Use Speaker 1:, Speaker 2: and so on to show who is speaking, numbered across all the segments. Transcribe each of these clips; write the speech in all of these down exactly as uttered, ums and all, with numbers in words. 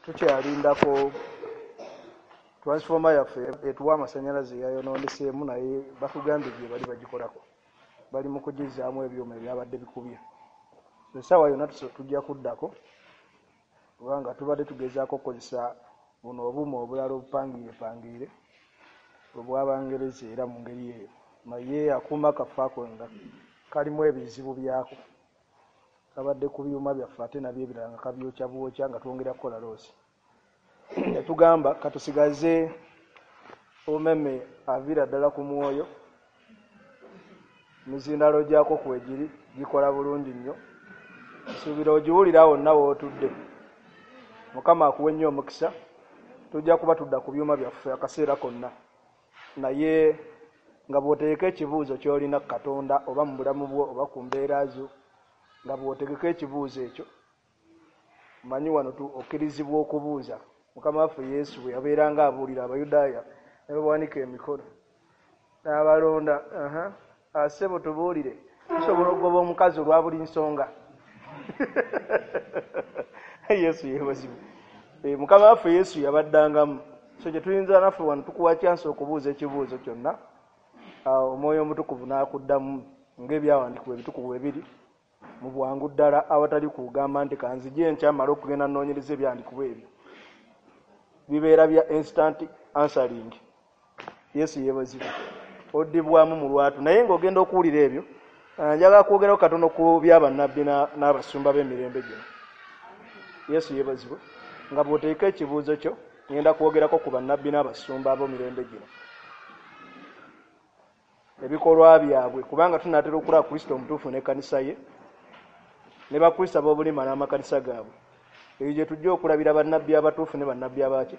Speaker 1: Tukyalindako transformer yaffe etuwa amasannyalaze yayonooneseemu, naye batugambye gye bali bagikolako, bali mu kugizaamu ebyuma ebyabadde bikubye. Essaawa yonna tujja kuddako, kubanga tubadde tugezaako okukozesa buno obuuma obulala obupangiirepangiire obw'Abangereza era mu ngeri eyo, naye akuuma kaffe ako nga kalimu ebizibu byako, kabadde ku byuma byaffe ate nabyo ebirala nga kabyokya bwokya nga twongera kukola loosi. Ne tugamba katusigaze omeme aviira ddala ku mwoyo, emizindalo gyako kwegiri gikola bulungi nnyo, nsuubira ogiwulira wonna w'otudde. Mukama akuwe nnyo omukisa. Tujja kuba tudda ku byuma byaffe akaseera konna, naye nga bw'otegeka ekibuuzo ky'olina Katonda oba mu bulamu bwo oba ku mbeera zo, nga bw'otegeka ekibuuzo ekyo, manyi wano okkirizibwa okubuuza. Mukama waffe Yesu bwe yabeeranga abuulira Abayudaaya ne bawanika emikono n'abalonda, "Ssebo tubuulire, tusobola okugoba omukazi olwa buli nsonga?" Yesu yeebazibwe. Mukama waffe Yesu yabaddangamu. So kye tuyinza naffe wano tukuwa chance okubuuza ekibuuzo kyonna, Omwoyo Omutukuvu n'akuddamu ng'ebyawandiikibwa ebitukuvu ebiri mu bwangu ddala, awatali kugamba nti kanzije enkya mmale okugenda nnoonyereza ebyawandiikibwa ebyo. Bibeera bya instant answering. Yesu yeebazibwe. Oddibwamu mu lwatu. Naye ng'ogenda okuwulira ebyo, njagala kwogerako katono ku byabannabbi n'abasumba b'emirembe gino. Yesu yeebazibwe. Nga bw'oteeka ekibuuzo kyo, ngenda kwogerako ku bannabbi n'abasumba ab'emirembe gino, ebikolwa byabwe, kubanga tunaatera okulaba Kristo omutuufu n'ekkanisa ye ne Bakristo ab'obulimba n'amakanisa gaabwe. Eyo gye tujja okulabira bannabbi abatuufu ne bannabbi abaki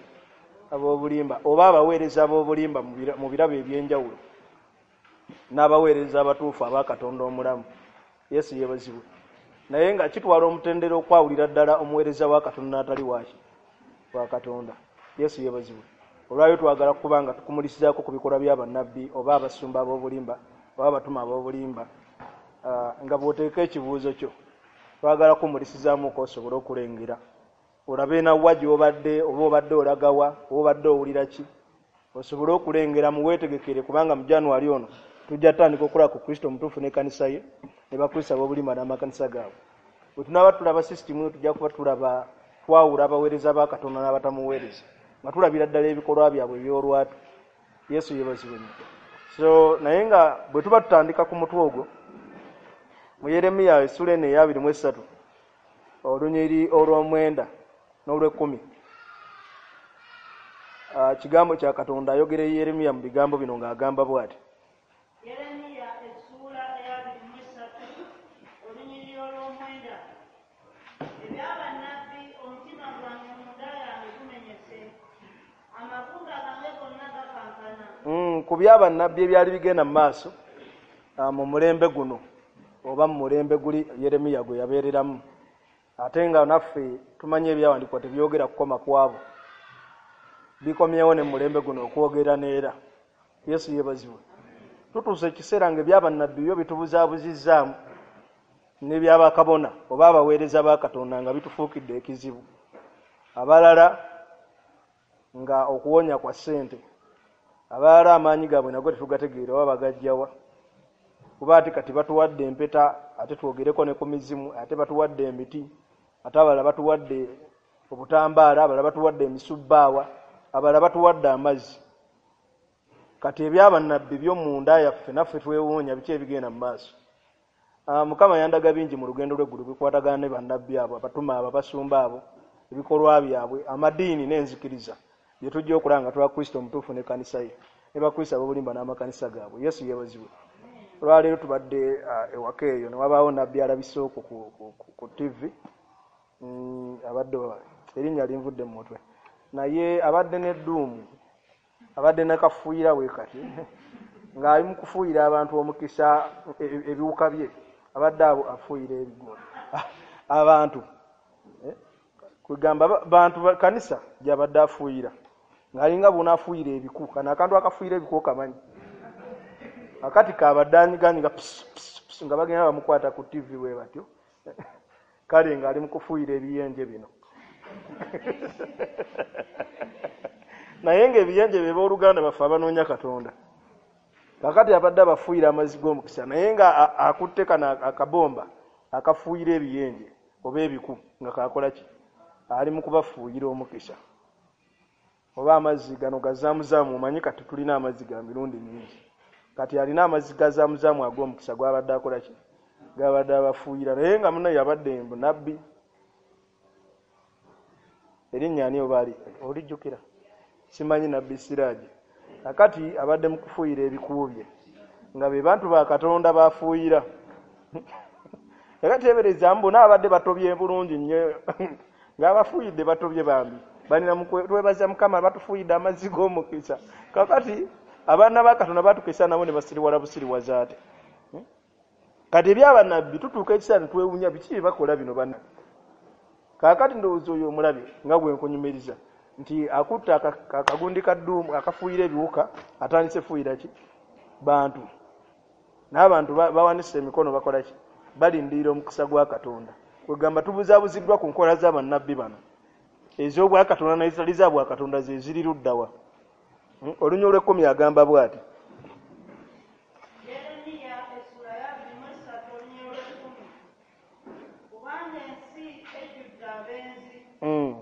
Speaker 1: ab'obulimba, oba abaweereza ab'obulimba mu birabo eby'enjawulo n'abaweereza abatuufu aba Katonda omulamu. Yesu yeebazibwe. Naye nga kitwala omutendera okwawulira ddala omuweereza wa Katonda n'atali waki wa Katonda. Yesu yeebazibwe. Olwayo twagala kuba nga tukumulisizaako ku bikolwa bya bannabbi oba abasumba ab'obulimba oba abatuma ab'obulimba. Nga bw'oteeka ekibuuzo kyo, twagala kumulisizaamu osobole okulengera, olabe nawa gy'obadde, oba obadde olagawa, oba obadde owulira ki, osobole okulengera muweetegekere, kubanga mu January ono tujja tandika okulaba ku Kristo omutuufu n'ekkanisa ye ne Bakristo ab'obulimba n'amakanisa gaabwe. Bwe tunaaba tulaba sisitimu, tujja kuba tulaba twawula abaweereza ba Katonda n'abatamuweereza, nga tulabira ddala ebikolwa byabwe eby'olwatu. Yesu yeebazibwe nnyo. So naye nga bwe tuba tutandika ku mutwe ogwo, mu Yeremiya essula eno eya abiri mu essatu olunyiriri olw'omwenda n'olw'ekkumi, kigambo kya Katonda ayogera Yeremiya mu bigambo bino ng'agamba bw'ati.
Speaker 2: Yeremiya essuula eya abiri mu essatu olunyiriri olw'omwenda. Ebyabannabbi, omutima gwange munda yange gumenyese, amagumba gange gonna gakankana.
Speaker 1: Ku byabannabbi ebyali bigenda mu maaso mu mulembe guno oba mu mulembe guli Yeremiya gwe yabeereramu, ate nga naffe tumanyi ebyawandiikibwa tebyogera kukoma kwabo, bikomyewo ne mu mulembe guno okwogera neera. Yesu yeebazibwe. Tutuuse ekiseera nga ebyabannabbi byo bitubuzaabuzizaamu n'ebyabakabona oba abaweereza ba Katonda nga bitufuukidde ekizibu. Abalala nga okuwonya kwa ssente, abalala amaanyi gaabwe nago tetugategeera oba bagajjawa, kuba ate kati batuwadde empeta, ate twogereko ne ku mizimu, ate batuwadde emiti, ate abalala batuwadde obutambaala, abalala batuwadde emisubbaawa, abalala batuwadde amazzi. Kati ebyabannabbi byo munda yaffe naffe twewuunya biki ebigenda mu maaso. Mukama yandaga bingi mu lugendo lw'eggulu bikwatagana ne bannabbi abo, abatuma abo, abasumba abo, ebikolwa byabwe, amadiini n'enzikiriza bye tujja okulaba nga twa Kristo omutuufu n'ekkanisa ye ne Bakristo ab'obulimba n'amakanisa gaabwe. Yesu yeebazibwe. Olwaleero tubadde ewaka eyo ne wabaawo nabbi alabise okwo ku T V, abadde erinnya linvudde mu mutwe, naye abadde n'edduumu, abadde nakafuuyira we kati ng'ali mu kufuuyira abantu omukisa ebiwuka bye, abadde abo afuuyira ebigwo abantu, kugamba bantu kanisa gy'abadde afuuyira ng'alinga bw'onaafuuyira ebiku. Kano akantu akafuuyira ebiku okamanyi, akati kabadde anyiganyiga nga bagenda bamukwata ku T V bwe batyo, kale ng'ali mu kufuuyira ebiyenje bino. Naye ng'ebiyenje bye booluganda baffe abanoonya Katonda. Kakati abadde abafuuyira amazzi g'omukisa naye nga akutte kano akabomba akafuuyira ebiyenje oba ebiku nga kakola ki? Ali mu kubafuuyira omukisa. Oba amazzi gano gazaamuzaamu, omanyi kati tulina amazzi ga mirundi mingi. Kati alina amazzi gazaamuzaamu ag'omukisa gw'abadde akola ki? Gabadde abafuuyira naye nga munne yabadde mbu nabbi. Erinnya ani oba ali olijjukira? Simanyi Nabbi Siraji. Kakati abadde mu kufuuyira ebikuubye nga be bantu ba Katonda bafuuyira. Kakati teebereza mbu n'abadde batobye bulungi nnyo ng'abafuuyidde batobye bambi. Balina twebaza Mukama batufuuyidde amazzi g'omukisa. Kakati abaana ba Katonda batukisa nabo ne basiriwala busiriwaza ate. Kati ebyabannabbi tutuuka ekiseera ne twewuunya biki bye bakola bino bannabbi. Kaakati ndowooza oyo omulabe nga gwe nkunyumiriza nti akutte akagundi ka dduumu akafuuyira ebiwuka atandise fuuyira ki? Bantu. N'abantu bawanise emikono bakola ki? Balindirira omukisa gwa Katonda. Kwegamba tubuzaabuziddwa ku nkola z'abannabbi bano ez'obwakatonda n'ezitali za bwakatonda ze ziri ludda wa? Olunyiriri olw'ekkumi agamba bw'ati. Mm.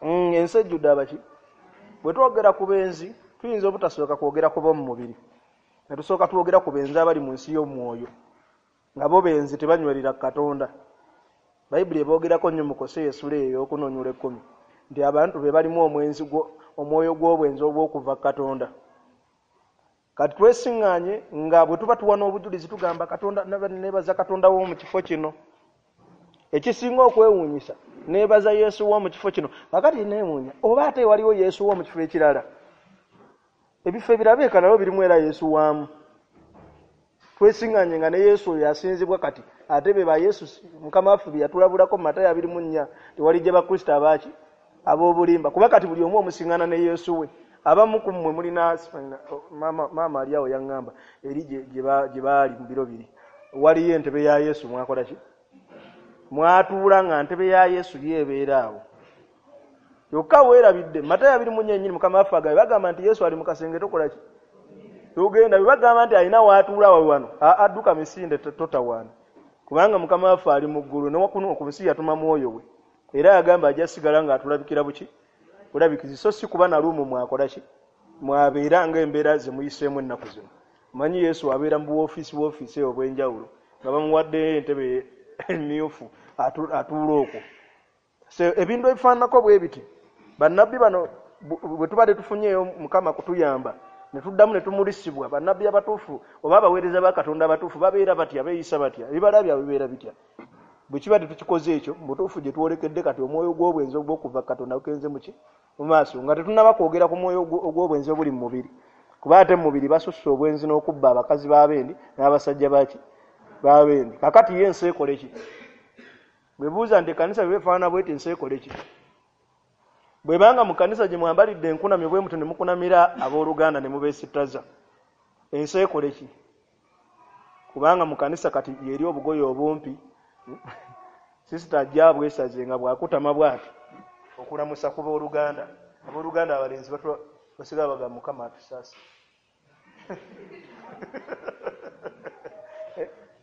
Speaker 1: Mm, ensi ejjudde abaki? Bwe twogera ku benzi tuyinza obutasooka kwogera ku b'omu mubiri ne tusooka twogera ku benzi abali mu nsi y'omwoyo nga bo benzi tebanywerera Katonda. Bayibuli eboogerako nnyo mu Koseya essula eyo ey'okunoonyula ekkumi nti abantu be balimu omwenzi omwoyo gw'obwenzi obw'okuva Katonda. Kati twesiŋŋaanye nga bwe tuba tuwa n'obujulizi tugamba Katonda neebaza Katonda w'omu kifo kino. Ekisinga okwewuunyisa neebaza Yesu w'omu kifo kino. Kakati neewuunya oba ate waliwo Yesu w'omu kifo ekirala. Ebifo ebirala nabyo birimu era Yesu waamu. Twesiŋŋaanye nga ne Yesu oyo asinzibwa kati ate be ba Yesu Mukama waffe bye yatulabulako mu Matayo abiri mu nnya tewalijja Bakristo abaaki ab'obulimba kuba kati buli omu omusiŋŋaana ne Yesu we. Abamu ku mmwe mulina maama maama ali awo yaŋŋamba eri gye baali mu biro biri waliyo entebe ya Yesu mwakola ki? Mwatuula nga ntebe ya Yesu yeebeera awo. Yokka weerabidde Matayo abiri mu nnya ennyini Mukama waffe agambye bagamba nti Yesu ali mu kasenge tokola ki? Togenda. Bwe bagamba nti alina waatuula wawe wano adduka misinde totawaana kubanga Mukama waffe ali mu ggulu ne wakuno ku nsi yatuma mwoyo we era yagamba ajja sigala ng'atulabikira buki? Bulabikizi. So si kuba na lumu mwakola ki? Mwabeera ng'embeera ze muyiseemu ennaku zino. Omanyi Yesu abeera mu buwoofiisi woofiisi eyo obw'enjawulo nga bamuwaddeyo entebe emyufu atuula okwo. So ebintu ebifaananako bwe biti bannabbi bano bwe tubadde tufunyeeyo Mukama kutuyamba ne tuddamu ne tumulisibwa bannabbi abatuufu oba abaweereza ba Katonda abatuufu babeera batya, beeyisa batya, ebibala byabwe bibeera bitya. Bwe kiba tetukikoze ekyo mu butuufu gye twolekedde kati omwoyo gw'obwenzi ogw'okuva Katonda gugenze muki? Mu maaso nga tetunnaba kwogera ku mwoyo ogw'obwenzi obuli mu mubiri kuba ate mu mubiri basusse obwenzi n'okubba abakazi b'abendi n'abasajja baki? B'abendi. Kakati ye ensi ekole ki? Bwe buuza nti ekkanisa bwe beefaanana bw'eti ensi ekole ki? Bwe banga mu kkanisa gye mwambalidde enkunamyo bwe mutyo ne mukunamira abooluganda ne mubeesittaza ensi ekole ki? Kubanga mu kkanisa kati yeri obugoye obumpi sisita ajja bwesaze nga bwakutama bw'ati okulamusa ku booluganda. Abooluganda abalenzi basigala bagamba Mukama atusaasire.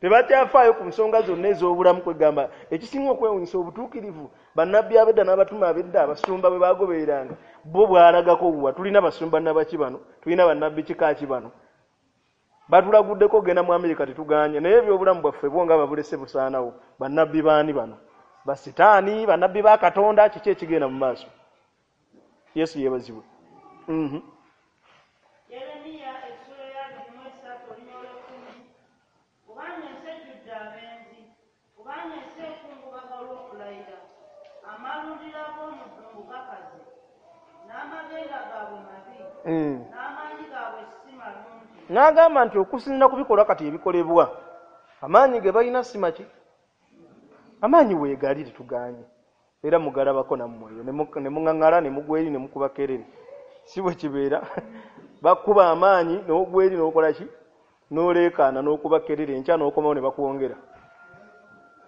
Speaker 1: Tebakyafaayo ku nsonga zonna ez'obulamu kwegamba ekisinga okwewuunyisa obutuukirivu bannabbi ab'edda n'abatume ab'edda abasumba bwe baagobereranga bo bwalagako wa tulina basumba nabaki bano tulina bannabbi kika ki bano batulaguddeko ogenda mu Amerika tetuganye naye ebyobulamu bwaffe bwo nga babulese busaanawo bannabbi baani bano basitaani bannabbi ba Katonda kiki ekigenda mu maaso. Yesu yeebazibwe. Mhm. Mm. N'agamba nti okusinziira ku bikolwa kati ebikolebwa amaanyi ge balina si maki? Amaanyi weegali tetuganye era mugalabako nammwe eyo ne muŋŋaŋŋala ne mugwa eri ne mukuba kerere si bwe kibeera bakuba amaanyi n'ogwa eri n'okola ki? N'oleekaana n'okuba kerere enkya n'okomawo ne bakwongera.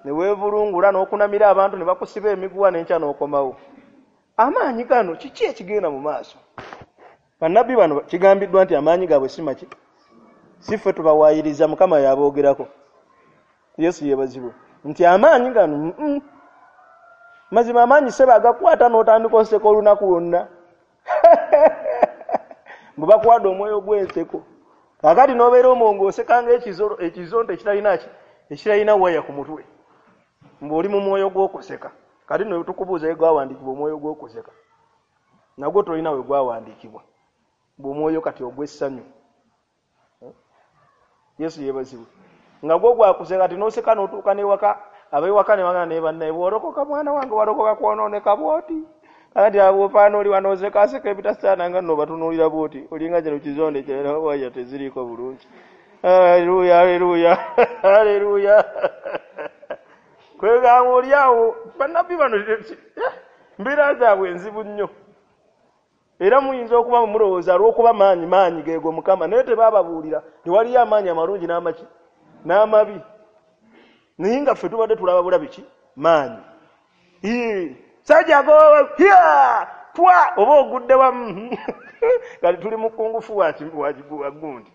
Speaker 1: Ne weevulungula n'okunamira abantu ne bakusiba emiguwa n'enkya n'okomawo. Amaanyi gano kiki ekigenda mu maaso? Bannabbi bano kigambiddwa nti amaanyi gaabwe si maki, si ffe tubawaayiriza, Mukama y'aboogerako. Yesu yeebazibwe nti amaanyi gano mm, mazima amaanyi sebe agakwata n'otandika oseka olunaku lwonna. Mbu bakuwadde omwoyo gw'enseko, kakati n'obeera omwo ng'oseka ng'ekizolo ekizonto ekitalina ki ekitalina waya ku mutwe, mbu oli mu mwoyo gw'okuseka. Kati nno tukubuuza we gwawandiikibwa omwoyo gw'okuseka, nagwo tolina we gwawandiikibwa, mbu omwoyo kati ogw'essanyu. Yesu yeebazibwe nga gwo gwakuseka, kati n'oseka n'otuuka n'ewaka, ab'ewaka ne bagamba ne bannaye, bw'olokoka mwana wange walokoka kwonooneka bw'oti. Kakati abo opaana oli wano osekaaseka ebitasaana nga nno batunuulira bw'oti, olinga kino kizonde kirala waya teziriiko bulungi. Haleluya, haleluya, haleluya. Kwegamba oli awo bannabbi bano mbeera zaabwe enzibu nnyo, era muyinza okuba mulowooza olw'okuba maanyi maanyi geego Mukama, naye tebaababuulira tewaliyo amaanyi amalungi n'amaki n'amabi. Naye nga ffe tubadde tulaba bulabi ki maanyi. Sajja agoba twa oba ogudde wamu. Kati tuli mu kungufu wa wa gundi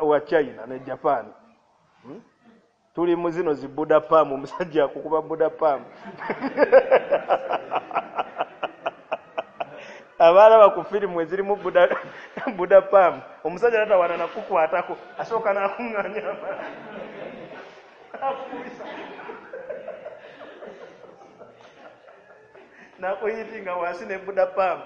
Speaker 1: wa China ne Japan. Tuli mu zino zi Buddha Palm, omusajja akukuba Buddha Palm. Abalaba ku firimu ezirimu Buddha Buddha Palm, omusajja tatawana nakukwatako, asooka n'akuŋŋaanya amaanyi akukubisa nakuyitinga wansi ne Buddha Palm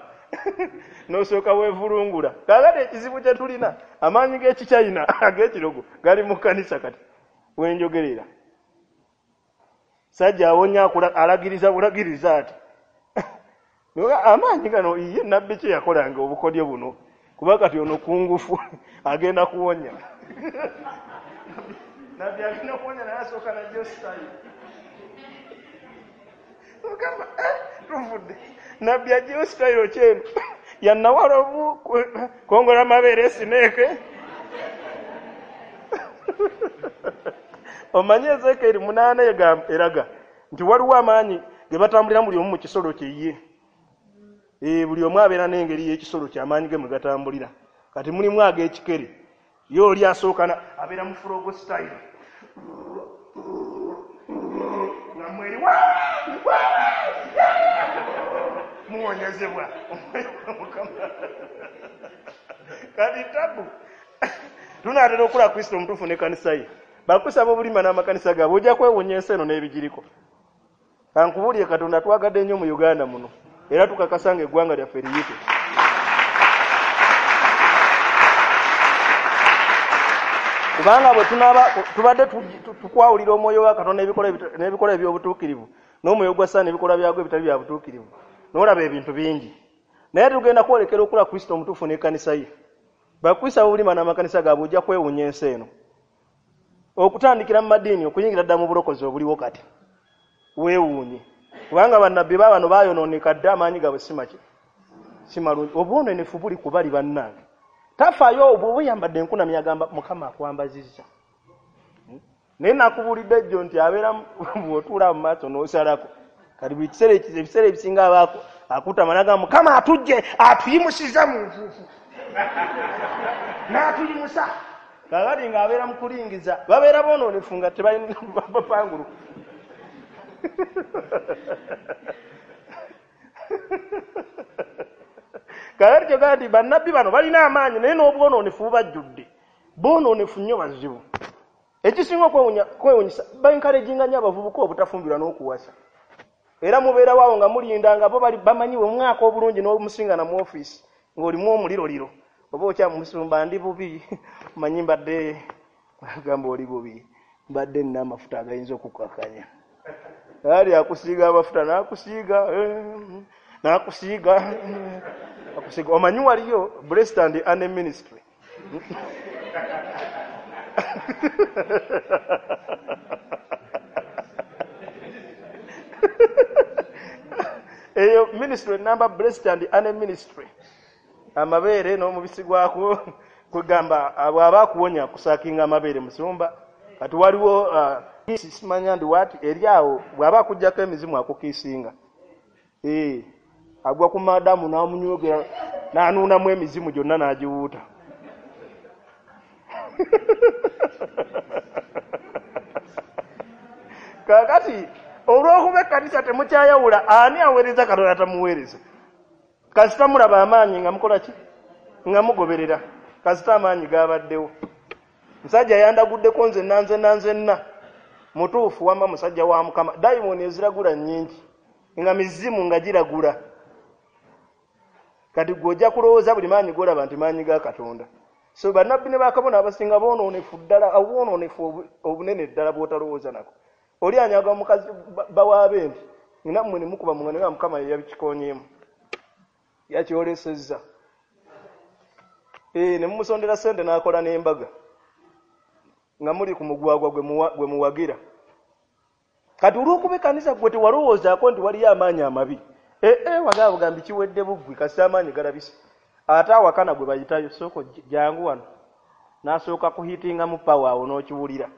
Speaker 1: n'osooka weevulungula. Kaakati ekizibu kye tulina, amaanyi g'ekichina ag'ekirogo gali mu kkanisa kati wenjogerera. Sajja awonya alagiriza bulagiriza ati amaanyi gano ye nabbi kye yakolanga obukodyo buno, kuba kati ono kungufu agenda kuwonya. Nabbi agenda kuwonya naye asooka najjo sitayi ogamba tuvudde. Nabbi ajjeyo sitayiro kyeno yannawalovu kongola mabeere esineeke. Omanye Ezeekeri munaana eraga nti waliwo amaanyi ge batambulira buli omu mu kisolo kye ye. Buli omu abeera n'engeri y'ekisolo kye amaanyi ge mwe gatambulira. Kati mulimu ag'ekikere, ye oli asooka abeera mu furogo sitayiro nga mweri muwonyezebwa Mukama. Kati tabu tunaatera okula Kristo omutuufu n'ekkanisa ye. Bakusaba obulima n'amakanisa gaabwe, ojja kwewuunya ensi eno n'ebigiriko. Kankubuulire, Katonda twagadde nnyo mu Uganda muno, era tukakasa ng'eggwanga lyaffe liyite. Kubanga bwe tunaaba tubadde tukwawulira omwoyo wa Katonda n'ebikolwa eby'obutuukirivu n'omwoyo gwa Setaani n'ebikolwa byagwo ebitali bya butuukirivu, n'olaba ebintu bingi. Naye tugenda kwolekera okula Kristo omutuufu n'ekkanisa ye. Bakusaba obulima n'amakanisa gaabwe, ojja kwewuunya ensi eno. Okutandikira mu madiini okuyingira dda mu bulokozi obuliwo kati weewuunye, kubanga bannabbi baabano baayonooneka dda, amaanyi gaabwe si maki si malungi. Obwononefu buli ku bali bannange. Tafaayo bw'oba oyambadde enkunamyo agamba Mukama akwambazizza. Naye nakubuulidde ejjo nti abeera bw'otuula mu maaso n'osalako, kati buli kiseera ebiseera ebisinga abaako akutama n'agamba Mukama atujje atuyimusiza mu nfuufu n'atuyimusa. Kakati ng'abeera mu kulingiza, babeera boonoonefu nga tebalina bapangulu. Kakati kyogamba nti bannabbi bano balina amaanyi naye n'obwonoonefu bubajjudde, boonoonefu nnyo bazibu. Ekisinga okwewuunyisa, baencouraginga nnyo abavubuka obutafumbirwa n'okuwasa. Era mubeerawo awo nga mulinda nga bo bamanyiwe omwaka obulungi n'omusingana mu ofiisi ng'olimu omuliroliro, oba okyamusumba ndi bubi, omanyi mbadde agamba oli bubi, mbadde nina amafuta agayinza okukakanya. Ali akusiiga amafuta n'akusiiga n'akusiiga akusiiga. Omanyi waliyo Blessed and Anne Ministry. Eyo ministry number Blessed and Anne Ministry. Amabeere n'omubisi gwako kwegamba bw'aba akuwonya akusaakinga amabeere musumba. Kati waliwo uh, simanya ndi wati eri awo bw'aba akuggyako emizimu akukiisinga. Eh, agwa ku madamu n'amunywegera n'anuunamu emizimu gyonna n'agiwuuta. Kaakati olw'okuba ekkanisa temukyayawula ani aweereza Katonda tamuweereza. Kasita mulaba amaanyi nga mukola ki? Nga mugoberera. Kasita amaanyi gabaddewo. Musajja yandaguddeko nze nna nze nna nze nna. Mutuufu wamma musajja wa Mukama. Dayimooni eziragula nnyingi nga mizimu nga giragula. Kati gwe ojja kulowooza buli maanyi g'olaba nti maanyi ga Katonda. So bannabbi ne bakabona abasinga boonoonefu ddala, obwonoonefu obunene ddala bw'otalowooza nako. Oli anyaga omukazi bawaabe nti nammwe ne mukuba mu ngano ya Mukama ye yabikikonyeemu. Yakyolesezza. Eh, ne mumusondera ssente n'akola n'embaga nga muli ku mugwagwa gwe muwagira. Kati olw'okuba ekkanisa gwe tewalowoozaako nti waliyo amaanyi amabi. Eh, eh, wagaba bugambi kiwedde buggwi kasita amaanyi galabise. Ate awakana gwe bayitayo sooka jangu wano. N'asooka kuhitingamu pawa awo n'okiwulira.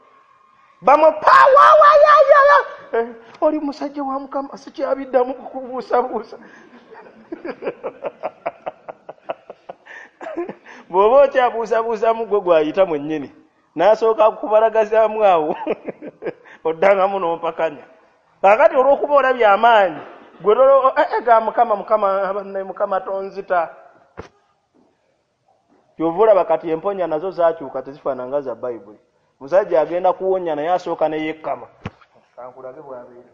Speaker 1: Bamwe pawa wayayaya. Eh, oli musajja wa Mukama sikyabiddamu kukubuusabuusa. Bw'oba okyabuusabuusamu gwe gwayita mwennyini. N'asooka kukubalagazaamu awo oddangamu n'ompakanya. Kaakati olw'okuba olabye amaanyi gwe eh, ga Mukama Mukama banne Mukama tonzita. Ky'ova olaba kati emponya nazo zaakyuka tezifaanana nga za Bayibuli. Musajja agenda kuwonya naye asooka ne yekkama. Kankulage bw'abeera.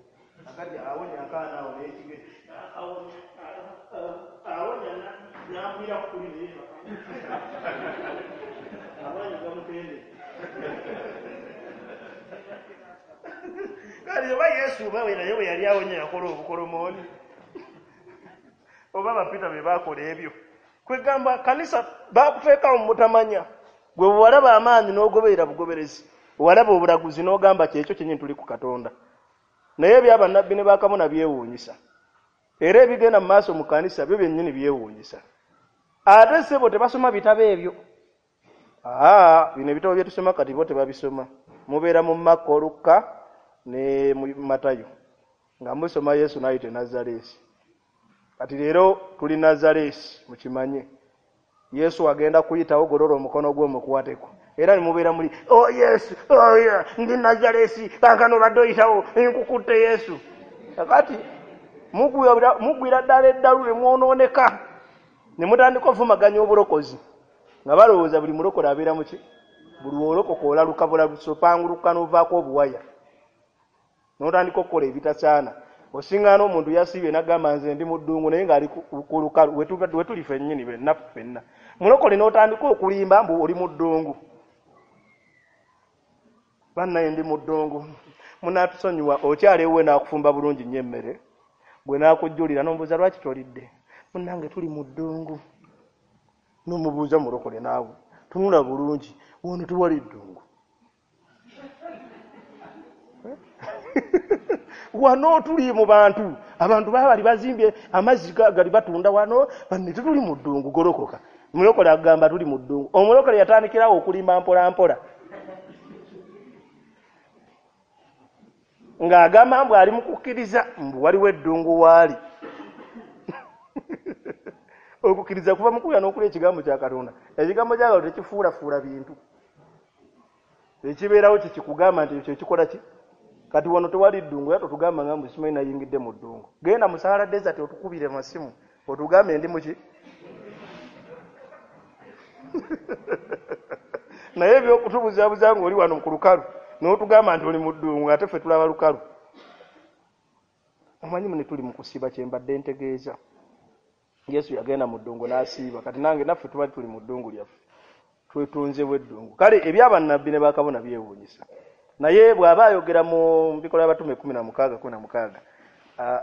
Speaker 1: Akati awonya akaana awo n'ekige. Awonya n'agwira ku kuli ne yeebaka. Amaanyi gamutende. Kale oba Yesu oba we naye bwe yali awonya yakola obukolomooni. Oba Bapita be baakola ebyo. Kwegamba kanisa bakuteekawo mu mutamanya. Gwe bw'olaba amaanyi n'ogoberera bugoberezi. Walaba obulaguzi n'ogamba kyekyo kyennyini tuli ku Katonda. Naye ebyabannabbi ne bakabona byewuunyisa. Era ebigenda mu maaso mu kanisa byo byennyini byewuunyisa. Ate ssebo tebasoma bitabo ebyo. Aa, bino ebitabo bye tusoma kati bo tebabisoma. Mubeera mu Makko, Lukka ne mu Matayo nga musoma Yesu n'ayita e Nazaleesi. Kati leero tuli Nazaleesi mukimanye. Yesu agenda kuyitawo golola omukono gwe omukwateko. Era ne mubeera muli oh Yesu, oh yeah, ndi Nazaleesi, kaakano obadde oyitawo nkukutte Yesu. Kakati mugwira ddala eddalu ne mwonooneka ne mutandika okuvumaganya obulokozi nga balowooza buli mulokole abeera muki? Buli w'olokoka olaluka bulalusi opanguluka n'ovaako obuwaya n'otandika okukola ebitasaana. Osingaana omuntu yasiibye n'agamba nze ndi mu ddungu naye ng'ali ku lukalu we tuli ffennyini ffenna ffenna. Mulokole n'otandika okulimba mbu oli mu ddungu. Bannaye ndi mu ddungu. Munaatusonyiwa okyala ewuwe n'akufumba bulungi nnyo emmere. Bwe n'akujjulira n'omubuuza lwaki tolidde? Munnange tuli mu ddungu. N'omubuuza mulokole naawe. Tunula bulungi wano tewali ddungu. Wano tuli mu bantu. Abantu baba bali bazimbye amazzi gali batunda wano banne tetuli mu ddungu golokoka. Mulokole agamba tuli mu ddungu. Omulokole yatandikirawo okulimba mpola mpola. Ng'agamba mbu ali mu kukkiriza mbu waliwo eddungu waali. Okukkiriza kuva mu kulya n'okulya ekigambo kya Katonda. Ekigambo kya Katonda tekifuulafuula bintu. Ekibeerawo kye kikugamba nti ekyo kikola ki? Kati wano tewali ddungu era totugamba nga mbu simanyi nayingidde mu ddungu. Genda mu Sahara Desert otukubire masimu otugambe ndi muki? Naye eby'okutubuzaabuza ng'oli wano ku lukalu n'otugamba nti oli mu ddungu ate ffe tulaba lukalu. Omanyi mune tuli mu kusiiba kye mbadde ntegeeza. Yesu yagenda mu ddungu n'asiiba. Kati nange naffe tuba tuli mu ddungu lyaffe. Twetunzebwa eddungu. Kale ebyabannabbi ne bakabona byewuunyisa. Naye bw'aba ayogera mu bikolwa by'abatume kkumi na mukaaga kkumi na mukaaga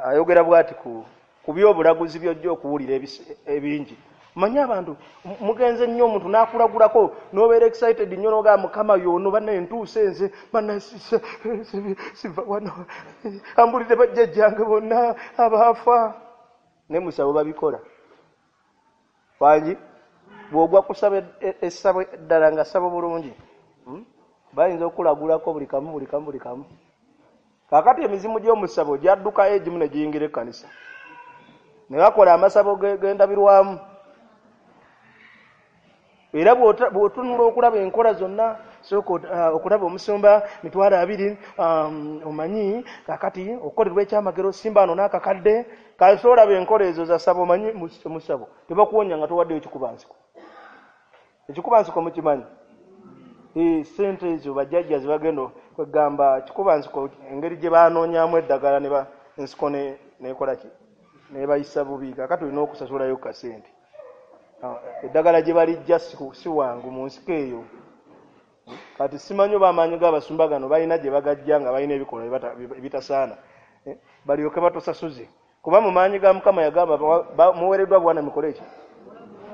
Speaker 1: ayogera bw'ati ku ku by'obulaguzi by'ojja okuwulira ebingi. Mmanyi abantu mugenze nnyo omuntu n'akulagulako n'obeera excited nnyo n'ogamba Mukama y'ono bannaye ntuuse nze bannaye siva wano ambulire bajjajjange bonna abaafa. Ne musabo babikola. Wangi bw'ogwa kusaba essabo eddala nga ssabo bulungi. Hmm? Bayinza okulagulako buli kamu buli kamu buli kamu. Kaakati emizimu gy'omusabo gyaddukayo egimu ne giyingira ekkanisa. Ne bakola amasabo g'endabirwamu. Era bw'otunula okulaba enkola zonna, sooka okulaba omusumba mitwalo abiri, omanyi kaakati okukolerwa ekyamagero simba ano n'akakadde, kale olaba enkola ezo za ssabo omanyi omusabo tebakuwonya nga towaddeyo ekikubansiko. Ekikubansiko mukimanyi? Eh, ssente ezo bajjajja ze bagenda kwegamba kikubansiko engeri gye banoonyaamu eddagala ne ba ensiko nekola ki nebayisa bubi, kaakati olina okusasulayo kasente. Eddagala gye balijja si wangu mu nsiko eyo. Kati simanyi oba amaanyi g'abasumba gano balina gye bagajja nga balina ebikolwa ebitasaana, balyoke batusasuze. Kuba mu maanyi ga Mukama yagamba muweereddwa bwana mukole ki?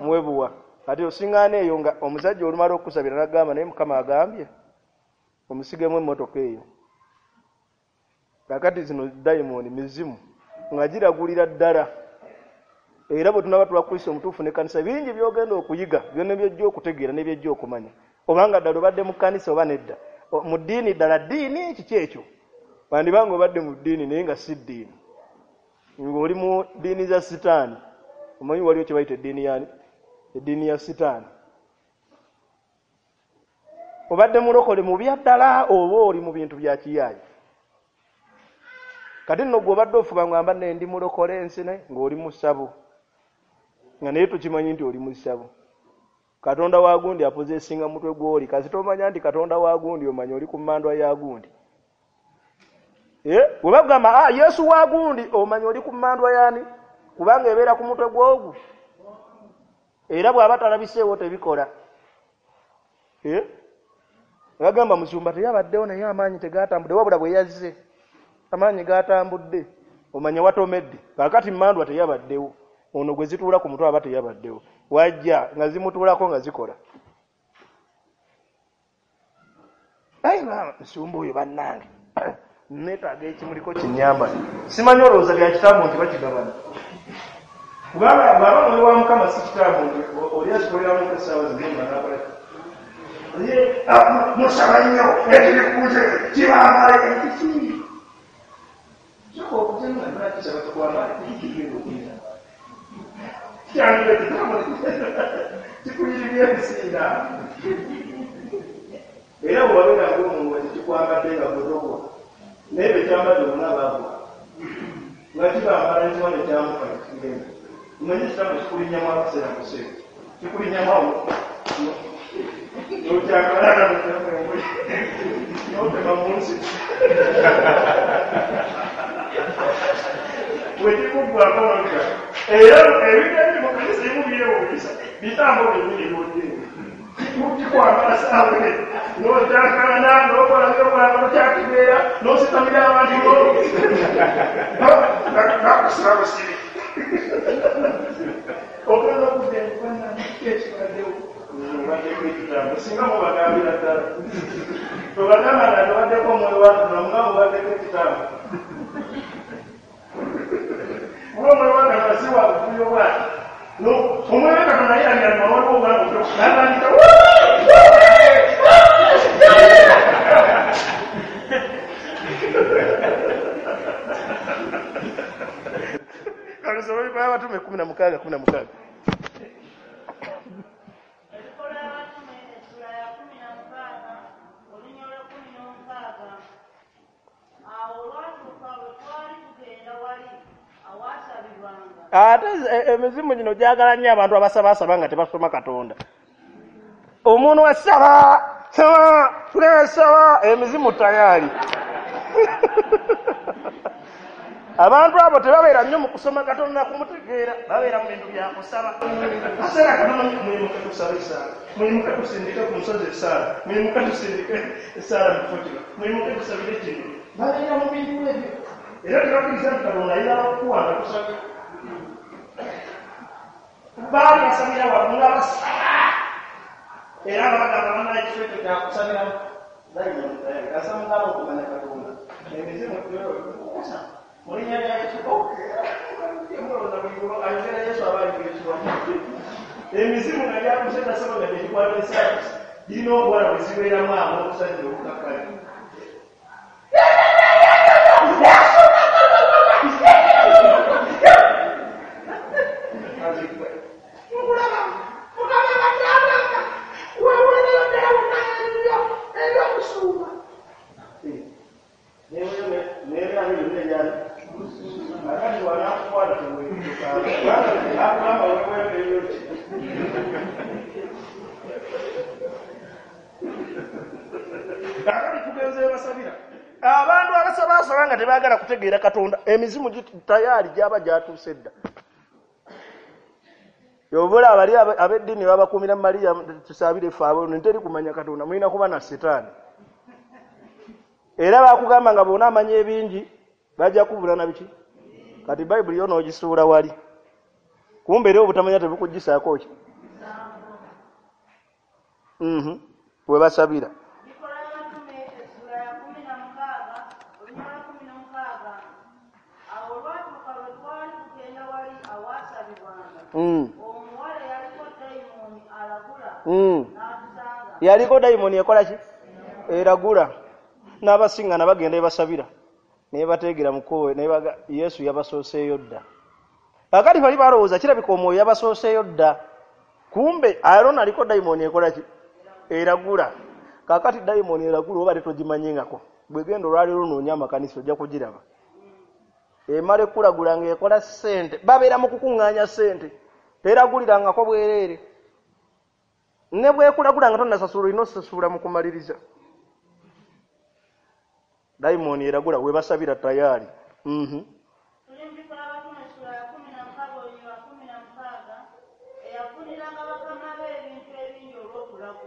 Speaker 1: Muwe buwa. Kati osingaana eyo nga omusajja olumala okusabira n'agamba naye Mukama agambye omusigemu emmotoka eyo. Kaakati zino dayimooni mizimu nga giragulira ddala. Era bwe tunaba tuba Kristo omutuufu n'ekkanisa bingi by'ogenda okuyiga byonna by'ojja okutegeera ne by'ojja okumanya. Obanga ddala obadde mu kkanisa oba nedda. Mu ddiini ddala ddiini kiki ekyo? Bandibanga obadde mu ddiini naye nga si ddiini. Ng'oli mu ddiini za Sitaani. Omanyi waliwo kye bayita eddiini yaani? Eddiini ya Sitaani. Obadde mulokole mu bya ddala oba oli mu bintu bya kiyaayi. Kati nno gwe obadde ofuba ng'amba nne ndi mulokole ensi naye ng'oli mu ssabo. Nga naye tukimanyi nti oli mu ssabo. Katonda wa gundi apozesinga mutwe gw'oli. Kasita omanya nti Katonda wa gundi omanya oli ku mmandwa ya gundi. Eh, bwe bagamba ah, Yesu wa gundi omanya oli ku mmandwa yaani? Kubanga ebeera ku mutwe gw'ogwo. Era bw'aba talabiseewo tebikola. Eh? Bagamba musumba teyabaddewo naye amaanyi tegatambudde wabula bwe yazze. Amaanyi gatambudde omanya watomedde. Kaakati mmandwa teyabaddewo. Ono gwe zituula ku mutwe aba teyabaddewo. Wajja nga zimutuulako nga zikola. Ayi maama musumba oyo bannange. Neetaaga ekimuliko kinnyamba. Simanyi olowooza bya kitambo nti bakigabana. Kubanga bw'aba mwoyo wa Mukama si kitambo nti oli akikoleramu essaawa zino nga n'akola ki? Musaba nnyo ekibikuze kibambala ekiki. Sooka okutema nga kisaba kikwambala kigenda okuyita. Kyange ekitambo kikuyiririra ebisinga. Era bw'obeera ng'omuntu kikwambadde nga gwe naye bwe kyambadde bonna baagwa. Nga kibambala nti wano kyamuka kigenda. Omanyi ekitambo kikulinnyamu akaseera kuseera. Kikulinnyamu awo. N'okyakalana n'otema mu nsi. Bwe kikuggwako n'oleka. Era ebintu ebiri mu kanisa ebimu byewuunyisa. Bitambo byennyini by'odde. Kikwambala ssaawa eno. N'okyakalana n'okola by'okola n'okyakibeera n'ositamira abantu bakusiba busibi. Ogenda okudda enfaanana ekibaddewo. Obaddeko ekitambo singa mubagambira ddala. Tobagamba nga tobaddeko omwoyo wa Katonda nga mubaddeko ekitambo. Kuba omwoyo wa Katonda si wa buvuyo bw'ati. Omwoyo wa Katonda ye alira waliwo obwangu n'atandika Kale Abatume kumi na mukaaga kumi na mukaaga.
Speaker 2: Ebikolwa Abatume essula ya kumi na mukaaga olunya olw'ekkumi n'omukaaga. Awo olwatuuka bwe twali tugenda wali awaasabirwanga.
Speaker 1: Ate emizimu gino gyagala nnyo abantu abasabasaba nga tebasoma Katonda. Omuntu asaba saba tunasaba emizimu tayari. Abantu abo tebabeera nnyo mu kusoma Katonda kumutegeera, babeera mu bintu bya kusaba. Kaseera katono muyimuke tusaba essaala, muyimuke tusindike ku nsozi essaala, muyimuke tusindike essaala mu kifo kino, muyimuke tusabire kino. Babeera mu bintu ebyo. Era tebakkiriza nti Katonda ayina okuwa nga tusabye. Baali basabira waggulu nga basaba. Era nga bagamba bannaye ekifo ekyo kya kusabiramu. Kasaba mugamba okumanya Katonda. Emizimu kusaba. Mu linnya lya Yesu, ayogera Yesu aba ayogera ekiwamu. Emizimu nga gyakuze tasobola nga tekikwata essaala. Girina obuwala bwe zibeeramu ab'obusajja obukakkali. Abantu abasaba nga tebaagala kutegeera Katonda, emizimu tayari gyaba gyatuuse dda. Yobola abali ab'eddiini babakuumira Mariya tusabire ffe abo nteri kumanya Katonda, mulina kuba na Setaani. Era bakugamba nga bonna amanya ebingi bajja kubula na biki. Kati Bayibuli yo n'ogisuula wali, kumbe era obutamanya tebukugisaako ki? Mhm, we basabira. Mm. Mm. Yaliko dayimoni ekola ki? Eragula. N'abasingana bagenda ebasabira naye bateegera mukowe naye baga Yesu yabasooseeyo dda. Kakati bali balowooza kirabika omwoyo yabasooseeyo dda, kumbe Aaron aliko dayimoni ekola ki? Eragula. Kakati dayimoni eragula oba tetogimanyingako, bwegenda olwaleero onoonya amakanisa ojja kugiraba. Emala ekulagula ng'ekola ssente, babeera mu kukuŋŋaanya ssente, teragulirangako bwereere. Ne bwekulagula nga tonnasasula olina osasula mu kumaliriza. Dayimoni eragula we basabira tayari. Mhm.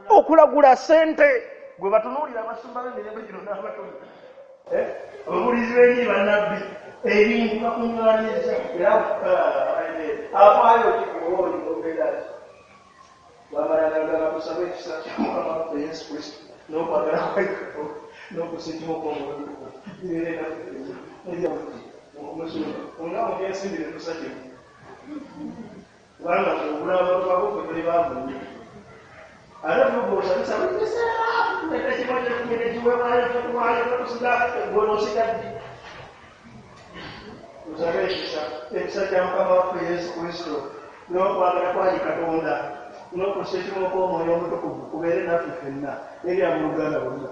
Speaker 1: Okulagula ssente gwe batunuulira abasumba b'emirembe gino n'abatono. Eh, ababuulizi b'enjiri bannabbi ebintu bakuŋŋaanyiza era afaayo kikuwooli obeera ki? Bamalanga kusaba ekisa kya Mukama waffe Yesu Kristo n'okwagala kwa Katonda n'okussa ekimu kw'Omwoyo bibeere naffe ffenna. Nga mu byensimbi tetussa kimu, kubanga ogula abantu babo ffe tuli baavu nnyo. Ate tugoosa tusaba ekiseera tuleeta kimu eky'ekkumi n'ekiweebwayo kyetuwaayo tetusiga gwe n'osiga ddi? Tusabe ekisa, ekisa kya Mukama waffe Yesu Kristo n'okwagala kwa Katonda n'okussa ekimu kw'Omwoyo Omutukuvu kubeere naffe ffenna eri abooluganda bonna.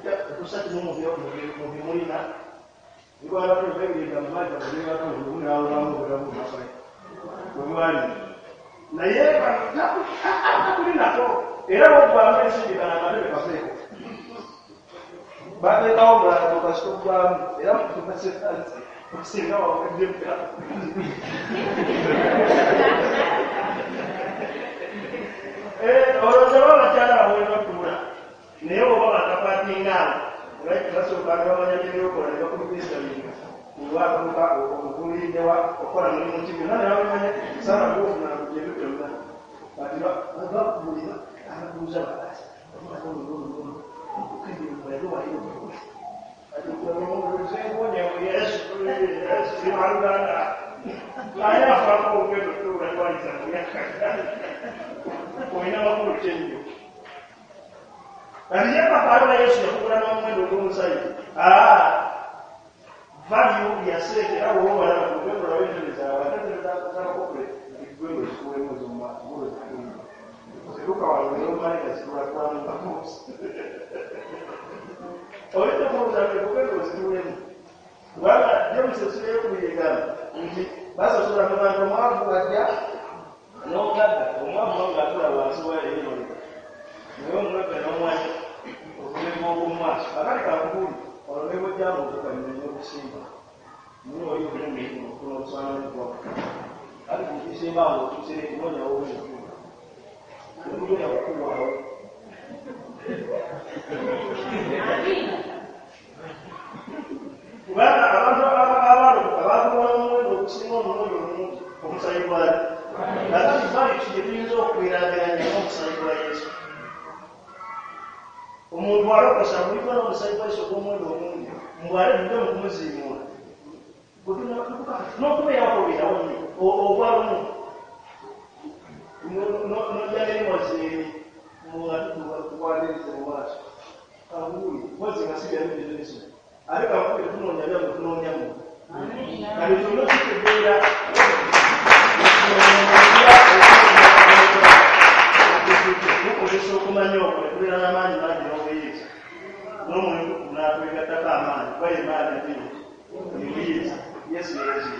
Speaker 1: Tetussa kimu mu bye mulina. Naye tuli nako era bw'oggwamu ensimbi bano amatebe kaveeko bateekawo omulala gwe kasita oggwamu era osinga wawedde. Olowooza oba abakyala abo batuula naye oba bakapatinga awo basooka ne bamanya byebyokola ne bakubisalinga olwatuuka omukuliriddewa okukola mulimu ki byonna ne babimanya saala gwofuna gyebyo byonna kati bakubulira ababuuza bakasi olina makulu ki ennyo? Kati ye papa Yesu yakugula n'omuwendo ogw'omusaayi. Value ya ssente era bw'oba obalaba ogenda olabe entebe zaabwe ate entebe z'abakokole gwe ng'ozikuweemu ez'omu maaso ng'ozikuweemu. Ziruka wano naye omanika zitula kwamu oyinza okulowooza nti ogenda ozituulemu kubanga James essula ey'okubiri egamba nti basasula mu bantu omwavu ajja n'omugagga, omwavu ng'atula wansi wa eri naye omugagga n'omwanya obulembe obw'omu maaso. Akati kakubuuli olwo ne bw'ojja ng'otuuka nyonyi okusimba naye oli obulumi okufuna obusaana bwako kati bw'okisimba awo otuusire kunoonya w'obutuula tekugenda kukuwaawo. Kubanga abantu abalokoka baagulwa n'omuwendo ogusinga omuwendo omungi omusaayi gwayo. Kakati value ki gye tuyinza okweraageranya n'omusaayi gwa Yesu? Omuntu alokosa aguliddwa n'omusaayi gwa Yesu ogw'omuwendo omungi mbw'ate tudde mu kumuziimuula n'okubeerawo tobeerawo nnyo ogwa lumu. Nojja n'emozini muwanirize mu maaso kanguuli mpozi nga si byabibizinesi ate kanguuli tunoonya byammwe tunoonya mmwe kati kyonna kitegeera tukozesa okumanya okwo ne tubeera n'amaanyi mangi n'obuyinza n'omwoyo n'atwegattako amaanyi kuba ye maanyi ate obuyinza Yesu yezu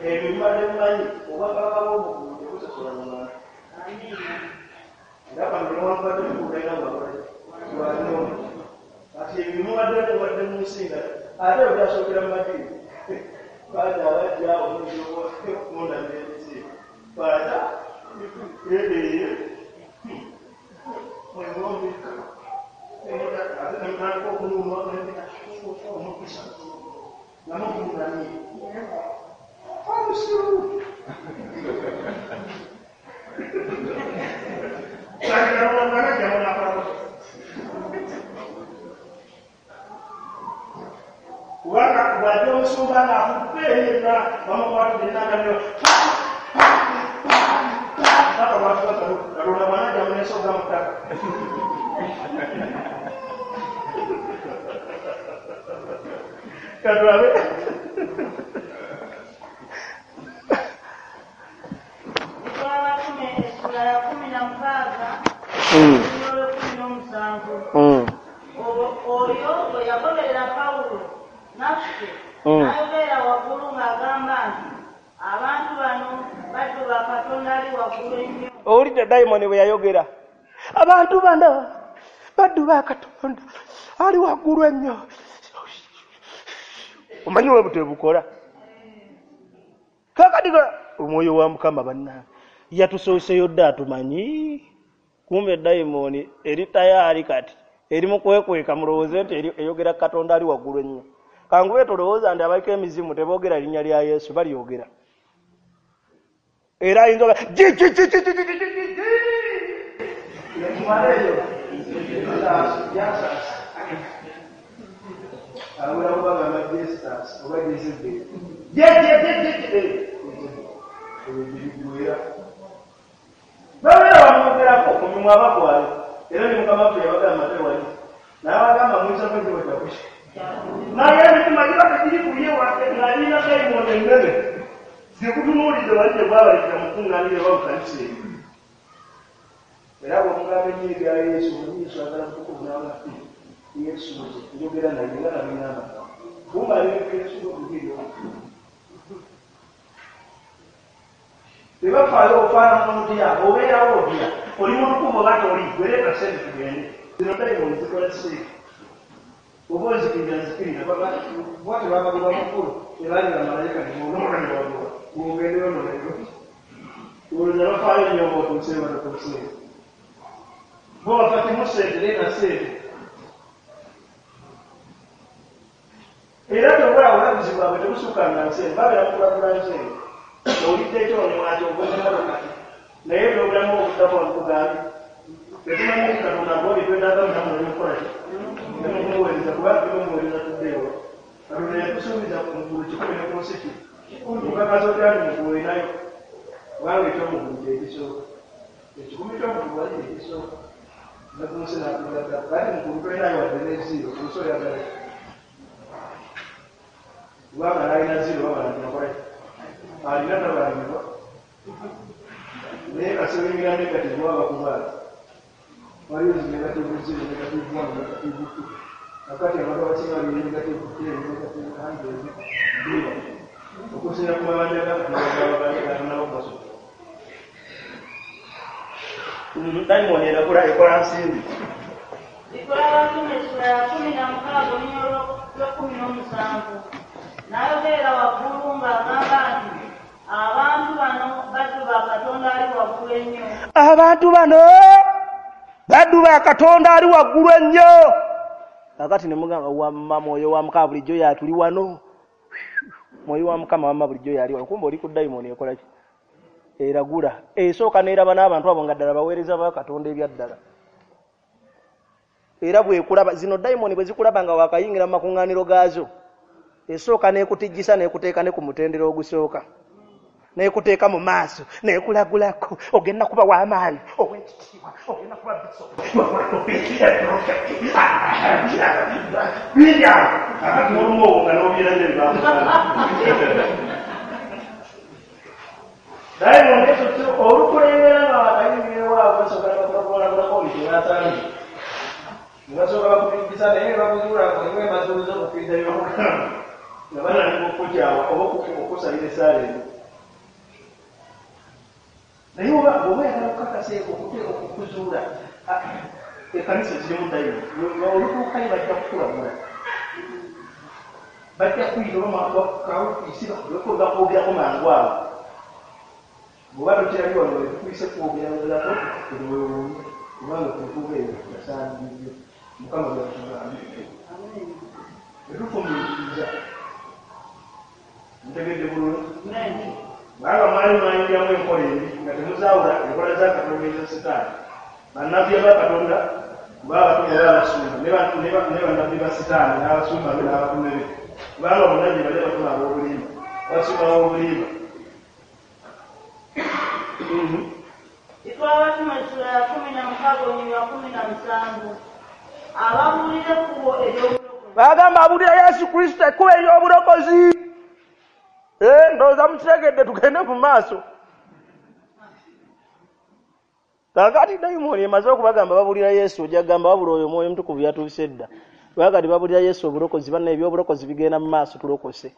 Speaker 1: ebyo bibadde bimanyi obwakabaka bw'omuggulu tebusosola mu bantu era kano newankubadde tukubeera nga lwalinomu kati ebyo mubadde mubadde mu nsi nga ate ebyo byasookera mu madiini baja abajja omuntu okundabira ebizibu baja eee ate nemutandika okuluma omukisa nga mukunamye omusiru kubanga bw'ajja omusumba ng'afudde yenna bamukwatidde ennangamiro paka lwatuka Katonda bw'anajja muneesogga mu ttaka katulabe
Speaker 2: Abatume essula ya kumi na mukaaga olunyiriri lw'ekkumi n'omusanvu oyo bwe yagoberera Pawulo naffe n'ayogerera waggulu ng'agamba nti abantu bano baddu ba Katonda ali waggulu ennyo.
Speaker 1: Owulidde dayimoni bwe yayogera abantu bano baddu ba Katonda ali waggulu ennyo. Omanyi bwe butebukola kakati omwoyo wa Mukama bannange yatusooseyo dda atumanyi kumbe dayimoni eri tayaali kati eri mu kwekweka mulowooze nti eyogera Katonda ali waggulu ennyo. Kangube tolowooza nti abaliko emizimu teboogera linnya lya Yesu balyogera era ayinza babeera bamwogerako ku mimwa abagwayo era ne Mukama waffe yabagamba tewali n'abagamba muyisako ekibo kyakuki naye emitima giba tegiri ku ye ng'alina dayimoni ennene zikutunuulidde wali gye bwabalikira mu kuŋŋaaniro oba mu kanisa eyo era bw'omugamba ennyo ebya Yesu omanyi Yesu agala mutukuvu n'aga Yesu nze njogera naye nga nabingamba kumbe alibika Yesu n'okugiryo tebafaayo ofaanana otya obeerawo otya oli mutukuvu oba toli gwereeta ssente tugende zino dayimoni zikola ssente oba ozikirira nzikirira bwatyo babagoba mukulu tebaali bamalayika nebonoona ne bagoba bw'ogendeyo nonayo olowooza bafaayo nnyo oba otuuseeyo batotuuseeyo bo bafa kimu ssente leeta ssente era tobula obulaguzi bwabwe tebusukanga nsente babeera mukulagula nsente owulidde ekyo newakyo ogoze motoka naye ebyobulamu obuddako nkugambye tetumanyi nti Katonda gwa byetwetaaga mulamu n'okukola ki nemukumuweereza kubanga temumuweereza tuddeewo Katonda yatusuubiza ku ggulu kikumi ne ku nsi ki okakasa otya nti muggulu olinayo kubanga ekyomuggulu kyekisooka ekikumi ky'omuggulu wali kyekisooka ne ku nsi n'atugatta kati muggulu tolinayo wadde ne ziro ku nsi oyagala ki kubanga n'alina ziro babala nti nakola ki alina tabalangibwa naye kasebingira negative wabakubaala waliwo zi negative zero negative one negative two kakati abantu abasinga bali negative ten negative hundred zero okusinga ku mabanja ga Katonda basobola dayimoni eragula ekola nsimbi
Speaker 2: Bikola Abatume essula ya kumi na mukaaga olunyiriri lw'ekkumi n'omusanvu n'ayogerera waggulu ng'agamba nti abantu bano baddu ba Katonda ali waggulu ennyo.
Speaker 1: Abantu bano baddu ba Katonda ali waggulu ennyo. Kakati ne mugamba wamma mwoyo wa Mukama bulijjo yatuli wano mwoyo wa Mukama wamma bulijjo yali wano kumbe oli ku dayimoni ekola ki eragula esooka n'eraba n'abantu abo nga ddala baweereza ba Katonda ebyaddala era bwekulaba zino dayimoni bwe zikulaba nga wakayingira mu makuŋŋaaniro gaazo esooka n'ekutijjisa n'ekuteeka ne ku mutendera ogusooka
Speaker 3: Nekuteeka mu maaso, nekulagulako, ogenda kuba w'amaanyi, ow'ekitiibwa, ogenda kuba bisopu, bingi awo.
Speaker 1: Akati olumu obwo nga n'obyerabira bye bakugamba. Dayimooni ekyo olukulembera nga bakayingira ewaabwe basooka ne bakulagulako buli kye basanze. Ne basooka bakupikisa naye ne bakuzuula ng'olimu emazuuzi okukkiriza bye bakugamba. Nga batandika okukukyawa oba okukusalira essaala eno. Naye oba bw'oba oyagala okukakasa okuzuula ekkanisa zirimu dayimooni, olutuukayo bajja kukulagula. Bajja kuyita oba kaofiisi bakwogerako mangu awo. Bw'oba tokirabye wano we tukuyise kwogerako teweewuunye kubanga kutuuka eyo yasaanidde Mukama byatugambye. Tetufumiitiriza. Ntegedde bulungi? Kubanga mwali mwayingiramu enkola embi nga temuzaawula enkola za Katonda eza Sitaani. Bannabbi ba Katonda kuba abatume oba abasumba ne bannabbi ba Sitaani n'abasumba be n'abatume be. Kubanga bonna gye bali abatume ab'obulimba, abasumba b'obulimba.
Speaker 2: Bikolwa essula ya kumi na mukaaga olunyiriri lwa kumi na musanvu. Ababuulira ekkubo ery'obulokozi.
Speaker 3: Bagamba abuulira Yesu Kristo ekkubo ery'obulokozi. Eh, ndowooza mukitegedde, tugende mu maaso. Kaakati dayimooni emaze okubagamba babuulira Yesu, ojja kugamba wabula oyo Omwoyo Omutukuvu yatuuse dda. Kubanga babuulira Yesu obulokozi, banna eby'obulokozi bigenda mu maaso, tulokose.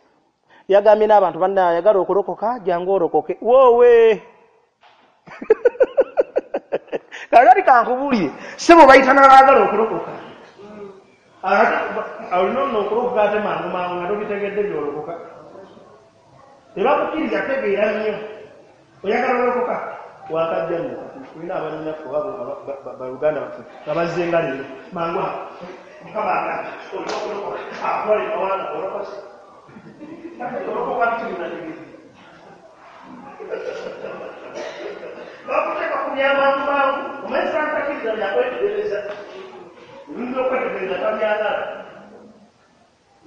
Speaker 3: Yagambye n'abantu banna ayagala okulokoka jangu olokoke. Woowe! Kaakati kankubuulire, ssebo bayita n'abaagala okulokoka.
Speaker 1: Olina nno okulokoka ate mangu mangu nga tobitegedde by'olokoka. Tebakukkiriza tegeera nnyo. Oyagala olokoka? Wakajja nno tulina abannyinaffe oba baluganda baffe nga bazze nga leero mangu awo. Mukama agambye olina okulokoka, akutwala emawanga olokose. Olokoka biki binategedde? Bakuteeka ku byamangu mangu, omanyi santakkiriza byakwetegereza. Ebintu by'okwetegereza tabyagala.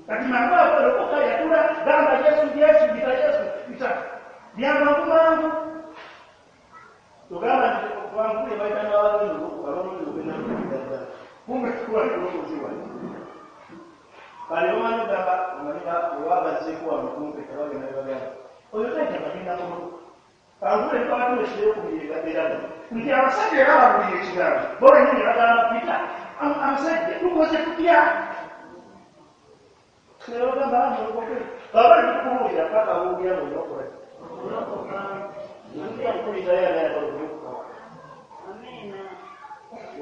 Speaker 1: Kati mangu awo olokoka yatula gamba Yesu Yesu bita Yesu bita byamangu mangu. Tugamba nti bankule bayita n'abalonzi abalonzi ogenda kuddala. Kumbe wali bulokozi wali. Bali bamanyi gamba omanyi oba bazzeeko wano kumpe tebagenda ne bagamba oyo taita bagenda kulokoka. Kankule twatuwa ekiro eraga nti abasajja era babuulira ekigambo bo bennyini bagamba Peter abasajja tukoze tutya? Ne bagamba mulokoke. Baba bali tukubuulira paka boogera bonna okola ki?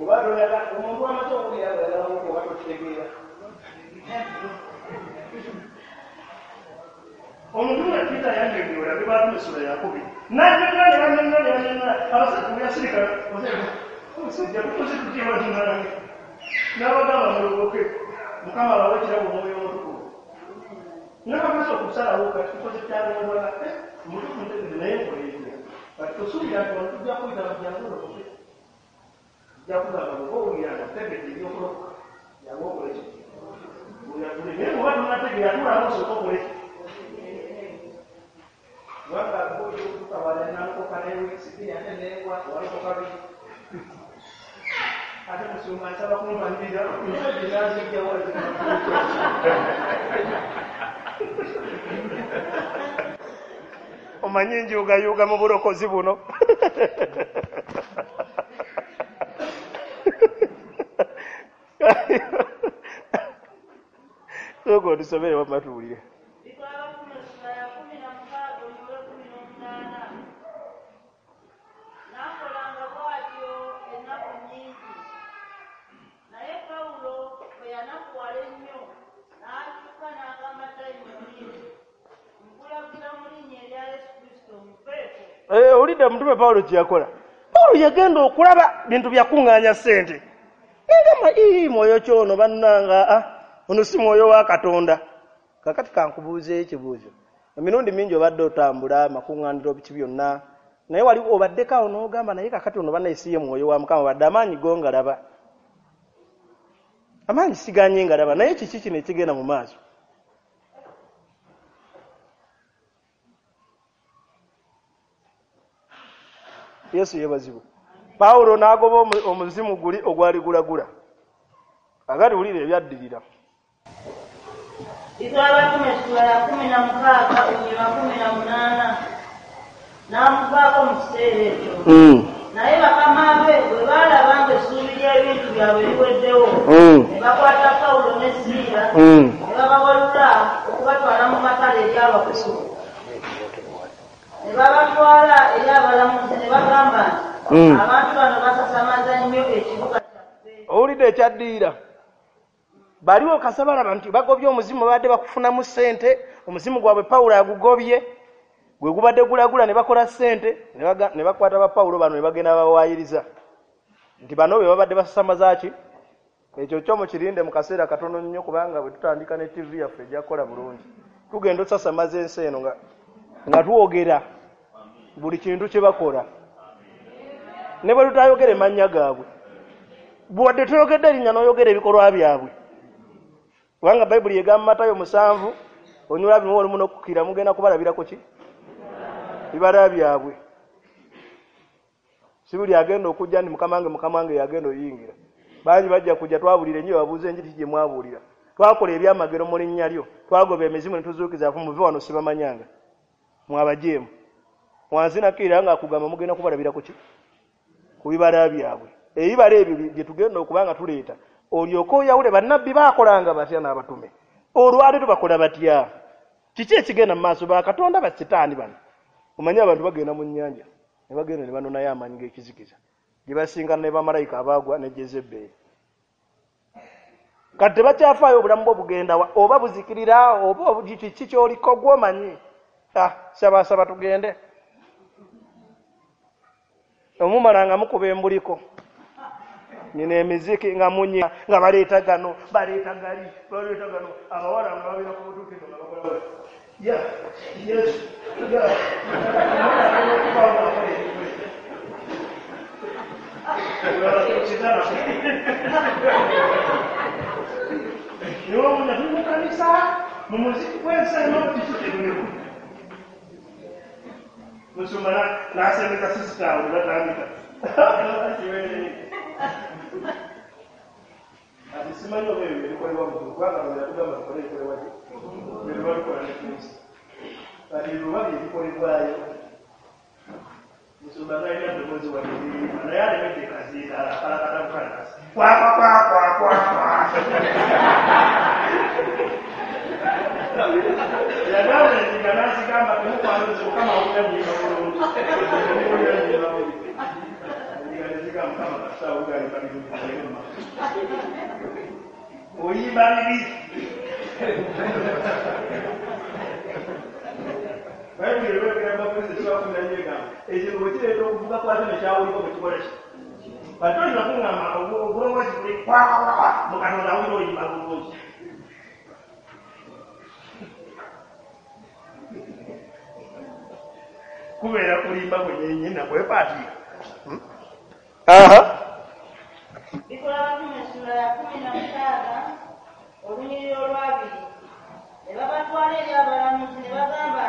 Speaker 1: Oba toyagala omuntu amaze okuwulira ng'ayagala oba tokitegeera. Omutume Peter yannyonnyola bye baatuma essula yakubiri. N'annyonnyola ne bannyonnyola ne bannyonnyola abasajja bwe yasirika omusajja tukoze tutya bannange? N'abagamba mulokoke Mukama abawe ekirabo Omwoyo Omutukuvu. N'abamaze okusalawo kati tukoze kyalongola omutukuvu ntegedde naye nkola etya? Kati tosuubira nti wano tujja kuyita jangu olokoke. Tujja kugamba bw'oba owulira nga otegedde eby'okulokoka jangu okole ki? Oyatule naye bw'oba tonnategeera tuulamu osooke okole ki? Kubanga bw'otuuka wala nalokoka ne wiiki bbiri ate neegwa walokoka biri. Ate musumba nsaba kumpanirira ensajja nazijja wala.
Speaker 3: Omanyi njuugayuuga mu bulokozi buno. Sooka otusomere wamma tuwulire.
Speaker 2: N'akolanga bw'atyo ennaku nnyingi. Naye Pawulo bwe yanakuwala ennyo n'akyuka n'agamba dayimooni nti, nkulagira mu linnya erya Yesu Kristo muveeko.
Speaker 3: Eh, owulidde omutume Pawulo kye yakola. Pawulo yagenda okulaba bintu byakuŋŋaanya ssente. N'agamba ii mwoyo ki ono bannanga ah, ono si mwoyo wa Katonda. Kaakati kankubuuzeeyo ekibuuzo. Emirundi mingi obadde otambula amakuŋŋaaniro biki byonna naye wali obaddeko awo n'ogamba naye kaakati ono bannaye si ye mwoyo wa Mukama wadde amaanyi go ngalaba. Amaanyi siganye ngalaba naye kiki kino ekigenda mu maaso?
Speaker 1: Yesu yeebazibwe. Pawulo n'agoba omuzimu guli ogwali gulagula. Agati wulira ebyaddirira.
Speaker 2: Bikolwa essula ya kumi na mukaaga olunyiriri kumi na munaana n'amuvaako mu kiseera ekyo. Naye bakama be bwe baalaba ng'essuubi ly'ebintu byabwe liweddewo, ne bakwata Pawulo ne Siira ne babawalula okubatwala mu matale eri abakulu. Ne babatwala eri abalamuzi ne bagamba nti abantu bano basasamaza nnyo ekibuga kyaffe.
Speaker 1: Owulidde ekyaddirira. Baliwo kasabalaba nti bagobye omuzimu babadde bakufunamu ssente, omuzimu gwabwe Pawulo agugobye, gwe gubadde gulagula ne bakola ssente, ne bakwata ba Pawulo bano ne bagenda babawaayiriza nti bano be babadde basasamaza ki? Ekyo kyo mukirinde mu kaseera katono nnyo, kubanga bwe tutandika ne T V yaffe ejja kukola bulungi. Tugenda osasamaza ensi eno nga nga twogera buli kintu kye bakola, ne bwe tutayogera emannya gaabwe, bwadde toyogedde erinnya n'oyogera ebikolwa byabwe. Kubanga Bayibuli egamba Matayo musanvu onyula bimu olumu n'okukira mugenda kubalabirako ki? Bibala byabwe. Si buli agenda okujja nti Mukama wange Mukama wange yagenda oyingira. Bangi bajja kujja twabulira ennyo babuuze enjiri gye mwabuulira. Twakola ebyamagero mu linnya lyo, twagoba emizimu ne tuzuukiza afu muve wano sibamanyanga. Mwabajeemu. Wansi nakkirira nga akugamba mugenda kubalabirako ki? Ku bibala byabwe. Ebibala ebyo bye tugenda okuba nga tuleeta. Olyoke oyawule bannabbi baakolanga batya n'abatume. Olwaleero bakola batya? Kiki ekigenda mu maaso? Bakatonda ba Sitaani bano. Omanyi abantu bagenda mu nnyanja ne bagenda ne banonayo amaanyi g'ekizikiza gye basinkana ne bamalayika abaagwa ne Jezeberi. Kati tebakyafaayo obulamu bwo bugenda wa, oba buzikirira oba kiki ky'oliko gw'omanyi. Ah, saba saba tugende. Omumala nga mukuba embuliko. Nina emiziki nga munye nga baleeta gano baleeta gali baleeta gano abawala nga babeera ku butuukiro nga bakola ya yes ya niwomuna tuli mu kanisa mu muziki gw'ensi eno kiki kyetulimu. Musumba n'asembeza sisita awo ne batandika. Ati simanyi oba ebyo ebikolebwa mu ggulu, kubanga Katonda yatugamba tukole ebikolebwa gye bye tuba tukola ne Kristo. Kati ebyo oba bye bikolebwayo. Musumba talina ddoboozi wadde eriyimba, naye alemedde kazindaalo akalakata bukalakasi. Kwa kwa kwa kwa kwa kwa. Yagamba endiga n'azigamba temukwanuzi Mukama awulira nnyimba bulungi. Temuwulira nnyimba bubi. Endiga ne zigamba Mukama kasita awulira ayimba birungi tugende mu maaso. Oyimba bibi. Bayibuli erwegera Abakristaayo essuula kkumi na nnya egamba ekintu bwe kireeta okuvuga kwakyo ne kyawuliko bwe kikola ki? Kati toyinza kuŋŋamba obulongoosi buli kwa kwa kwa mu Katonda awulira oyimba bulungi. Kubeera kulimba kwennyini nakwepaatiika. Aha.
Speaker 2: Bikolwa Abatume essula ya kumi na mukaaga olunyiriri olwabiri ne babatwala eri abalamuzi ne bagamba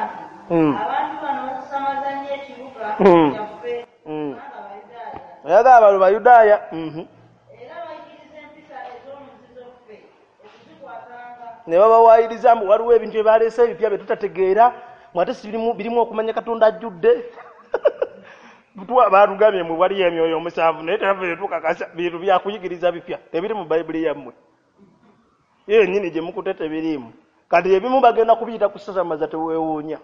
Speaker 2: nti abantu bano basasamaza nnyo ekibuga kyaffe kubanga Bayudaaya.
Speaker 1: Oyagala balo Bayudaaya.
Speaker 2: Era bayigiriza empisa ez'omuzizo ffe okuzikwatanga.
Speaker 1: Ne babawaayiriza mbu waliwo ebintu bye baleese ebipya bye tutategeera, mwate si birimu birimu okumanya Katonda ajjudde. Baatugambye mwe waliyo emyoyo omusanvu naye tebaffe tukakasa bintu byakuyigiriza bipya tebiri mu Bayibuli yammwe. Ye yennyini gye mukute tebiriimu. Kati ebimu bagenda kubiyita kusasamaza teweewuunya.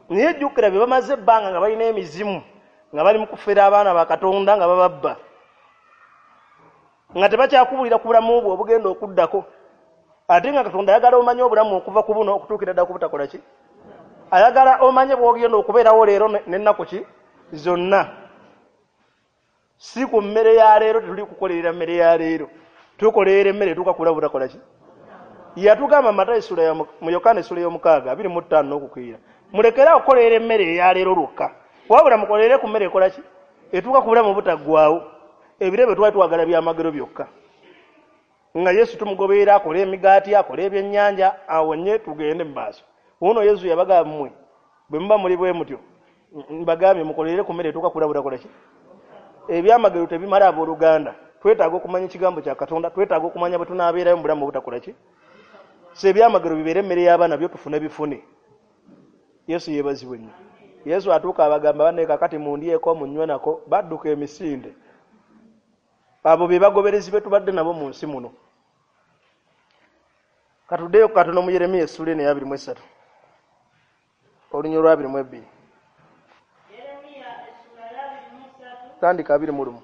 Speaker 1: Naye jjukira bye bamaze ebbanga nga balina emizimu nga bali mu kufera abaana ba Katonda nga bababba. Nga tebakyakubuulira ku bulamu bwo obugenda okuddako. Ate nga Katonda ayagala omanye obulamu okuva ku buno okutuukira ddala ku butakola ki? Ayagala omanye bw'ogenda okubeerawo leero n'ennaku ki? Zonna. Si ku mmere ya leero tetuli kukolerera mmere ya leero. Tukolerera emmere etuuka ku bulamu butakola ki? Yatugamba Matayo essula ya mu Yokaana essula y'omukaaga abiri mu ttaano n'okukwira. Mulekere awo okukolerera emmere eya leero lwokka. Wabula mukolerere ku mmere ekola ki? Etuuka ku bulamu obutaggwaawo. Ebiro ebyo twali twagala byamagero byokka. Nga Yesu tumugoberera akole emigaati, akole ebyennyanja, awonye tugende mu maaso. Wuuno Yesu yabagamba mmwe bwe muba muli bwe mutyo
Speaker 3: Mbagambye mukolerere ku mmere etuuka kulabula kola ki? Ebyamagero tebimala abooluganda. Twetaaga okumanya ekigambo kya Katonda, twetaaga okumanya bwe tunaabeerayo mu bulamu obutakola ki? So ebyamagero bibeere emmere y'abaana byo tufune bifune. Yesu yeebazibwe nnyo. Yesu atuuka abagamba banne kakati mundyeko munywe nako, badduka emisinde. Abo be bagoberezi be tubadde nabo mu nsi muno. Katuddeyo katono mu Yeremiya essuula eno eya abiri mu esatu. Olunyiriri lwa abiri mu ebbiri.
Speaker 2: Yeremiya essuula ya abiri mu esatu.
Speaker 3: Tandika abiri mu lumu.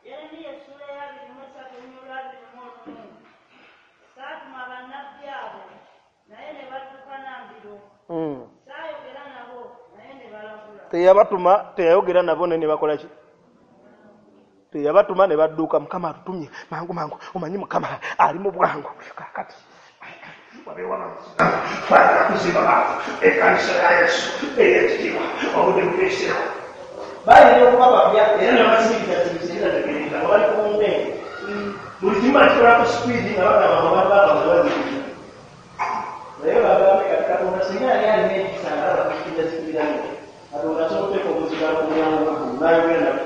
Speaker 2: Yeremiya essuula ya abiri mu esatu olunyiriri lwa abiri mu olumu. Saatuma bannabbi abo, naye ne badduka na mbiro.
Speaker 3: Mm.
Speaker 2: Saayogera nabo, naye ne balagula.
Speaker 3: Teyabatuma, teyayogera nabo ne ne bakola ki? Teyabatuma ne badduka. Mukama atutumye mangu mangu, omanyi Mukama ali mu bwangu. Kaakati
Speaker 4: twagala kuzimba ekkanisa ya Yesu ey'ekitiibwa obudde bukeeseewo.
Speaker 3: Bayinza okuba bapya era ne basiriza tegeeza nga bali ku mbeera. Buli kimu bakikola ku sipiidi nga bagamba nti abantu baabwe bazikiriza. Naye bagambe kati Katonda singa yali alina ekisa nga abakiriza zikiriza nnyo. Katonda asobola okuteeka omuzigalo ku mulyango gw'eggulu n'ayogera nabo.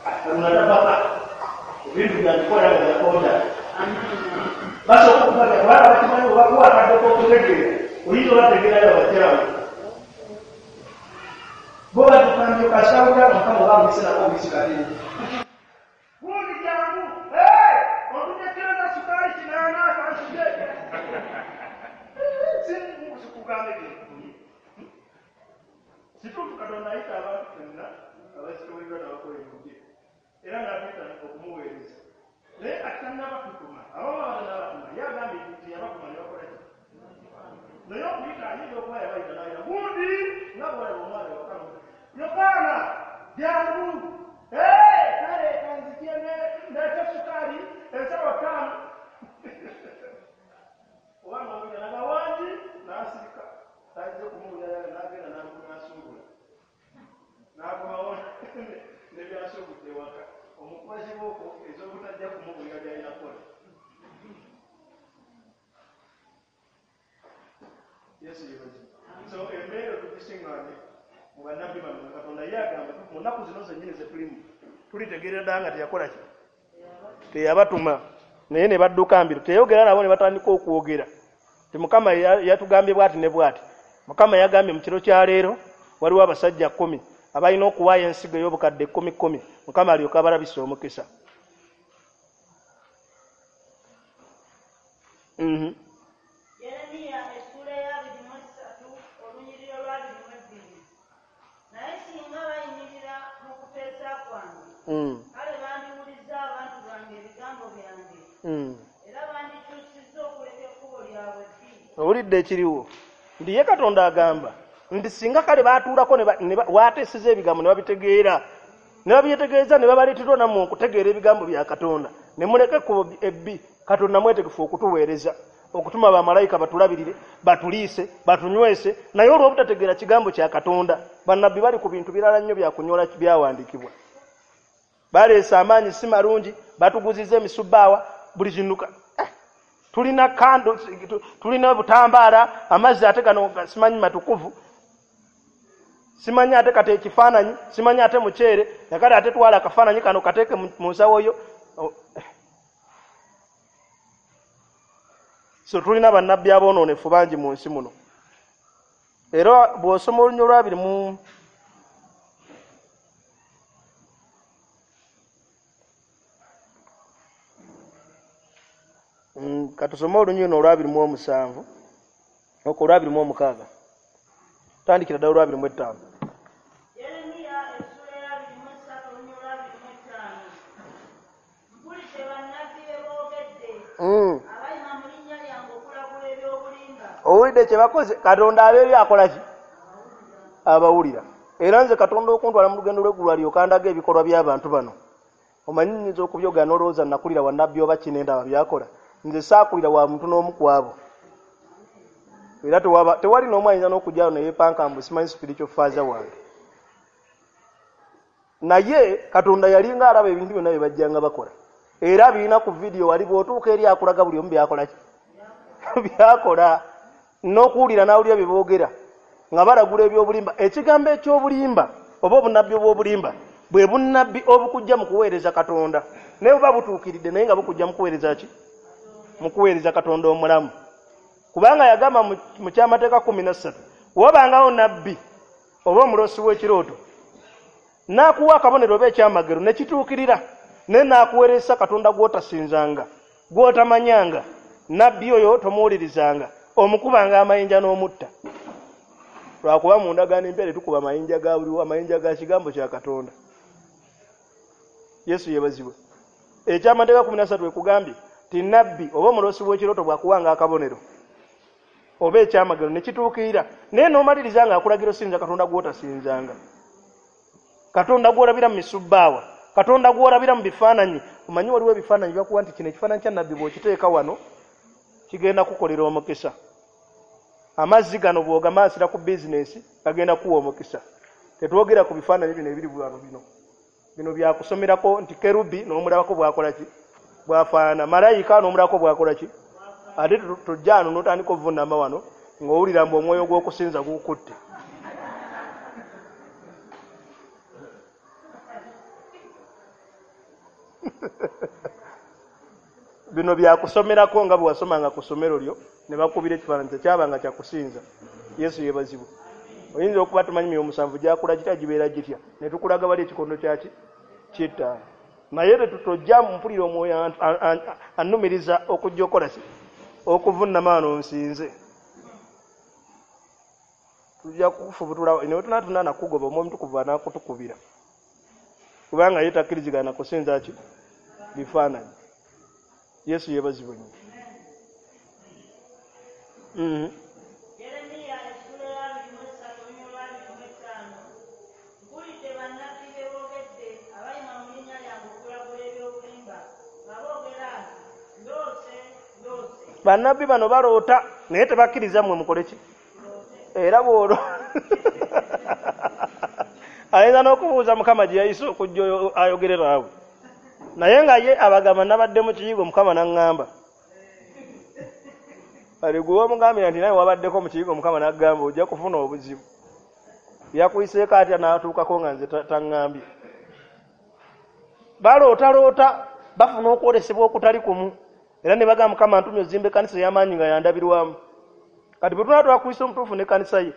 Speaker 3: Katonda tapapa. Ebintu byandikola nga byakonda. Basooka okubajja kubanga bakimanyi obakuwa akadde k'okutegeera oyinza obategeerayo abakyamu. Bo badduka kasawulira Mukama oba amuyise nako obuyisi katini.
Speaker 4: Gundi jangu, hey, ontunye kiro za sukaali kinaana kansige.
Speaker 3: Sikugamba ebyo. Kituufu Katonda ayita abantu ffenna abasitowebwa n'abakola ebirungi era n'atuyita okumuweereza. Naye kati tannabatutuma, abamu abata n'abatuma, ye agambye nti yabatuma ne bakola ki? Naye okuyita ayinza okuba yabayita n'ayita gundi nga bw'olaba omwana ewaka Yokaana jangu, hey, kale kanzigye ndeete sukaali ensawo ttaano. Oba n'owulira n'agamba wangi n'asirika, tazze kumuwulira n'agenda n'asuubula. N'akomawo ne by'asuubudde ewaka. Omukuba kibooko ez'obutajja kumubuulira by'alina kukola. Yesu yeebazibwe. So embeera tugisiŋŋaanye mu bannabbi bano nga Katonda ye agamba mu nnaku zino zennyini ze tulimu tulitegeerera ddala nga teyakola ki? Teyabatuma. Naye ne badduka mbiro. Teyayogera nabo ne batandika okwogera. Nti Mukama yatugambye bw'ati ne bw'ati. Mukama yagambye mu kiro kya leero waliwo abasajja kkumi abalina okuwaayo ensigo ey'obukadde kkumi kkumi Mukama alyoke abalabise omukisa. Mhm.
Speaker 2: Yeremiya essuula ya abiri mu esatu olunyiriri lwa abiri mu ebbiri. Naye singa bayimirira mu kuteesa kwange,
Speaker 3: Mm.
Speaker 2: kale bandiwulizza abantu bange ebigambo byange,
Speaker 3: Mm.
Speaker 2: era bandikyusizza okuleka ekkubo lyabwe ebbi.
Speaker 3: Owulidde ekiriwo nti ye Katonda agamba nti singa kale baatuulako ne waateeseza ebigambo ne babitegeera ne babyetegereza ne babaleeterwa nammwe okutegeera ebigambo bya Katonda ne muleka ekkubo ebbi, Katonda mwetegefu okutuweereza okutuma bamalayika batulabirire batuliise batunywese. Naye olw'obutategeera kigambo kya Katonda, bannabbi bali ku bintu birala nnyo bya kunyola byawandiikibwa. Baleese amaanyi si malungi, batuguziza emisubbaawa buli kintu. Eh, tulina kando, tulina butambaala, amazzi ate gano simanyi matukuvu, simanyi ate kate ekifaananyi, simanyi ate muceere, nakale ate twala akafaananyi kano kateeke mu nsawo yo. So tulina bannabbi aboonoonefu bangi mu nsi muno. Era bw'osoma olunyiriri lwa abiri mu mm, katusome olunyiriri olwa abiri mu omusanvu okwo olwa abiri mu omukaaga. Tandikira ddala olwa abiri mu ettaano.
Speaker 2: Yeremiya essuula ya abiri mu esatu olunyiriri lwa abiri mu ettaano. Mpulidde bannabbi bye boogedde,
Speaker 3: Mm.
Speaker 2: abayima mu linnya lyange okulagula eby'obulimba.
Speaker 3: Owulidde kye bakoze? Katonda abeebyo akola ki? Abawulira. Era nze Katonda okuntwala mu lugendo lw'eggulu alyoke andaga ebikolwa by'abantu bano. Omanyi nnyinza okubyogera n'olowooza nakulira wa nnabbi oba ki nendaba by'akola. Nze saakulira wa muntu n'omu ku abo. Era tewaba tewali n'omu ayinza n'okujjayo ne yeepanka mbu simanyi spiritual father wange. Naye Katonda yalinga alaba ebintu byonna bye bajjanga bakola. Era birina ku vidiyo wali bw'otuuka eri akulaga buli omu by'akola ki? By'akola. N'okuwulira n'awulira bye boogera. nga balagula ebyobulimba. Ekigambo ekyobulimba oba obunnabbi obw'obulimba bwe bunnabbi obukujja mu kuweereza Katonda, naye buba butuukiridde naye nga bukujja mu kuweereza ki? Mu kuweereza Katonda omulamu. Kubanga yagamba mu kyamateeka kumi na ssatu, wabangawo nabbi oba omulosi w'ekirooto n'akuwa akabonero oba ekyamagero ne kituukirira, naye n'akuweereza Katonda gw'otasinzanga, gw'otamanyanga, nabbi oyo tomuwulirizanga, omukubanga amayinja n'omutta. Lwakuba mu ndagaano empya tetukuba amayinja ga buliwo, amayinja ga kigambo kya Katonda. Yesu yeebazibwe. Ekyamateeka kumi na ssatu ekugambye ti nabbi oba omulosi w'ekirooto bw'akuwanga akabonero oba ekyamagero ne kituukirira, naye n'omaliriza ng'akulagira osinza Katonda gw'otasinzanga, Katonda gw'olabira mu misubbaawa, Katonda gw'olabira mu bifaananyi. Omanyi waliwo ebifaananyi byakuwa nti kino ekifaananyi kya nabbi bw'okiteeka wano kigenda kukolera omukisa, amazzi gano bw'ogamansira ku bizinensi gagenda kuwa omukisa. Tetwogera ku bifaananyi bino ebiri wano, bino bino byakusomerako nti kerubi n'omulabako bw'akola ki, bw'afaanana, malayika n'omulabako bw'akola ki. Ate tojja wano n'otandika ovunnama wano ng'owulira mbu omwoyo gw'okusinza gukutte. Bino byakusomerako nga bwe wasomanga ku ssomero lyo ne bakubira ekifaananyi tekyabanga kyakusinza. Yesu yeebazibwe. Oyinza okuba tumanyi myoyo musanvu gyakula gitya, gibeera gitya, ne tukulaga wali ekikondo kyaki ky'ettaano, naye tetutojja mpulira omwoyo annumiriza okujja okola ki, okuvunnama wano nsinze. Tujja kukufubutula ne tunatuna nakugoba, omwoyo omutukuvu anaakutukubira, kubanga ye takkirizigana kusinza ki, bifaananyi. Yesu yeebazibwe nnyo. Mhm.
Speaker 2: Yeremiya essula ya abiri mu essatu olunyiriri lwa abiri mu ttaano. Mpulidde bannabbi be boogedde abayima mu linnya lyange okulagula ebyobulimba nga boogera nti ndoose, ndoose.
Speaker 3: Bannabbi bano baloota naye tebakkiriza mmwe mukole ki? Era bw'olwo ayinza n'okubuuza Mukama gye yayise okujja ayogere naawe, naye nga ye abagamba nabadde mu kiyigo Mukama n'aŋŋamba. Kale gwe wamugambira nti naye wabaddeko mu kiyigo Mukama n'agamba ojja kufuna obuzibu, yakuyiseeko atya n'atuukako nga nze taŋŋambye. Balootaloota bafuna okwolesebwa okutali kumu, era ne bagamba Mukama ntumye ozimba ekkanisa ey'amaanyi nga yandabirwamu. Kati bwe tunaba twa Kristo omutuufu n'ekkanisa ye,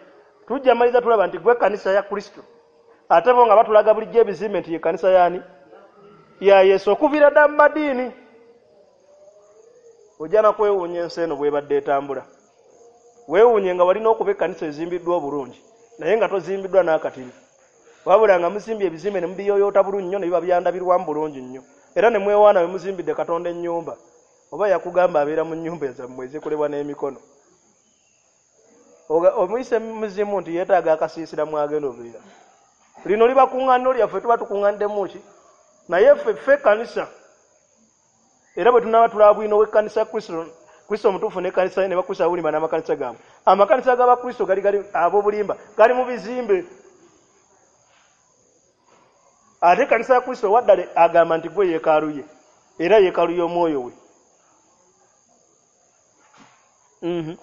Speaker 3: tujja maliriza tulaba nti gwe ekkanisa ya Kristo, ate bo nga batulaga bulijjo ebizimbe nti ye kkanisa y'ani? Ya Yesu, okuviira ddala mu madiini. Ojja na kwewuunya ensi eno bw'ebadde etambula. Weewuunye nga walina okuba ekkanisa ezimbiddwa obulungi, naye nga tozimbiddwa n'akatini, wabula nga muzimbye ebizimbe ne mubiyooyoota bulungi nnyo ne biba byandabirwamu bulungi nnyo, era ne mwewaana we muzimbidde Katonda ennyumba. Oba yakugamba abeera mu nnyumba ezammwe ezikolebwa n'emikono. Omuyise muzimu nti yeetaaga akasiisira mwagenda obeera. Lino liba kuŋŋaaniro lyaffe, tuba tukuŋŋaaniddemu ki? Naye ffe ffe ekkanisa, era bwe tunaaba tulaba bwino w'ekkanisa Kristo, Kristo omutuufu n'ekkanisa ye ne Bakristo abobulimba n'amakanisa gaabwe. Amakanisa g'Abakristo gali gali ab'obulimba gali mu bizimbe, ate ekkanisa ya Kristo owaddala agamba nti gwe yeekaalu ye, era yeekaalu y'omwoyo we. Mhm.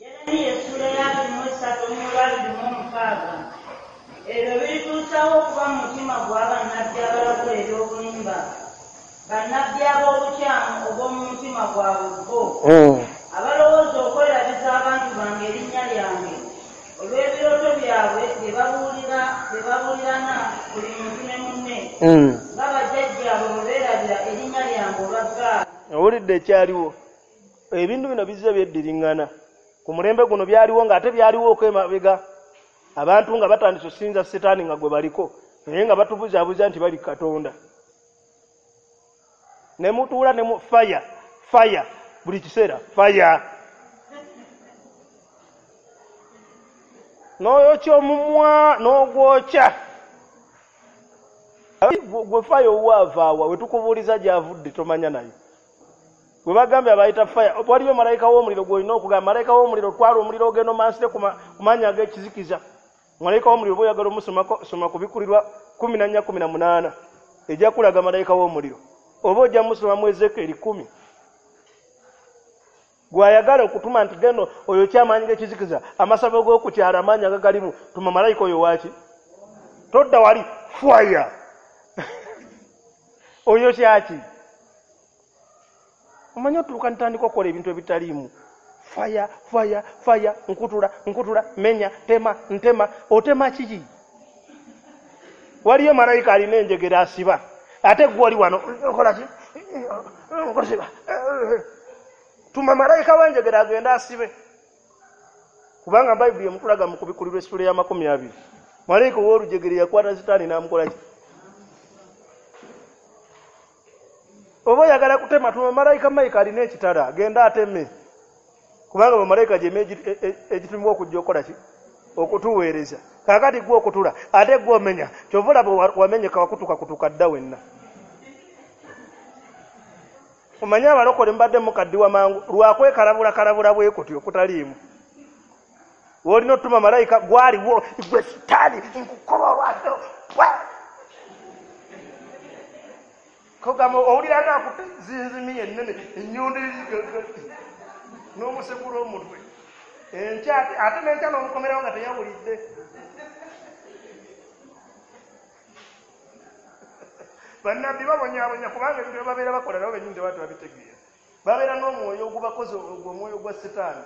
Speaker 2: Yeremiya essula ya abiri mu essatu olunyiriri lwa abiri mu mukaaga. Ebyo birituusawo okuba mu mutima gwa bannabbi abalagula ebyobulimba, bannabbi ab'obukyamu obw'omu mutima gwabwe bo, abalowooza okwerabiza abantu bange erinnya lyange olw'ebirooto byabwe bye babuulira bye babuulirana buli muntu ne munne, nga bajjajjaabwe bwe beerabira erinnya lyange olwa Baali.
Speaker 3: Owulidde ekyaliwo? Ebintu bino bizze byeddiriŋŋana. Ku mulembe guno byaliwo ng'ate byaliwo okwemabega, abantu nga batandise okusinza Sitaani nga gwe baliko, naye nga batubuzaabuza nti bali Katonda. Ne mutuula ne mu faya faya buli kiseera faya, n'oyokya omumwa n'ogwokya. Gwe faya owaavaawa we tukubuuliza gy'avudde tomanya naye. Bwe bagambye abayita faya, waliyo malayika w'omuliro gw'olina okugamba, malayika w'omuliro twala omuliro ogenda omansire ku maanyi ag'ekizikiza. Malayika w'omuliro bw'oyagala omusomako, soma Kubikkulirwa kumi na nnya kumi na munaana, ejja kulaga malayika w'omuliro, oba ojja musoma mu Ezeekeri kkumi. Gwayagala okutuma nti geno oyo kyamaanyi g'ekizikiza, amasabo g'okukyala amaanyi agagalimu, tuma malayika oyo waaki? Todda wali fire. Oyo kyaki? Omanyi otuuka ntandika okukola ebintu ebitaliimu. Fire, fire, fire, nkutula, nkutula, menya, tema, ntema, otema kiki? Waliyo malayika alina enjegere asiba. Ate gwe oli wano okola ki? Nkusiba. Tuma malayika w'enjegere agende asibe. Kubanga Bayibuli emutulaga mu kubikulirwa essula ya makumi abiri. Malayika ow'olujegere yakwata Sitaani n'amukola ki? Oba oyagala kutema, tuma malayika Mayika alina ekitala, agende ateme. Kubanga bamalayika gyeme egitumibwa okujja okukola ki? Okutuweereza. Kaakati gwe okutula, ate gwe omenya. Ky'ova olaba wamenyeka wakutuka kutuka dda wenna. Omanyi abalokole mbadde mukaddiwa mangu lwakwekalabula kalabula bwe kutyo okutaliimu. W'olina otuma malayika gwaliwo gwe Sitaani nkukoba olwatto. Kogamba owulira nga akutte zinzimi ennene ennyondo n'omusekula omutwe. Enkya ate n'enkya n'omukomerawo nga teyawulidde. Bannabbi babonyaabonya kubanga ebintu bye babeera bakola nabo bennyini tebaba tebabitegeera. Babeera n'omwoyo ogubakoze ogwo omwoyo gwa Sitaani.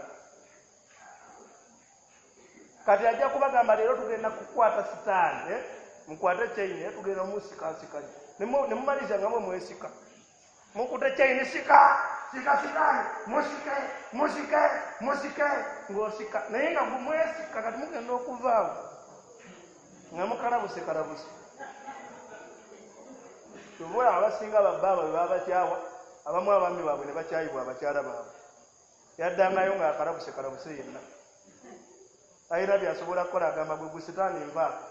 Speaker 3: Kati ajja kubagamba leero tugenda kukwata Sitaani, eh? Mukwate chaini, eh? Tugenda musikasika. Ne mumaliza nga mwe mwesika. Mukute chaini sika, sika Sitaani, musike, musike, musike, ng'osika. Naye nga mwesika kati mugenda okuvaawo. Nga mukalabuse kalabuse. Kyova abasinga babbaabwe bwe babakyawa, abamu abaami baabwe ne bakyayibwa abakyala baabwe. Yaddangayo ng'akalabuse kalabuse yenna. Alina by'asobola kukola agamba gwe gwe Sitaani nvaako.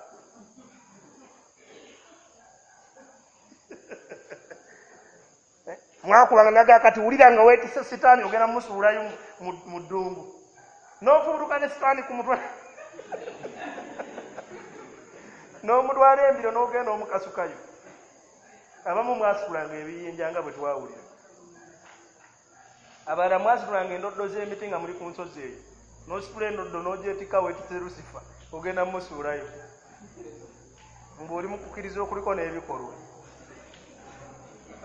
Speaker 3: Mwakubanga naga kati wulira nga weetisse Sitaani ogenda musuulayo mu ddungu. N'ofubutuka ne Sitaani ku mutwe. N'omutwala embiro n'ogenda omukasukayo. Abamu mwasitulanga ebiyinja nga bwe twawulira. Abalala mwasitulanga endoddo z'emiti nga muli ku nsozi eyo. N'ositula endoddo n'ogyetikka weetisse Lusifa ogenda mmusuulayo. Ng'oli mu kukkiriza okuliko n'ebikolwa.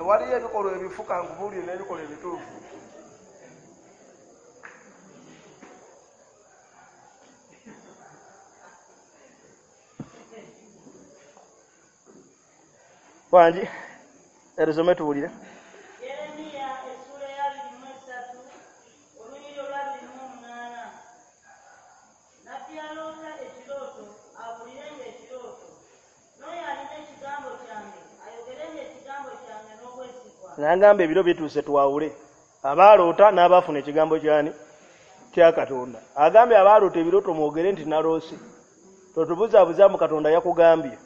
Speaker 3: Waliyo ebikolwa ebifuka nkubuulire n'ebikolwa ebituufu. Wangi, eruzome tuwulire.
Speaker 2: Yeremiya essula ya abiri mu esatu, olunyiriri olw'abiri mu omunaana. Nabbi aloota ekirooto, abuulirenga ekirooto. N'oyo alina ekigambo kyange, ayogerenga ekigambo kyange n'obwesigwa.
Speaker 3: N'agamba ebiro bituuse twawule. Abaaloota n'abaafuna ekigambo kyani? Kya Katonda. Agambye abaaloota ebirooto mwogere nti naloose. Totubuzaabuza mu Katonda yakugambye.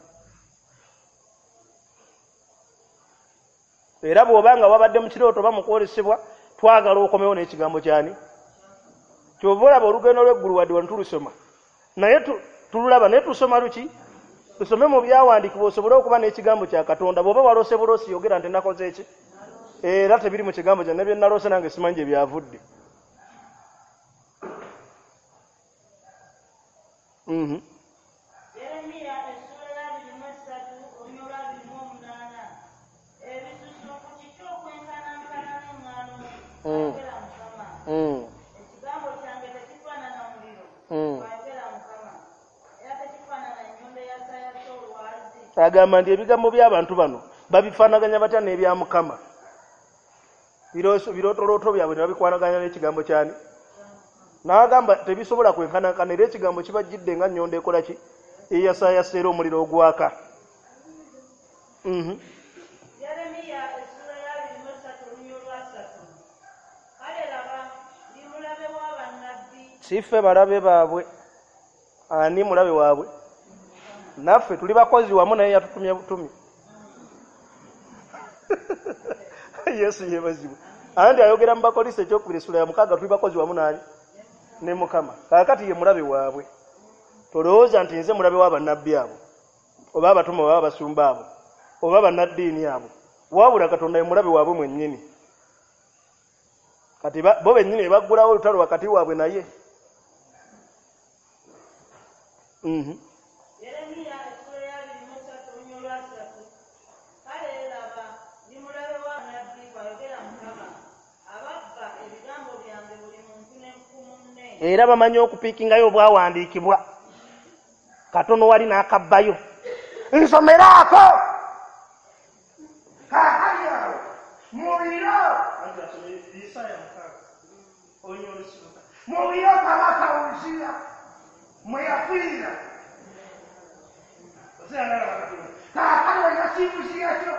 Speaker 3: Era bw'obanga wabadde mu kirooto oba mu kwolesebwa, twagala okomewo n'ekigambo kyani? Ky'ova olaba olugendo lw'eggulu wadde wano tulusoma. Naye tululaba naye tusoma luki? Tusome mu byawandiikibwa osobole okuba n'ekigambo kya Katonda. Bw'oba waloose buloosi yogera nti nakoze ki? Era tebiri mu kigambo kyange, ne bye naloose nange simanyi gye byavudde. Mhm.
Speaker 2: Yeremiya essula ya abiri mu esatu, olunyiriri olw'abiri mu omunaana. Ebisusunku kiki okwenkanankana n'eŋŋaano? Ayogera Mukama. Ekigambo kyange tekifaanana muliro, ayogera Mukama. Era tekifaanana nnyondo eyasayasa olwazi.
Speaker 3: Agamba nti ebigambo by'abantu bano babifaanaganya batya n'ebya Mukama? Birootolooto byabwe ne babikwanaganya n'ekigambo kyani? N'agamba tebisobola kwenkanankana era ekigambo kibajjidde nga nnyondo ekola ki? Eyasayasa era omuliro ogwaka. Mhm.
Speaker 2: Yeremiya essula ya abiri mu esatu olunyiriri olwasatu. Kale laba, ndi mulabe wa bannabbi.
Speaker 3: Si ffe balabe baabwe. Ani mulabe waabwe? Naffe tuli bakozi wamu naye yatutumye butumi. Yesu yeebazibwe. Anti ayogera mu Bakolinso ekyokubiri essula ya mukaaga tuli bakozi wamu nani? Ne Mukama. Kaakati ye mulabe waabwe. Tolowooza nti nze mulabe wa bannabbi abo, oba abatume oba abasumba abo, oba bannaddiini abo. Wabula Katonda ye mulabe waabwe mwennyini. Kati bo bennyini baggulawo olutalo wakati waabwe naye. Mhm.
Speaker 2: Yeremiya essula ya abiri mu ssatu olunyiriri lwa ssatu. Kale laba, ndi mulabe wa nnabbi, bw'ayogera Mukama, ababba ebigambo byange buli muntu ne ku munne.
Speaker 3: Era bamanyi okupiikingayo obwawandiikibwa. Katono wali n'akabbayo. Nsomeraako!
Speaker 4: Kaakati awo mu biro mu biro kabaka Uziya mwe yafiira. Kaakati olina kibuziya kyo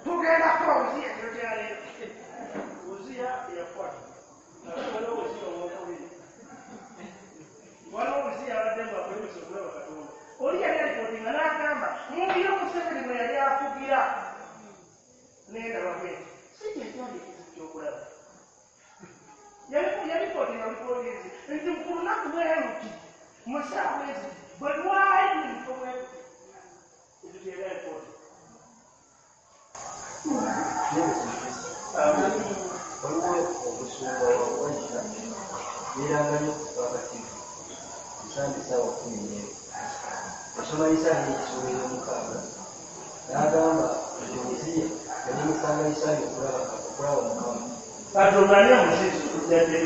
Speaker 4: tugenda kuba Uziya kiro kyaleero.
Speaker 3: Uziya yafa. Waliwo Uziya owokubiri. Waliwo Uziya abadde ng'akulemesa okulaba Katonda.
Speaker 4: Oli yali alipootinga n'agamba mu biro Museveni mwe yali afugira nendaba bwenti si kyekyali ekizibu ky'okulaba. Yalipootinga lipootinzi nti ku lunaku bwe luti mu ssaawa ezi bwe lwali mu bifo bwe luti
Speaker 3: ekyo kye yali alipooti.
Speaker 5: Waliwo omusumba wa Waisha yeeranga nnyo ku Tivi Nsande ssaawa kkumi n'emu. Yasoma Isaaya essuula ey'omukaaga n'agamba nti Uziya yalemesanga Isaaya okulaba Mukama.
Speaker 3: Katonda ani amuziyiza okujja eri?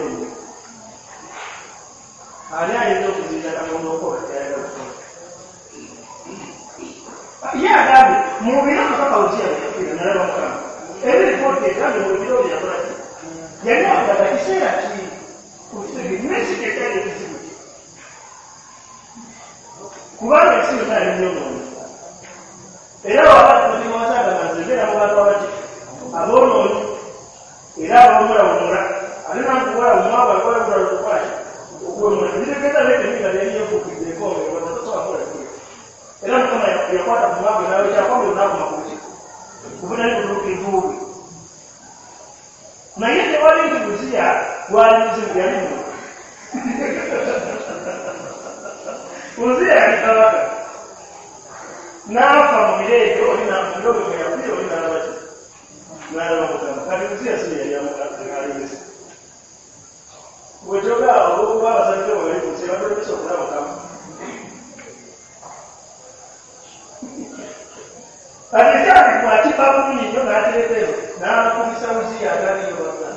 Speaker 3: Ani ayinza okuziyiza Katonda okukola ky'ayagala okukola?
Speaker 4: Ye agambye mu biro kabaka Uziya bwe yafiira nalaba Mukama. Era eripooti egambye mu biro bye yakola ki? Yali akulaga kiseera ki?
Speaker 3: Naye si kye kyali ekizibu kye. Kubanga ensi yonna yali nnyonoonyi. Era waba Timotheo agamba nze mbeera mu bantu abaki aboonoonyi era abawemulawemula ate nankuwala omwavu alikuwalawula okukola ki okuwemula tekitegeeza naye temiga yali yeefuukidde enkonge tosobola kukola kiri. Era Mukama yakwata ku mwavu n'awekyakwambe n'akoma ku ki kubutali butuukirivu bwe.
Speaker 4: Naye tewali nti Uziya gwali muzibu yali muntu. Uziya yali kabaka. N'afa mu biro ebyo oli mu biro bwe mwe yafiira oli n'alaba ki? N'alaba Mukama. Kati Uziya si ye yali alemesa. Bw'ekyoga olw'okuba abasajja bwe bali ku nsi batulemesa okulaba Mukama. Kati ekyandikwa kifa bulungi nnyo n'akireeta eno n'akubisa Uziya ataliiyo bonna.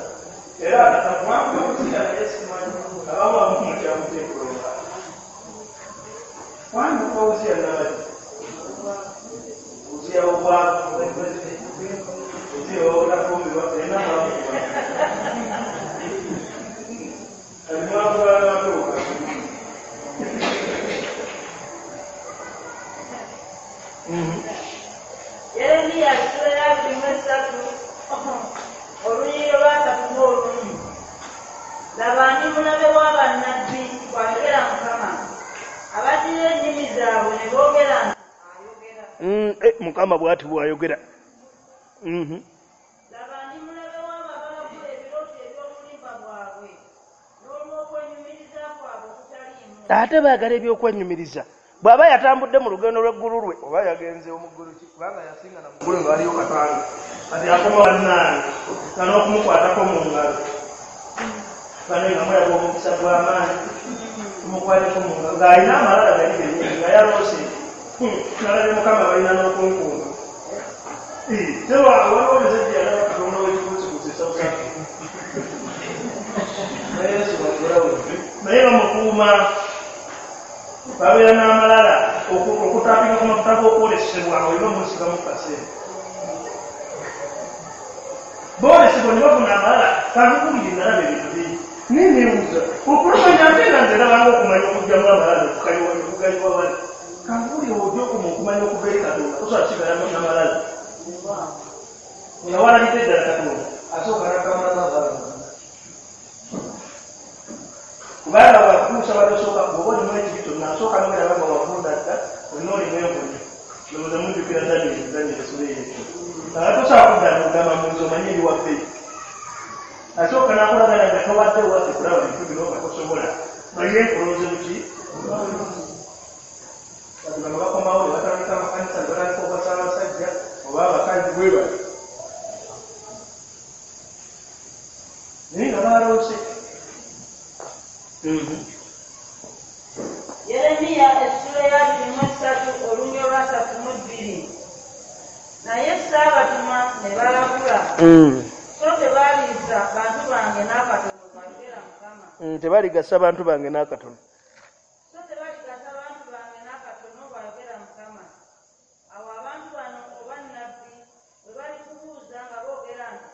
Speaker 4: Era akatakuwanga Uziya naye simanyi abamu abamu mukyamuteekulonga. Wani okuba Uziya nabaki? Uziya w'obwavu, Uziya w'obutafumbirwa, erina mwamukuba. Kati mwakuba n'amatuuka.
Speaker 2: Yeremiya essula ya abiri mu essatu olunyiriri lwa asatu mu olumu. Laba ndi mulabe wa bannabbi, bw'ayogera Mukama, abaddira ennimi zaabwe ne boogera nti ayogera.
Speaker 3: Mm, eh, Mukama bw'ati bw'ayogera. Mhm.
Speaker 2: Laba ndi mulabe w'abo abalagula ebirooto eby'obulimba bwabwe n'olw'okwenyumiriza kwabwe okutaliimu.
Speaker 3: Ate baagala ebyokwenyumiriza. Bw'aba yatambudde mu lugendo lw'eggulu lwe oba yagenze omuggulu ki kubanga yasinga na muggulu nga waliyo katanga kati akoma bannange nga n'okumukwatako mu ngalo bane nga mulaba omukisa gw'amaanyi tumukwateko mu ngalo ng'alina amalala gali gennyini nga yaloose nalabye Mukama balina n'okunkuuma. Tewa waliwo omusajja yalaba Katonda w'ekikuusikuusi e South Africa. Naye bamukuuma babeera n'amalala okutapinga ku mafuta g'okwolesebwa olina omusigamu kaseera. Boolesebwa ne bafuna amalala kankukubiri nalaba ebintu bingi. Naye neebuuza okulumanya ate nga nze nabanga okumanya okuggyamu amalala okugayiwa wali. Kankukubiri ojja okuma okumanya okuva eri Katonda tosobola kusigala n'amalala. Nga walabidde ddala Katonda asooka n'akamulamu amalala. Kubanga bw'akutuusa batosooka bw'oba olimu ekibi kyonna asooka n'oweraba nga wavunda dda olina olimu envunyu. Ndowooza mujjukira Daniel Daniel essula eyo. Tosobola kudda n'ogamba munze omanye eri waffe. Asooka n'akulagana nga tobadde waffe kulaba bintu bino nga tosobola. Naye nkulonze mu ki? Kati bano bakomawo ne batandika amakanisa ne batandika okuwasa abasajja oba abakazi bwe bati. baloose. Mm-hmm.
Speaker 2: Yeremiya essula ya abiri mu esatu olunya olwasatu mu bbiri. Naye ssaabatuma ne balagula.
Speaker 3: Mm.
Speaker 2: So tebaliisa bantu bange n'akatono, bw'ayogera Mukama.
Speaker 3: Mm, tebaligasa bantu bange n'akatono.
Speaker 2: So tebaligasa bantu bange n'akatono, bw'ayogera Mukama. Awo abantu bano oba nnabbi bwe balikubuuza nga boogera nti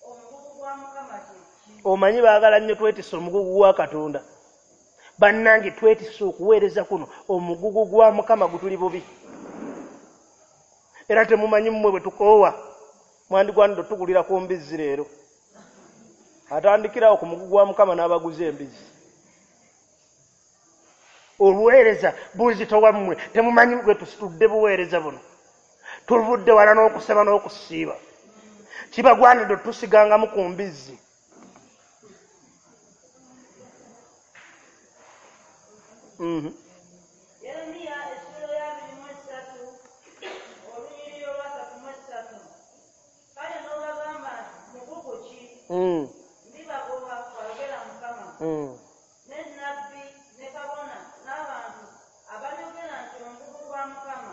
Speaker 2: omugugu gwa Mukama kye ki?
Speaker 3: Omanyi baagala nnyo twetisse omugugu gwa Katonda. Bannange twetisse okuweereza kuno, omugugu gwa Mukama gutuli bubi. Era temumanyi mmwe bwe tukoowa, mwandigwanidde otugulira ku mbizzi leero. Atandikirawo ku mugugu gwa Mukama n'abaguza embizzi. Oluweereza buzitowa mmwe, temumanyi bwe tusitudde buweereza buno. Tuvudde wala n'okusaba n'okusiiba. Kibagwanidde otusigangamu ku mbizzi. Mm-hmm.
Speaker 2: Yeremiya essula ya abiri mu esatu olunyiriri olwasatu mu esatu. Kale n'obagamba nti mugugu ki?
Speaker 3: Mm.
Speaker 2: Ndibagoba, bw'ayogera Mukama.
Speaker 3: Mm.
Speaker 2: Ne nnabbi ne kabona n'abantu abalyogera nti omugugu gwa Mukama,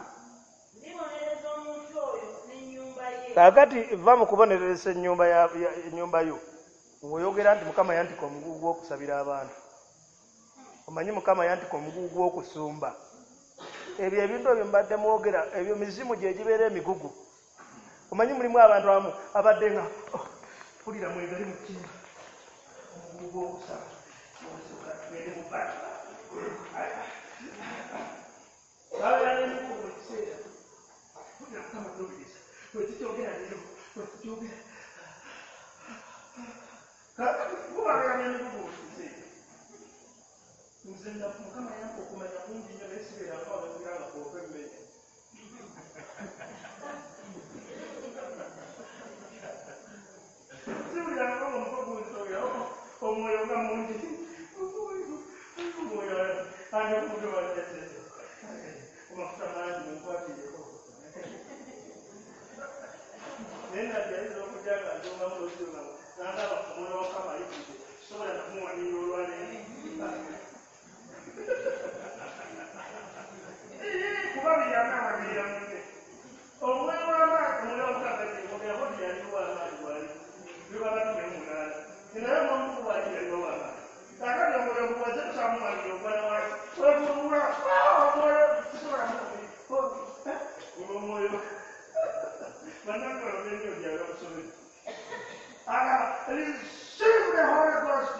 Speaker 2: ndibonereza omuntu oyo n'ennyumba ye.
Speaker 3: Kaakati va mu kubonereza ennyumba ya, ya, ennyumba yo ng'oyogera nti Mukama yantika omugugu gw'okusabira abantu. Omanyi Mukama yantika omugugu gw'okusumba. Ebyo ebintu ebyo mbadde mwogera, ebyo mizimu gye gibeera emigugu. Omanyi mulimu abantu abamu abadde nga oh, mpulira mwegali mu kimba omugugu gw'okusaba tugende mu bbala. Babeera n'emigugu buli kiseera. Mpulira Mukama nnumiriza, bwe tukyogera leero, bwe tukyogera. Kaakati bo babeera n'emigugu buli kiseera. Nze Mukama yampa okumanya kungi nnyo naye sibeerako abagira nga kwova emmere. Siwulirangako ng'omutwe gunsobera, omwoyo nga mungi. Omwoyo ani omuntu baleese. Amafuta mangi munkwatiireko. Naye nabbi ayinza okujja nga njongamu n'okirongamu n'agamba omwoyo wa Mukama ayitiridde, sisobola nakumuwanirira olwaleero. Kuba byanawalirira munne. Omwoyo w'amaanyi, omwoyo wa Mukama gye mwogera yaliwo w'amaanyi bw'ali. Biba batume munaana. Naye omwoyo bw'ali yaliwo w'amaanyi. Kaakati omwoyo muwaze tusamuwalirira ogwana wansi. Wevulula, omwoyo sisobola kumuwanirira. Omwoyo bannange olw'ennyo lyabwe bakusobedde. Receive the Holy Ghost.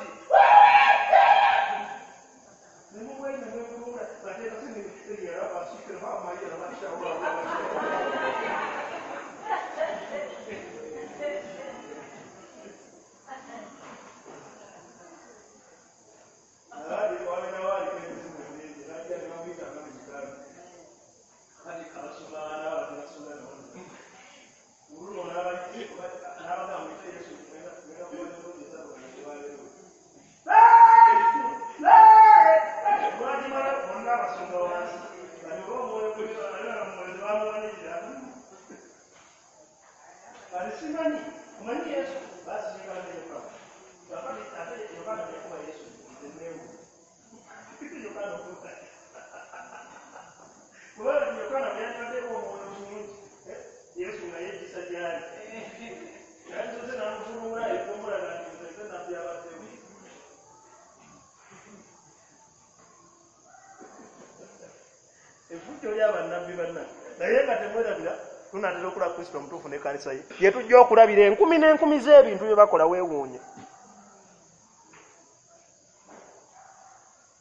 Speaker 3: Naye nga temwerabira tunaatera okulaba Kristo omutuufu n'ekkanisa ye. Ye tujja okulabira enkumi n'enkumi z'ebintu bye bakola weewuunye.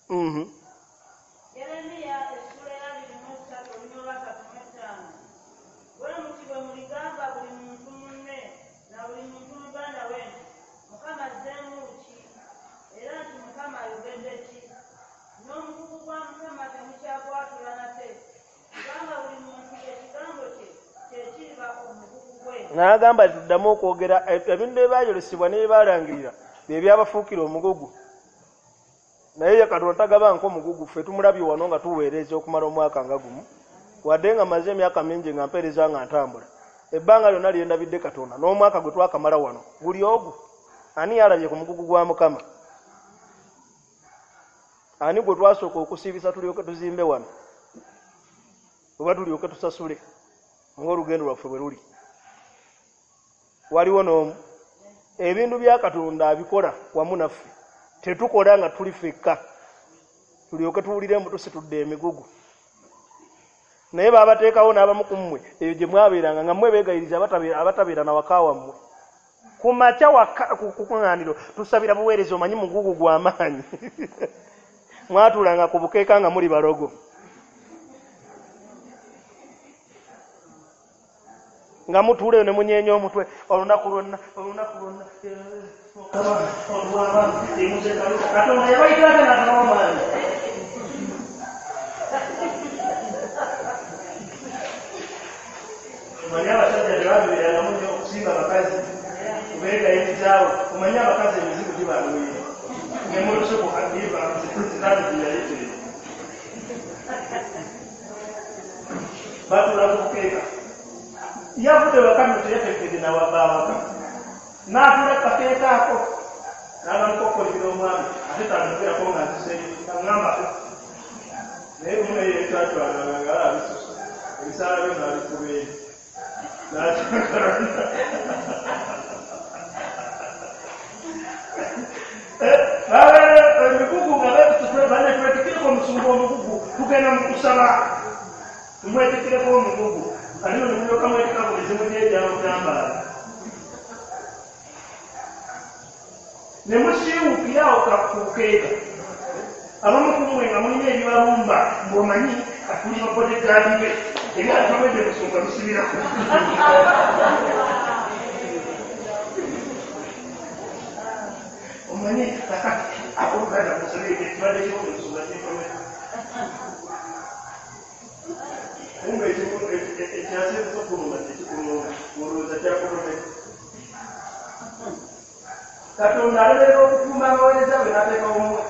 Speaker 3: Mhm.
Speaker 2: Yeremiya essula ya abiri mu esatu olunya olwasatu mu etaano. Bwe muti bwe muligamba buli muntu munne na buli muntu muganda we nti Mukama azzeemu ki? Era nti Mukama ayogedde ki? N'omugugu gwa Mukama temukyagwatula nate, kubanga buli muntu ekigambo kye kye kiriba omugugu gwe.
Speaker 3: N'agamba tuddamu okwogera ebintu ebyayolesebwa n'ebaalangirira bye byabafuukira omugugu. Naye ye Katonda tagaba nk'omugugu, ffe tumulabye wano nga tuweereza okumala omwaka nga gumu. Wadde nga maze emyaka mingi nga mpeereza nga ntambula, ebbanga lyonna lye ndabidde Katonda n'omwaka gwe twakamala wano guli ogwo. Ani yalabye ku mugugu gwa Mukama? Ani gwe twasooka okusiibisa tulyoke tuzimbe wano, oba tulyoke tusasule ng'olugendo lwaffe bwe luli? Waliwo n'omu. Ebintu bya Katonda abikola wamu naffe, tetukola nga tuli ffekka tulyoke tuwulire mbu tusitudde emigugu. Naye babateekawo n'abamu ku mmwe eyo gye mwabeeranga nga mmwe beegayiriza abatabeera na waka wammwe. Ku makya waka ku kuŋŋaaniro tusabira buweereza, omanyi mugugu gw'amaanyi. Mwatuulanga ku bukeeka nga muli balogo, nga mutuuleyo ne munyeenya omutwe olunaku lwonna olunaku lwonna. Katonda yabayita ate n'atabawa maanyi. Omanyi abasajja tebabeerangamu nnyo okusinga abakazi kubeegayirizaawo. Omanyi abakazi emizibu gibalwira ne mu lusuku kadiba sitaani gye yayitire batuula ku bukeeka. Yavudde waka nno teyatekedde nawaba awaka, n'atuula ku kakeeka ako n'atandika okukolimira omwami, ate tanyogerako nga nziseeyo aŋŋambako. Naye lumu naye yeekyatwalanga nga abisusa ebisaala byo n'abikuba eri n'akyakalana. Emigugu nga banetwetikireko omusumba omugugu, tugenda mu kusaba tumwetikireko omugugu, ate no nemulyoka mwetika buli zimu gyegyamutambaala ne musiiwukirawo ku bukeeka. Abamu ku mmwe nga mulina ebibalumba ng'omanyi atuli babodegaadi be ebyatawedde musumba bisibirako. Omanyi kakati abooluganda musabire ekibadde kimu omusumba kinkomera kumbe ekyasinza okuluma tekikuluma, olowooza kyakulumeka. Katonda alemerera okukuuma abaweereza bwe n'ateekawo mmwe.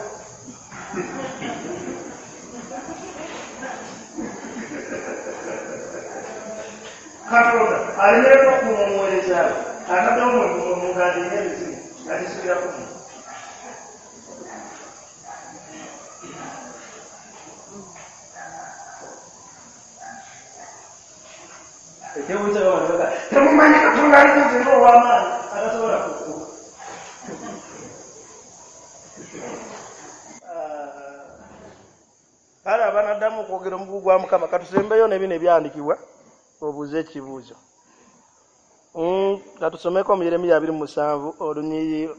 Speaker 3: Katonda alemerera okukuuma omuweereza we, ataddewo mmwe mugandinga emizimu nga gisubirako mmwe. Ekyewuunyisa abantu baga temumanyi Katonda ali ku nze ng'ow'amaanyi atasobola kukuuma. Kale abanaddamu okwogera omugugu gwa Mukama, katusembeyo ne bino ebyawandiikibwa obuuze ekibuuzo. Katusomeko mu Yeremiya abiri mu musanvu olunyiriri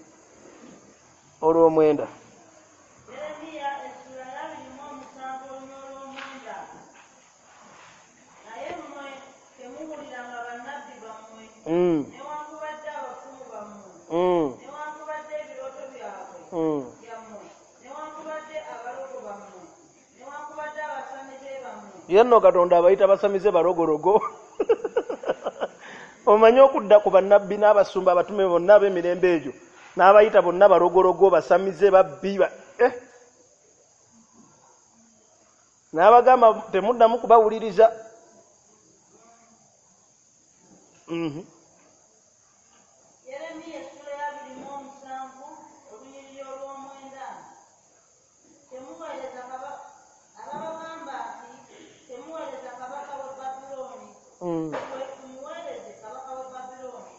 Speaker 3: olw'omwenda.
Speaker 2: Yeremiya essula ya abiri mu omusanvu olunyiriri olw'omwenda. Naye mmwe temuwuliranga bannabbi bammwe, newankubadde abafumu bammwe, newankubadde ebirooto byabwe byammwe, newankubadde abalogo bammwe, newankubadde abasamize bammwe.
Speaker 3: Ye nno Katonda abayita basamize balogologo. Omanyi okudda ku bannabbi n'abasumba abatume bonna ab'emirembe egyo n'abayita bonna balogologo, basamize, babbi, eh. N'abagamba temuddamu kubawuliriza. Mm-hmm.
Speaker 2: Yeremiya essula ya abiri mu omusanvu olunyiriri olw'omwenda. Temuweereza kabaka, ababagamba nti temuweereza kabaka w'e Babulooni. Tumuweereze kabaka w'e Babulooni,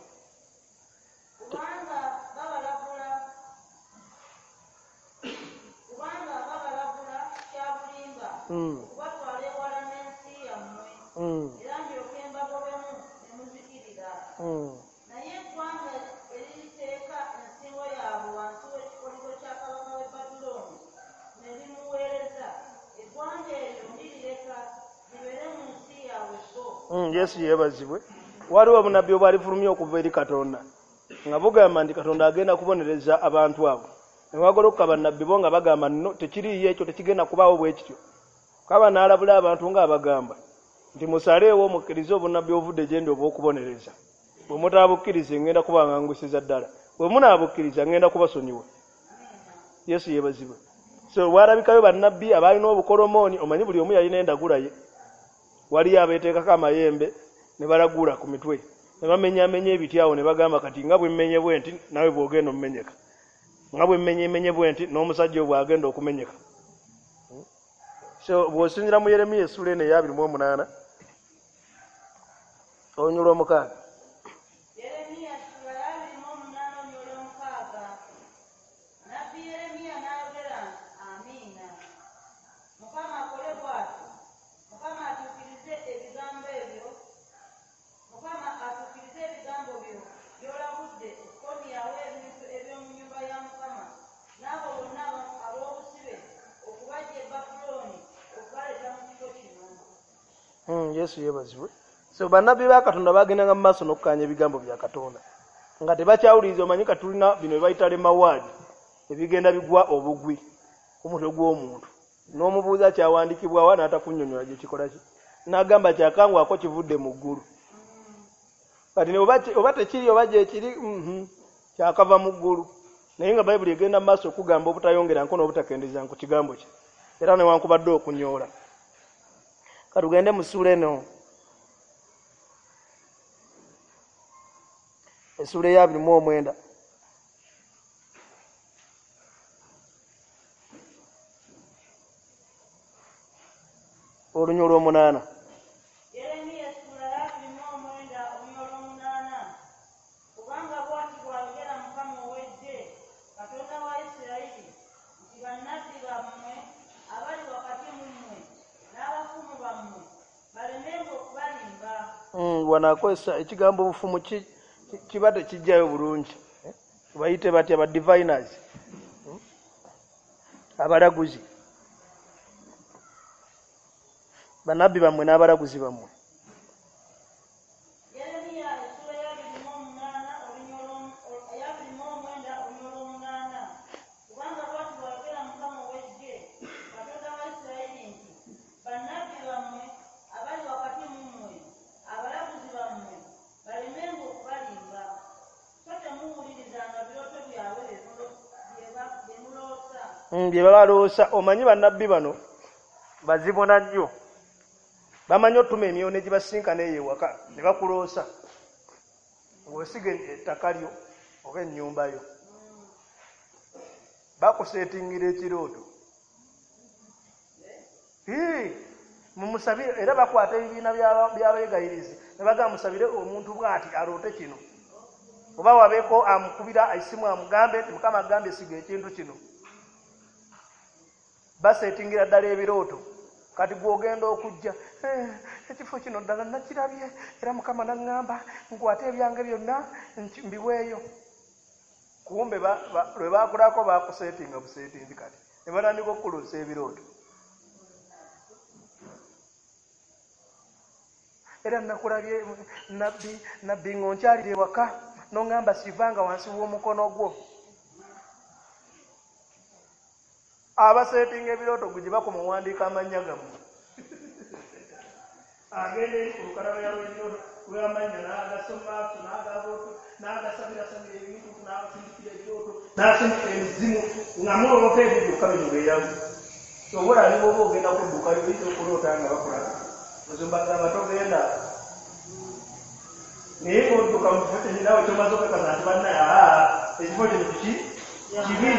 Speaker 2: kubanga babalagula kubanga babalagula kya bulimba okubatwala ewala n'ensi yammwe, era ndyoke mbagobemu ne muzikirira. Naye eggwanga eririteeka ensingo yaabwe wansi w'ekikoligo kya kabaka w'e Babulooni ne limuweereza, eggwanga eryo ndirireka libeere mu nsi yaabwe bo.
Speaker 3: Yesu yeebazibwe. Waliwo obunnabbi obwalifulumya okuva eri Katonda nga bugamba nti Katonda agenda kubonereza abantu abo. Ne wagolokoka bannabbi bo nga bagamba nno tekiriiyo ekyo, tekigenda kubaawo bwe kityo. Kaba n'alabula abantu ng'abagamba nti musaleewo mukkirize obunnabbi obuvudde gye ndi obw'okubonereza. Bwe mutaabukkirize ngenda kubangangusiza ddala, bwe munaabukkiriza ngenda kubasonyiwa. Yesu yeebazibwe. So walabikayo bannabbi abaalina obukolomooni, omanyi buli omu yalina endagula ye. Waliyo abeeteekako amayembe ne balagula ku mitwe, Ne bamenyamenya ebiti awo ne bagamba kati nga bwe mmenye bwe nti nawe bw'ogenda omumenyeka, nga bwe mmenye bwe nti n'omusajja oyo bw'agenda okumenyeka. So bw'osinziira mu Yeremiya essuula eno eya abiri mu omunaana olunyiriri olw'omukaaga.
Speaker 2: Yeremiya ssuula ya abiri mu omunaana olunyiriri olw'omukaaga. Nabbi Yeremiya n'ayogera nti, amiina. Mukama akole bw'atyo. Mukama atuukirize ebigambo ebyo. Mukama atuukirize ebigambo byo by'olagudde okukomyawo ebintu eby'omu nnyumba ya Mukama n'abo bonna ab'obusibe okubaggya e Babulooni okubaleeta mu kifo kino.
Speaker 3: Mm, Yesu yeebazibwe. So bannabbi ba Katonda bagendanga mu maaso n'okukkaanya ebigambo bya Katonda nga tebakyawuliriza. Omanyi katulina bino bye bayita lemawaadi ebigenda bigwa obugwi ku mutwe gw'omuntu, n'omubuuza kyawandiikibwawa n'atakunnyonnyola gye kikola ki, n'agamba kyakangwako kivudde mu ggulu. Kati ne oba oba tekiri oba gyekiri mhm kyakava mu ggulu, naye nga Bayibuli egenda mu maaso okugamba obutayongera nko n'obutakendeeza ku kigambo kye, era newankubadde okunyoola. Katugende mu ssuula eno, essuula eya abiri mu omwenda. Olunyiriri olw'omunaana.
Speaker 2: Yeremiya ssuula ya abiri mu omwenda olunyiriri olw'omunaana. Kubanga bw'ati bw'ayogera Mukama ow'eggye, Katonda wa Isirayiri, nti bannabbi bammwe abali wakati mu mmwe n'abafumu bammwe balemenga okubalimba.
Speaker 3: Mm, wano akozesa ekigambo obufumu ki kiba tekijjayo bulungi. Bayite batya ba diviners, abalaguzi, bannabbi bammwe n'abalaguzi bammwe.
Speaker 2: Yeremiya essuula ya abiri mu omunaana olunyiriri ya abiri mu omwenda olunyiriri olw'omunaana. Kubanga bw'ati bw'ayogera Mukama ow'eggye, Katonda wa Isirayiri nti bannabbi bammwe abali wakati mu mmwe, abalaguzi bammwe balemenga okubalimba. So temuwulirizanga birooto byabwe bye muloosa.
Speaker 3: Bye babaloosa. Omanyi bannabbi bano bazibona nnyo, bamanyi otuma emyoyo ne gibasinkana eyo ewaka ne bakuloosa ng'osiga ettaka lyo oba ennyumba yo, bakuseetingira ekirooto. Mumusabire, era bakwata ebibiina by'abeegayirizi ne bagamba musabire omuntu bw'ati aloote kino, oba wabeeko amukubira esimu amugambe nti Mukama agambye siga ekintu kino. Baseetingira ddala ebirooto. Kati gw'ogenda okujja, ekifo kino ddala nakirabye era Mukama n'aŋŋamba nkwate ebyange byonna mbiweeyo. Kumbe lwe baakulako baakuseetinga buseetinzi, kati ne batandika okukuluusa ebirooto. Era nakulabye nabbi nabbi ng'onkyalira ewaka n'oŋŋamba sivanga wansi w'omukono gwo. Abaseetinga ebirooto gwe gye bakoma owandiika amannya gammwe. Agenda eri ku lukalala lw'ebirooto lw'amannya n'agasoma n'agabooto n'agasabirasabira ebintu n'asindikira ebirooto n'asindika emizimu nga muloota ebyo byokka bino beeyamu. Oba olaba bw'oba ogenda kuddukayo oyinza okuloota nga bakulaba. Musumba agamba togenda, naye ng'odduka mu kifo kyennyini naawe ky'omaze okakasa nti bannaye aa ekifo kino kiki kibi.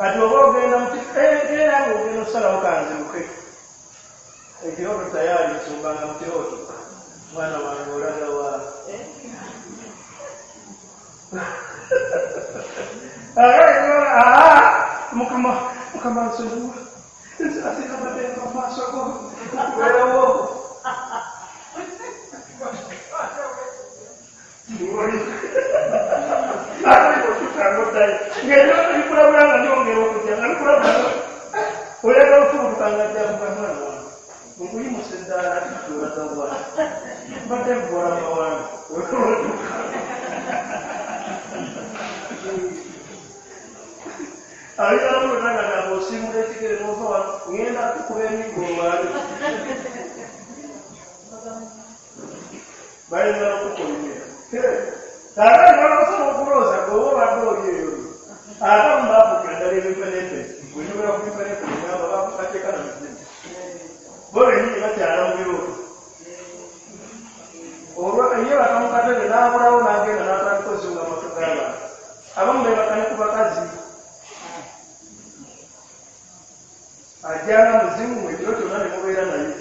Speaker 3: Kati oba ogenda mu era ng'ogenda okusalawo kanziruke, ekirooto tayali nsumbanga mu kirooto, mwana wange olaga wa? Mukama Mukama nsonyiwa, nsaasira amateeka mu maaso go weewo. Ng'ebirooto bikulabula nga byongera okujja nga bikulabula oyagala ofubutuka nga ajja kuga mwana wange nkuyimusa eddaala ati olaga wa? Mbadde nkuwala mawanga oduka. Ayagala nga gamba osiimula ekigere n'ova wano ŋŋenda kukuba emiggo olwali. Bayinza n'okukulimira. Kaakati balasobola okulooza gwe oba obadde oli eyo. Ate abamu baafuukira ddala ebimpenempe. Bwe njogera ku bimpenempe ngamba bateeka na mizimu. Bo bennyini bakyala mu birooto. Olwo ye baka mu katebe n'aba
Speaker 4: Ajjanga muzimu ekiro kyonna ne mubeera naye.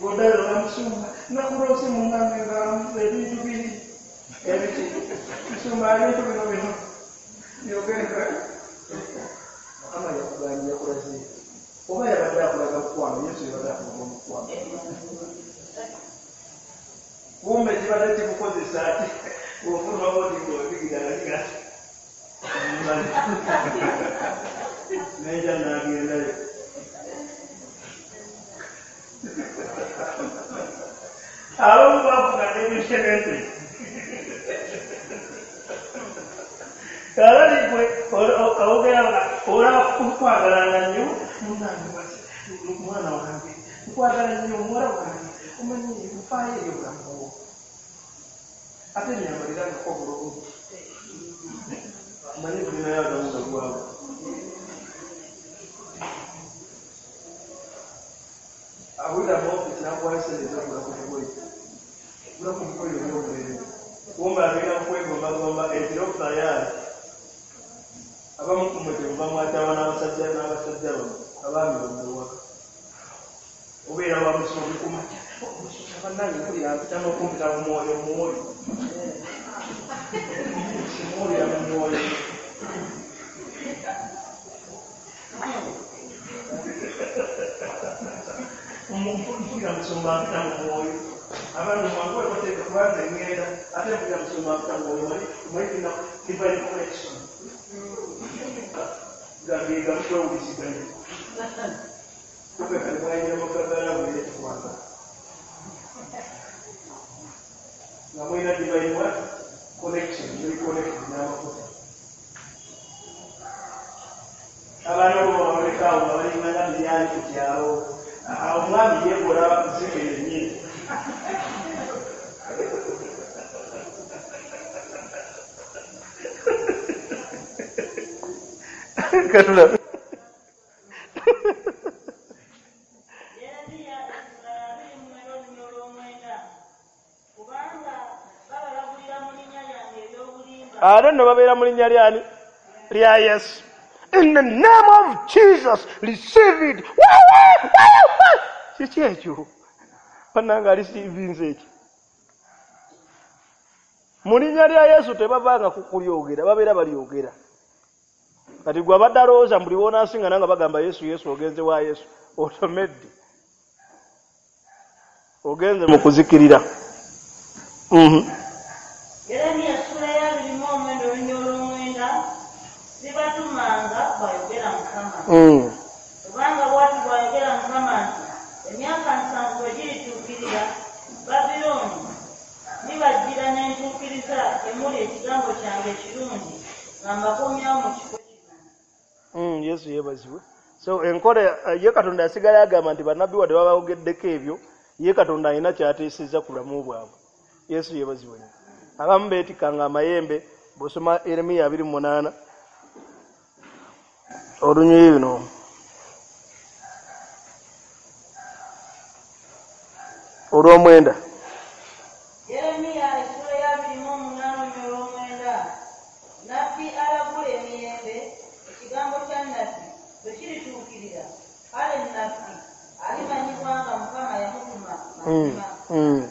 Speaker 4: Goddayo namusumba nakulose munange nga ebintu biri ebiki musumba ebintu bino bino byogereka. Mukama yakugambye yakulaze oba yabadde akulaga mukwano, Yesu yabadde akulaga mukwano. Kumbe kibadde kikukozesa ati ofuluma bw'oti ng'obigira neja n'agendayo. Abamu bafuna n'ebishenete. Kakati gwe ogera nga olaba kukwagalanga nnyo munange mwana wange nkwagala nnyo muwala wange omanyi nfaayo eri obulamu bwo ate nyambalirangako bulungi omanyi tulinayo agamu gagwawo. Awulira mu ofiisi n'akuwayo ssente ez'okugula ku bugoye gula ku bugoye obw'omulembe kumbe agenda kwegombagomba ekiro tayaali. Abamu ku mmwe kyemuva mwatawa n'abasajja n'abasajja bammwe abaami bammwe ewaka obeera wa musumbi ku makya omusumba bannange mpulira mpita n'okumpita mu mwoyo mwoyo simuwulira mu mwoyo. Mpulira musumba mpita mu mwoyo abaami mwangu wekoteeka kubanga ŋŋenda ate mpulira musumba mpita mu mwoyo omanyi tulina divine connection gagega mutwewuliziganya kumbe kati mwayingira mu ggagala bwere ekikwanga nga mulina divine what connection muli connected n'amafuta. Abaana bo babalekaawo nga balinganga miryali ku kyalo omwami yeekola nzike yennyini. Katulabe.
Speaker 2: Yeremiya essula ya abiri mu mwenda olunyiriri olw'omwenda. Kubanga babalagulira mu linnya lyange eby'obulimba.
Speaker 3: Ate nno babeera mu linnya lyani? Lya Yesu. In the name of Jesus, receive it. Kiki ekyo? Bannange alisiivinze eki? Mu linnya lya Yesu tebavanga ku kulyogera, babeera balyogera. Kati gwe abadde alowooza buli w'onaasingana nga bagamba Yesu Yesu ogenze wa Yesu otomedde ogenze mu kuzikirira. Mhm.
Speaker 2: Yeremiya essula ya abiri mu omwenda olunyiriri olw'omwenda sibatumanga bw'ayogera Mukama.
Speaker 3: Mm.
Speaker 2: Kubanga bw'ati bw'ayogera Mukama nti emyaka nsanvu bwe girituukirira Babilooni ndibajjira ne ntuukiriza emuli ekigambo kyange ekirungi nga mbakomyawo mu kifo kino.
Speaker 3: Mm, Yesu yeebazibwe. So enkola ye Katonda yasigala agamba nti bannabbi wadde babayogeddeko ebyo ye Katonda alina ky'ateesezza ku bulamu bwabwe. Yesu yeebazibwe nnyo. Abamu beetikkanga amayembe bw'osoma Yeremiya abiri mu munaana olunyiriri luno olw'omwenda.
Speaker 2: Yeremiya essula ya abiri mu omunaana olunyiriri olw'omwenda nabbi alagula emirembe ekigambo kya nabbi bwe kirituukirira kale nabbi alimanyibwa nga Mukama yamutuma
Speaker 3: Mm,
Speaker 2: mazima.
Speaker 3: mm.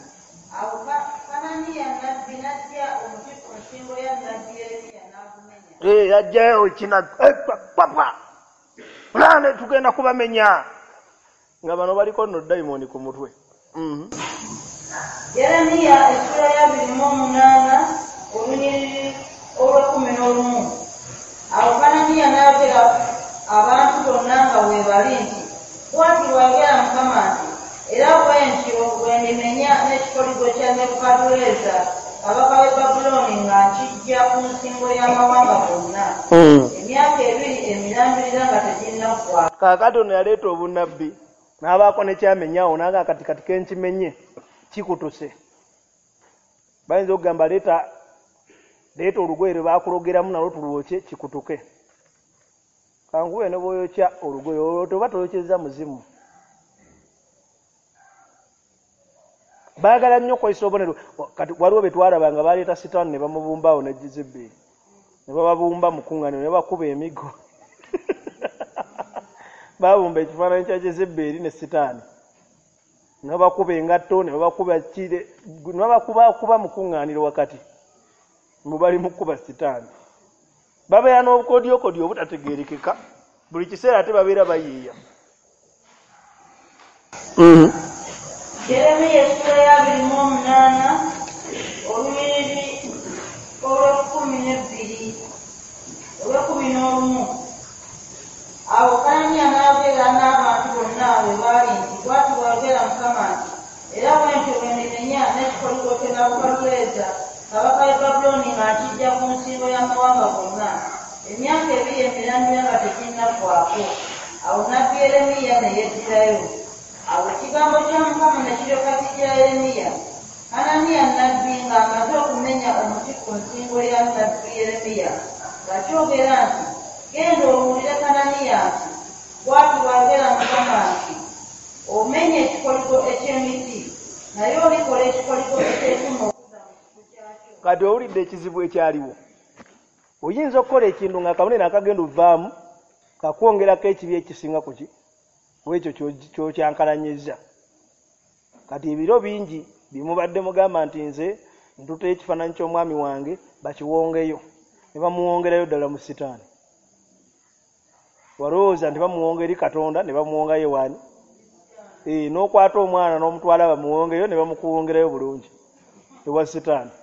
Speaker 2: Awo Ka- Kananiya nabbi n'aggya omuti ku nsingo ya nabbi Yeremiya n'agumenya.
Speaker 3: Eh, yajjayo kina eh, pa- papa pulaane tugenda kubamenya nga bano baliko nno dayimooni ku mutwe. Mhm.
Speaker 2: Yeremiya essula ya abiri mu omunaana olunyiriri olw'ekkumi n'olumu. Awo Kananiya n'ayogera abantu bonna nga bwe bali nti bw'ati bw'ayogera Mukama nti era bwe ntyo bwe ndimenya n'ekikoligo kya Nebukadduleeza kabaka w'e Babulooni nga nkiggya ku nsingo y'amawanga gonna
Speaker 3: Mm.
Speaker 2: emyaka ebiri emirambirira nga teginnaggwaako.
Speaker 3: Kaakati ono yaleeta obunnabbi n'abaako ne kyamenyawo n'aga kati kati kenkimenye kikutuse. Bayinza okugamba leeta leeta olugoye lwe baakulogeramu nalwo tulwokye kikutuke. Kanguwe ne bw'oyokya olugoye olwo toba toyokyezza muzimu. Baagala nnyo okukozesa obubonero. Kati waliwo be twalaba nga baleeta sitaani ne bamubumbaawo ne Jezeberi.
Speaker 1: Ne bababumba mu kuŋŋaaniro ne bakuba emigo. Babumba ekifaananyi kya Jezeberi ne Sitaani. Ne babakuba engatto, ne babakuba kire, ne babakubakuba mu kuŋŋaaniro wakati. Mu bali mu kukuba Sitaani. Babeera n'obukodyokodyo obutategeerekeka. Buli kiseera ate babeera bayiiya. Mm.
Speaker 2: Yeremiya essula ya abiri mu omunaana olunyiriri olw'ekkumi n'ebbiri olw'ekkumi n'olumu. Awo Kananiya n'ayogera n'abantu bonna we baali nti, bw'ati bw'ayogera Mukama nti, era bwe ntyo bwe ndimenya n'ekikoligo kye Nebukadduleeza kabaka w'e Babulooni nga nkiggya ku nsingo y'amawanga gonna, emyaka ebiri emirandira nga teginnaggwaako. Awo nnabbi Yeremiya ne yeddirayo. Awo ekigambo kya Mukama ne kiryoka kijjira Yeremiya. Kananiya nnabbi ng'amaze okumenya omuti ku nsingo ya nnabbi Yeremiya, ng'akyogera nti, genda obuulire Kananiya nti, bw'ati bw'ayogera Mukama nti, omenye ekikoligo eky'emiti, naye olikola ekikoligo eky'ekyuma okudda mu kifo kyakyo.
Speaker 1: Kati owulidde ekizibu ekyaliwo. Oyinza okukola ekintu nga akabonero akagenda ovaamu kakwongerako ekibi ekisinga ku ki ekyo ky'okyankalanyizza. Kati ebiro bingi bimubadde mugamba nti nze ntuteyo ekifaananyi ky'omwami wange bakiwongeyo, ne bamuwongerayo ddala mu Sitaani. Walowooza nti bamuwonga eri Katonda ne bamuwongayo waani? Eh, n'okwata omwana n'omutwala bamuwongeyo ne bamukuwongerayo bulungi ewa Sitaani.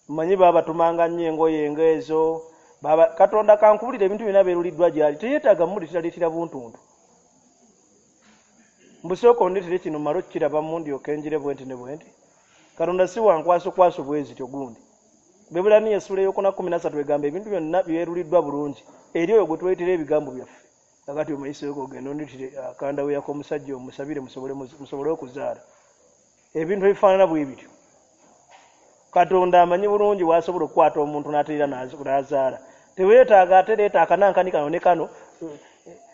Speaker 1: Mmanyi baabatumanga nnyo engoye ng'ezo. Baba Katonda kankubulira ebintu byonna beeruliddwa gy'ali, teyeetaaga mmuleetera buntuntu. Mbusooka ondeetere kino mmale okukirabamu ndyoke njire bwe nti ne bwe nti. Katonda si wa nkwasokwaso bwe zityo gundi. Bebbulaniya essula ey'okuna kkumi na ssatu egamba ebintu byonna byeruliddwa bulungi eri oyo gwe tuleetera ebigambo byaffe. Kakati omayiseeko ogenda ondeetere akandaweya k'omusajja omusabire musobole musobole okuzaala. Ebintu ebifaanana bwe bityo. Katonda amanyi bulungi w'asobola okukwata omuntu n'ateera n'azaala. Teweetaaga ate leeta akanankani kano ne kano,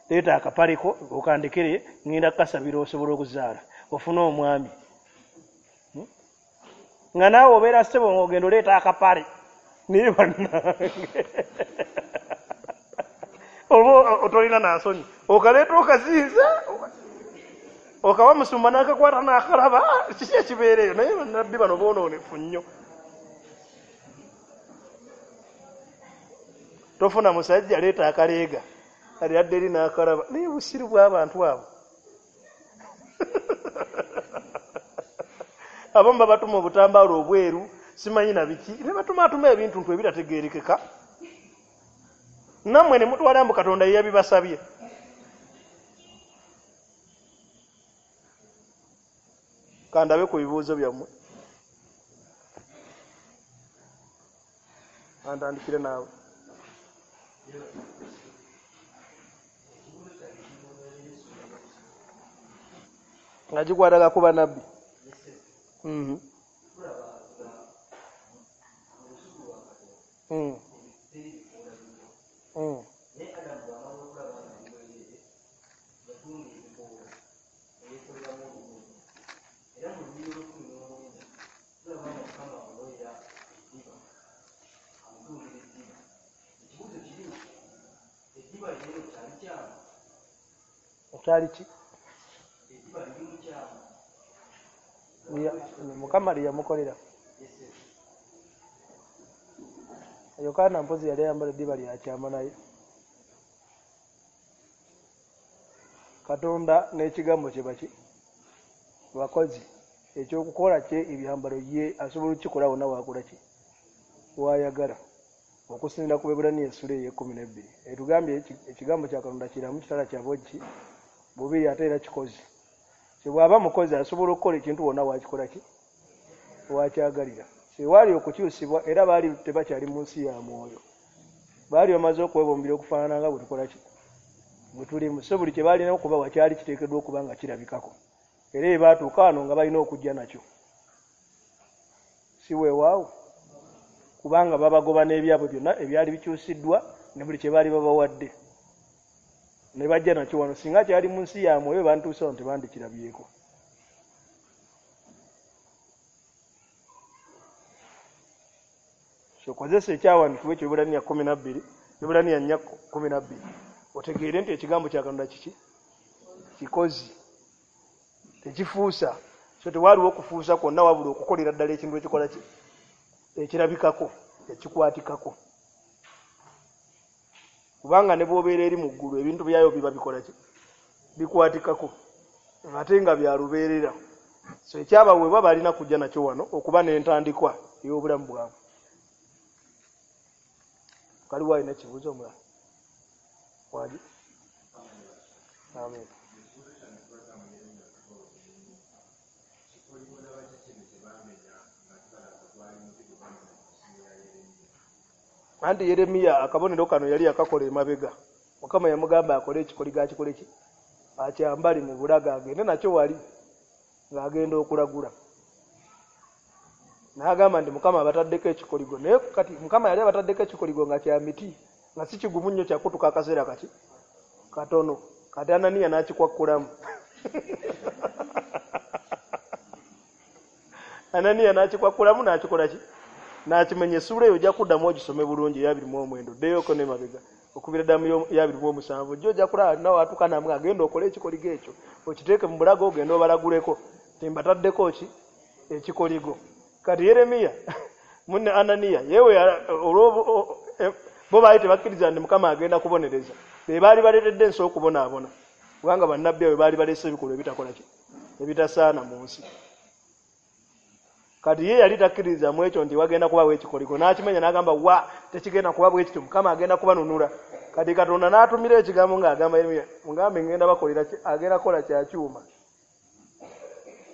Speaker 1: leeta akapaliko okandekere ngenda kukasabira osobole okuzaala ofune omwami. Nga naawe obeera ssebo ng'ogenda oleeta akapale naye bannange oba otolina nansonyi okaleeta okaziiza okawa musumba n'akakwata n'akalaba kiki ekibeera eyo. Naye bannabbi bano boonoonefu nnyo. Tofuna musajja leeta akaleega ali adde eri n'akalaba naye busiru bw'abantu abo. Abamu babatuma obutambaalo obweru simanyi na biki ne batumaatuma ebintu ntu ebitategeerekeka nammwe ne mutwala mbu Katonda ye yabibasabye. Kandabe ku bibuuzo byammwe. Antandikire naawe. Nga gikwataga ku bannabbi. Mhm. Mm. Mm. Kyali ki? Mukama lye yamukolera. Yokaana mpozi yali ayambala eddiba lya kyama naye. Katonda n'ekigambo kye baki bakozi ekyokukola kye ebyambalo ye asobola okukikola wonna waakola ki waayagala. Okusinziira ku Bebbulaniya essula ey'ekkumi n'ebbiri etugambye ekigambo kya Katonda kiramu kitala kya bwogi bubiri ate era kikozi. Bw'aba mukozi asobola okukola ekintu wonna waakikola ki wakyagalira. Sewaali okukyusibwa era baali tebakyali mu nsi ya mwoyo. Baali bamaze okwebumbira okufaanana nga bwe tukola ki bwe tulimu. So buli kye baalina okuba wakyali kiteekeddwa okuba nga kirabikako. Era bwe baatuuka wano nga balina okujja nakyo. Si weewaawo kubanga babagoba n'ebyabwe byonna ebyali bikyusiddwa ne buli kye baali babawadde. Ne bajja nakyo wano. Singa kyali mu nsi ya mwoyo bantuuse wano tebandikirabyeko. Okozesa ekyawandiikibwa ekyo Ebbulaniya kkumi na bbiri, Ebbulaniya nnya kkumi na bbiri, otegeere nti ekigambo kya Katonda kiki? Kikozi, tekifuusa. So tewaaliwo okufuusa kwonna, wabula okukolera ddala ekintu ekikola ki? Ekirabikako, ekikwatikako. Kubanga ne bw'obeera eri mu ggulu, ebintu byayo biba bikola ki? Bikwatikako, ate nga bya lubeerera. So ekyabaweebwa balina kujja nakyo wano okuba n'entandikwa ey'obulamu bwabwe. Kaliwo alina ekibuuzo omulala? Wali? Amen. Anti Yeremiya akabonero kano yali akakola emabega. Mukama yamugamba akole ekikoligo, akikole ki? Akyambale mu bulago agende nakyo wali ng'agenda okulagula. N'agamba nti Mukama abataddeko ekikoligo, naye kati Mukama yali abataddeko ekikoligo nga kya miti, nga si kigumu nnyo kyakutuka akaseera kaki katono. Kati Ananiya n'akikwakkulamu. Ananiya n'akikwakkulamu n'akikola ki? N'akimenya. Essuula eyo ojja kuddamu ogisome bulungi eya abiri mu omwenda, oddeyoko n'emabega okubira ddamu ya abiri mu omusanvu, ojja ojja kulaba nawe atuuka namwe agenda okole ekikoligo ekyo okiteeke mu bulago ogende obalaguleko nti mbataddeko ki? Ekikoligo. Kati Yeremiya munne Ananiya yewe olwo bo baali tebakkiriza nti Mukama agenda kubonereza, be baali baleetedde ensi okubonaabona, kubanga bannabbi abo baali baleese ebikolwa ebitakola ki? Ebitasaana mu nsi. Kati ye yali takkiriza mu ekyo nti wagenda kubawo ekikoligo, n'akimenya n'agamba wa tekigenda kuba bwe kityo, Mukama agenda kubanunula. Kati Katonda n'atumira ekigambo ng'agamba Yeremiya, mugambe ngenda bakolera ki? Agenda kukola kya kyuma.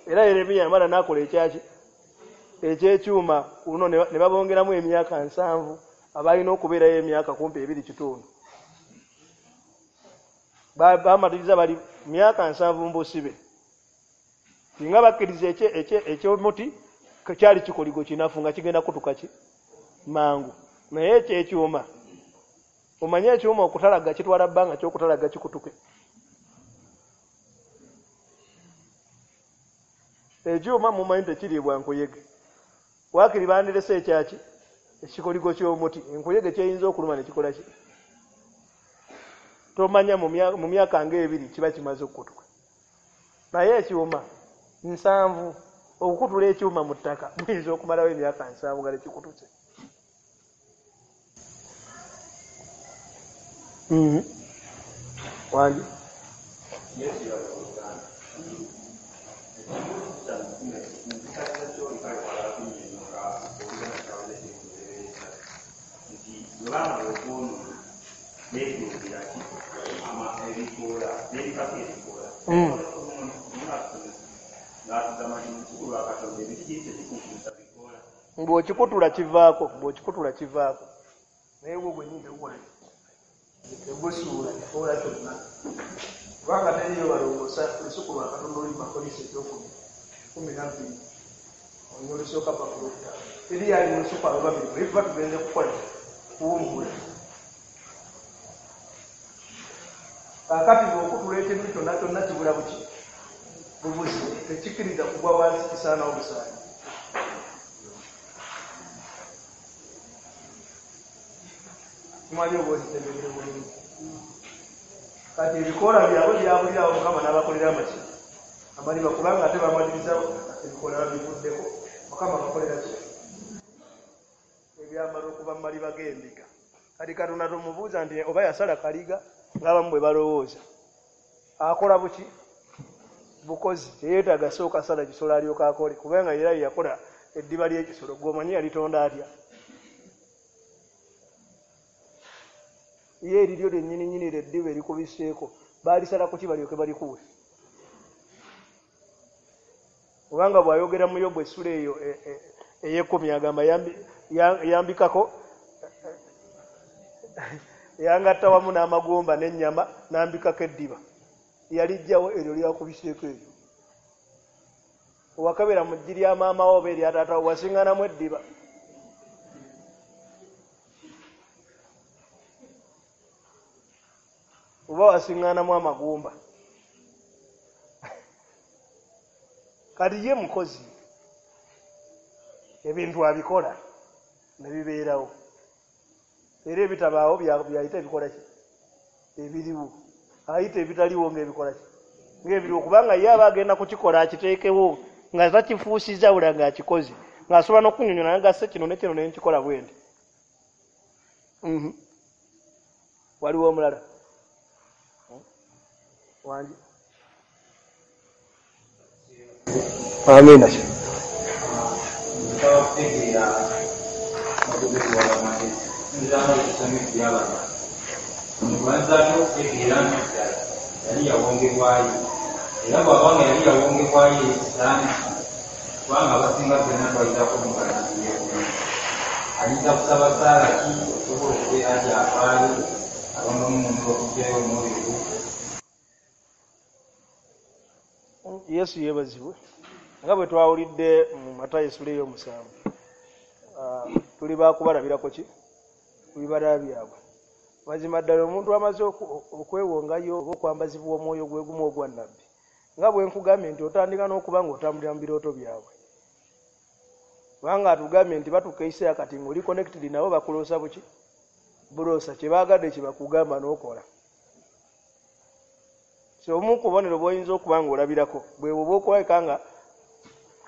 Speaker 1: Era Yeremiya yamala n'akola ekyaki? Ekyekyuma. Kuno ne babongeramu emyaka nsanvu, abalina okubeerayo emyaka kumpi ebiri kitundu. Bamaliriza bali myaka nsanvu mu busibe. Singa bakkiriza ekyomuti kyali kikoligo kinafu nga kigenda kutuka ki? Mangu. Naye ekyekyuma, omanye ekyuma okutalaga kitwala bbanga ky'okutalaga kikutuke. Ekyuma mumanyi tekiriibwa nkuyege. Waakiri bandirese ekyaki? Ekikoligo ky'omuti. Enkuyege kyeyinza okuluma ne kikola ki? Tomanya mu myaka ng'ebiri kiba kimaze okukutuka. Naye ekyuma nsanvu, okukutula ekyuma mu ttaka muyinza okumalawo emyaka nsanvu nga tekikutuse. Wangi? Bw'okikutula kivaako, bw'okikutula kivaako. Naye gwo gwennyini tegukola ki? Tegusuula kikoola kyonna. Kubanga teriiyo balongoosa olusuku lwa Katonda oluli mu Bakolinso ekyokumi kkumi na bbiri olunya olusooka paka olwokutaano. Teriiyo ali mu lusuku abo babiri, bwe tuba tugenze kukola kuwummula. Kaakati bw'okutula ekintu kyonna kyonna kibula buki? Bubuzi. Tekikkiriza kugwa wansi, kisaanawo busaanyi. Tumanyi oba okitegedde bulungi. Kati ebikoola byabwe byabulirawo Mukama n'abakolera amaki? Amaliba, kubanga ate bamaliriza ebikoola babivuddeko. Mukama abakolera ki? Ebyambalo okuva mu maliba g'endiga. Kati Katonda tomubuuza nti oba yasala kaliga ng'abamu bwe balowooza. Akola buki? Bukozi. Teyeetaaga sooka sala kisolo alyoke akole, kubanga era ye yakola eddiba ly'ekisolo. Ggwe omanyi yalitonda atya? Ye eriryo lyennyini nnyini ly'eddiba erikubiseeko baalisala ku ki balyoke balikuwe? Kubanga bw'ayogera mu Yobu essula eyo ey'ekkumi agamba yambikako yangatta wamu n'amagumba n'ennyama n'ambikako eddiba. Yalijjawo eryo lyakubiseeko eryo. Owakabera mu ggi lya maama wo oba erya taata wo wasiŋŋanamu eddiba. Oba wasiŋŋanamu amagumba. Kati ye mukozi, ebintu abikola.
Speaker 3: Ne bibeerawo. Era ebitabaawo byayita ebikola ki? Ebiriwo. Ayita ebitaliwo ng'ebikola ki? Ng'ebiriwo, kubanga ye aba agenda kukikola akiteekewo nga takifuusizza wula ng'akikoze, ng'asobola n'okunnyonnyola n'agassa kino ne kino ne nkikola bwe nti. Mhm. Waliwo omulala? Wangi. Amiina.
Speaker 6: Nsaba kutegeera amagezi w'amagezi. Nzanga okusoma ebyabala. Omubanzaako okutegeera nti ddala yali yawongebwayo. Era bw'aba nga yali yawongebwayo ekisaaani kubanga abasinga ffenna twayitako mu bannabbi. Ayinza kusaba ssaala ki okusobola okubeera nti afaayo abamu mu okuggyayo omwoyo gwe.
Speaker 3: Yesu yeebazibwe. Nga bwe twawulidde mu Matayo essula ey'omusanvu, tuli baakubalabirako ki? Ku bibala byabwe. Mazima ddala omuntu amaze okwewongayo oba okwambazibwa omwoyo gwe gumu ogwa nnabbi, nga bwe nkugambye nti otandika n'okuba ng'otambulira mu birooto byabwe. Kubanga atugambye nti batuuka ekiseera kati ng'oli connected nabo bakuloosa buki? Buloosa, kye baagadde kye bakugamba n'okola. So omu ku bubonero bw'oyinza okuba ng'olabirako bwe bw'oba okulabika nga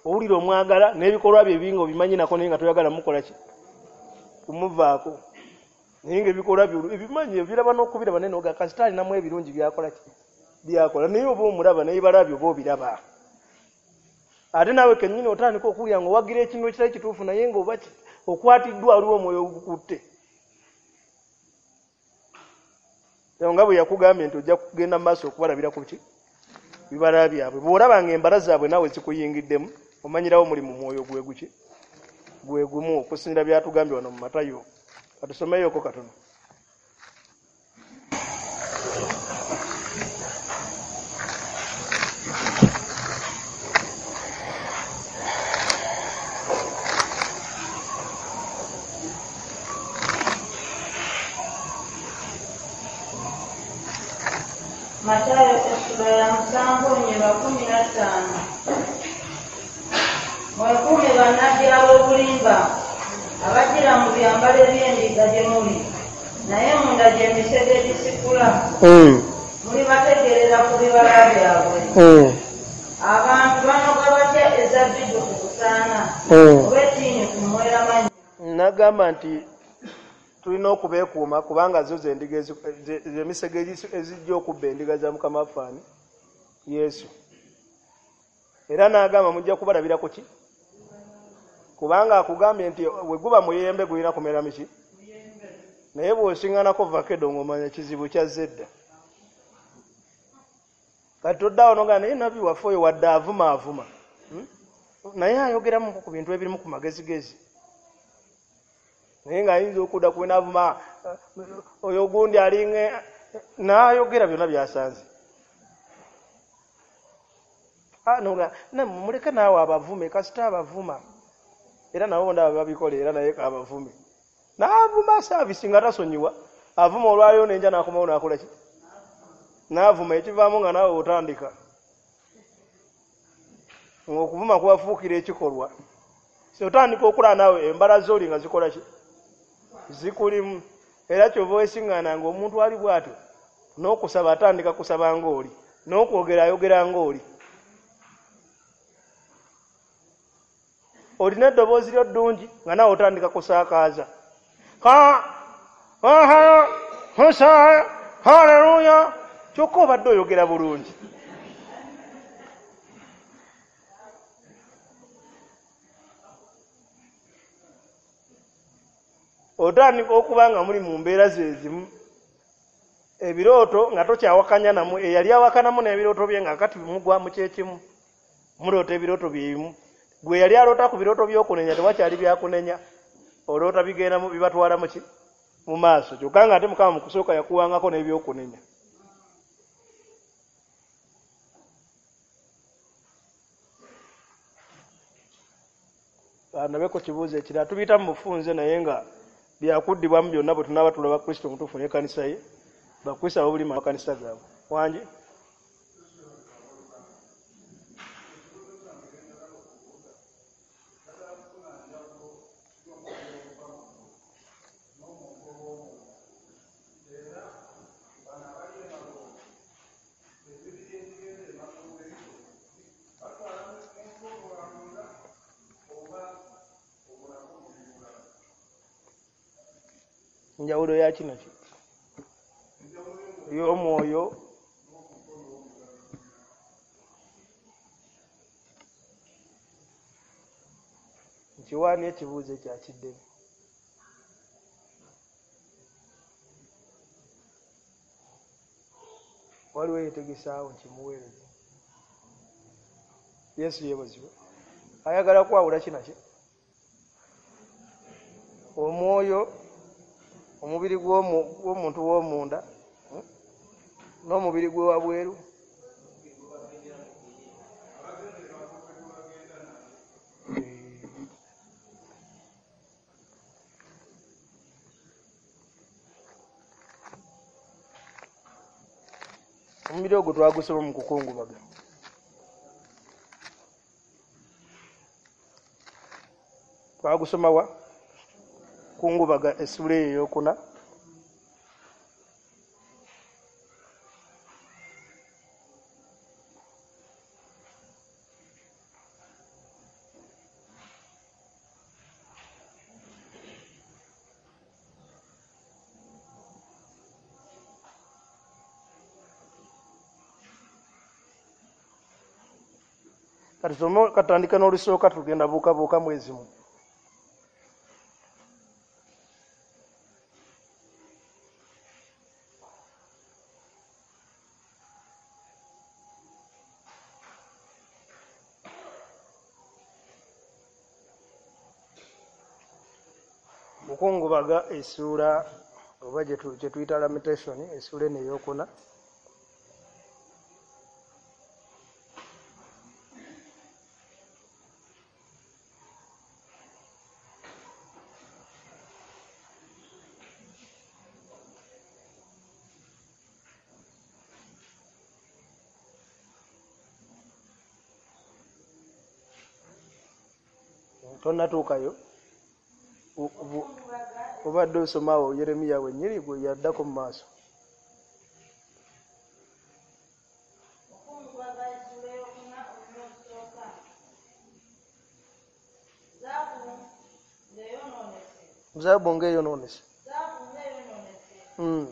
Speaker 3: owulira omwagala n'ebikolwa bye bingi obimanyi nako naye nga toyagala mukola ki? Kumuvaako. Naye ng'ebikolwa bye ebimanyi ebiraba n'okubiraba naye n'oga kasita alinamu ebirungi by'akola ki? By'akola. Naye oba omulaba n'ebibala bye oba obiraba. Ate naawe kennyini otandika okuwulira ng'owagira ekintu ekitali kituufu naye ng'oba okwatiddwa waliwo omwoyo ogukutte. Nga bwe yakugambye nti ojja kugenda mu maaso okubalabira ku ki? Bibala byabwe. Bw'olaba ng'embala zaabwe naawe zikuyingiddemu, omanyirawo muli mu mwoyo gwe guki? Gwe gumu, okusinziira by'atugambye wano mu Matayo. Katusomeyoko katono.
Speaker 2: Matayo essula ya musanvu olunyiriri kumi na ttaano. Mwekuume bannabbi ab'obulimba abajjira mu byambalo eby'endiga gye muli, naye munda gy'emisege egisikula. Mulibategeerera ku bibala byabwe. Abantu banoga batya ezabbibu ku busaana oba ettiini ku mweramannyo?
Speaker 3: Nagamba nti tulina okubeekuuma kubanga zo z'endiga emisege ezijja okubba endiga za Mukama waffe ani? Yesu. Era n'agamba mujja kubalabira ku ki? Kubanga akugambye nti bwe guba muyembe gulina kumera miki? Naye bw'osinganako vakedo ng'omanya kizibu kyazze dda. Kati toddawo n'ogamba naye nabbi waffe oyo wadde avuma avuma. Naye ayogeramu ku bintu ebirimu ku magezigezi. Naye ng'ayinza okudda ku n'avuma oyo gundi alinga n'ayogera byonna by'asanze. Ah, no, muleke naawe abavume, kasita abavuma. Era nabo ndaba babikola era naye abavume. N'avuma saavisi nga tasonyiwa, avuma olwaleero n'enja n'akomawo n'akola ki? N'avuma ekivaamu nga naawe otandika. Ng'okuvuma kubafuukira ekikolwa. So otandika okulaba naawe embala z'oli nga zikola ki? Zikulimu. Era ky'ova weesiŋŋaana ng'omuntu ali bw'atyo n'okusaba atandika kusaba ng'oli, n'okwogera ayogera ng'oli. Olina eddoboozi lyo ddungi nga naawe otandika kusaakaaza. Ha! Aha! Husa! Haleluya! Kyokka obadde oyogera bulungi. Otandika okuba nga muli mu mbeera ze zimu. Ebirooto nga tokyawakanya namu, eyali awakanamu n'ebirooto bye nga kati mugwa mu kyekimu. Muloota ebirooto bye bimu. Gwe yali aloota ku birooto by'okunenya tewakyali byakunenya. Oloota bigenda bibatwala mu ki? Mu maaso. Kyokka nga ate Mukama mu kusooka yakuwangako n'ebyokunenya. Ndabeko kibuuzo ekirala tubiyita mu bufunze naye nga byakuddibwamu byonna bwe tunaaba tulaba Kristo omutuufu n'ekkanisa ye, Bakristo ab'obulima amakanisa gaabwe. Wangi? Njawulo ya kino ki y'omwoyo nkiwaani ekibuuzo ekyakiddemu. Waliwo yetegesaawo nkimuweereza. Yesu yeebazibwe. Ayagala kwawula kino ki omwoyo, omubiri gw'omuntu w'omunda n'omubiri gwe wabweru. Omubiri ogwo twagusoma mu kukungubaga. Twagusoma wa kungubaga essula eyo ey'okuna. Katusome katandika n'olusooka tugenda buukabuuka mwezi mu. Mukungubaga essuula oba gye tuyita lamentation, essuula eno ey'okuna. Tonnatuukayo, obadde osomaawo Yeremiya wennyini gwe yaddako mu maaso. Zaabu ng'eyonoonese. Mm.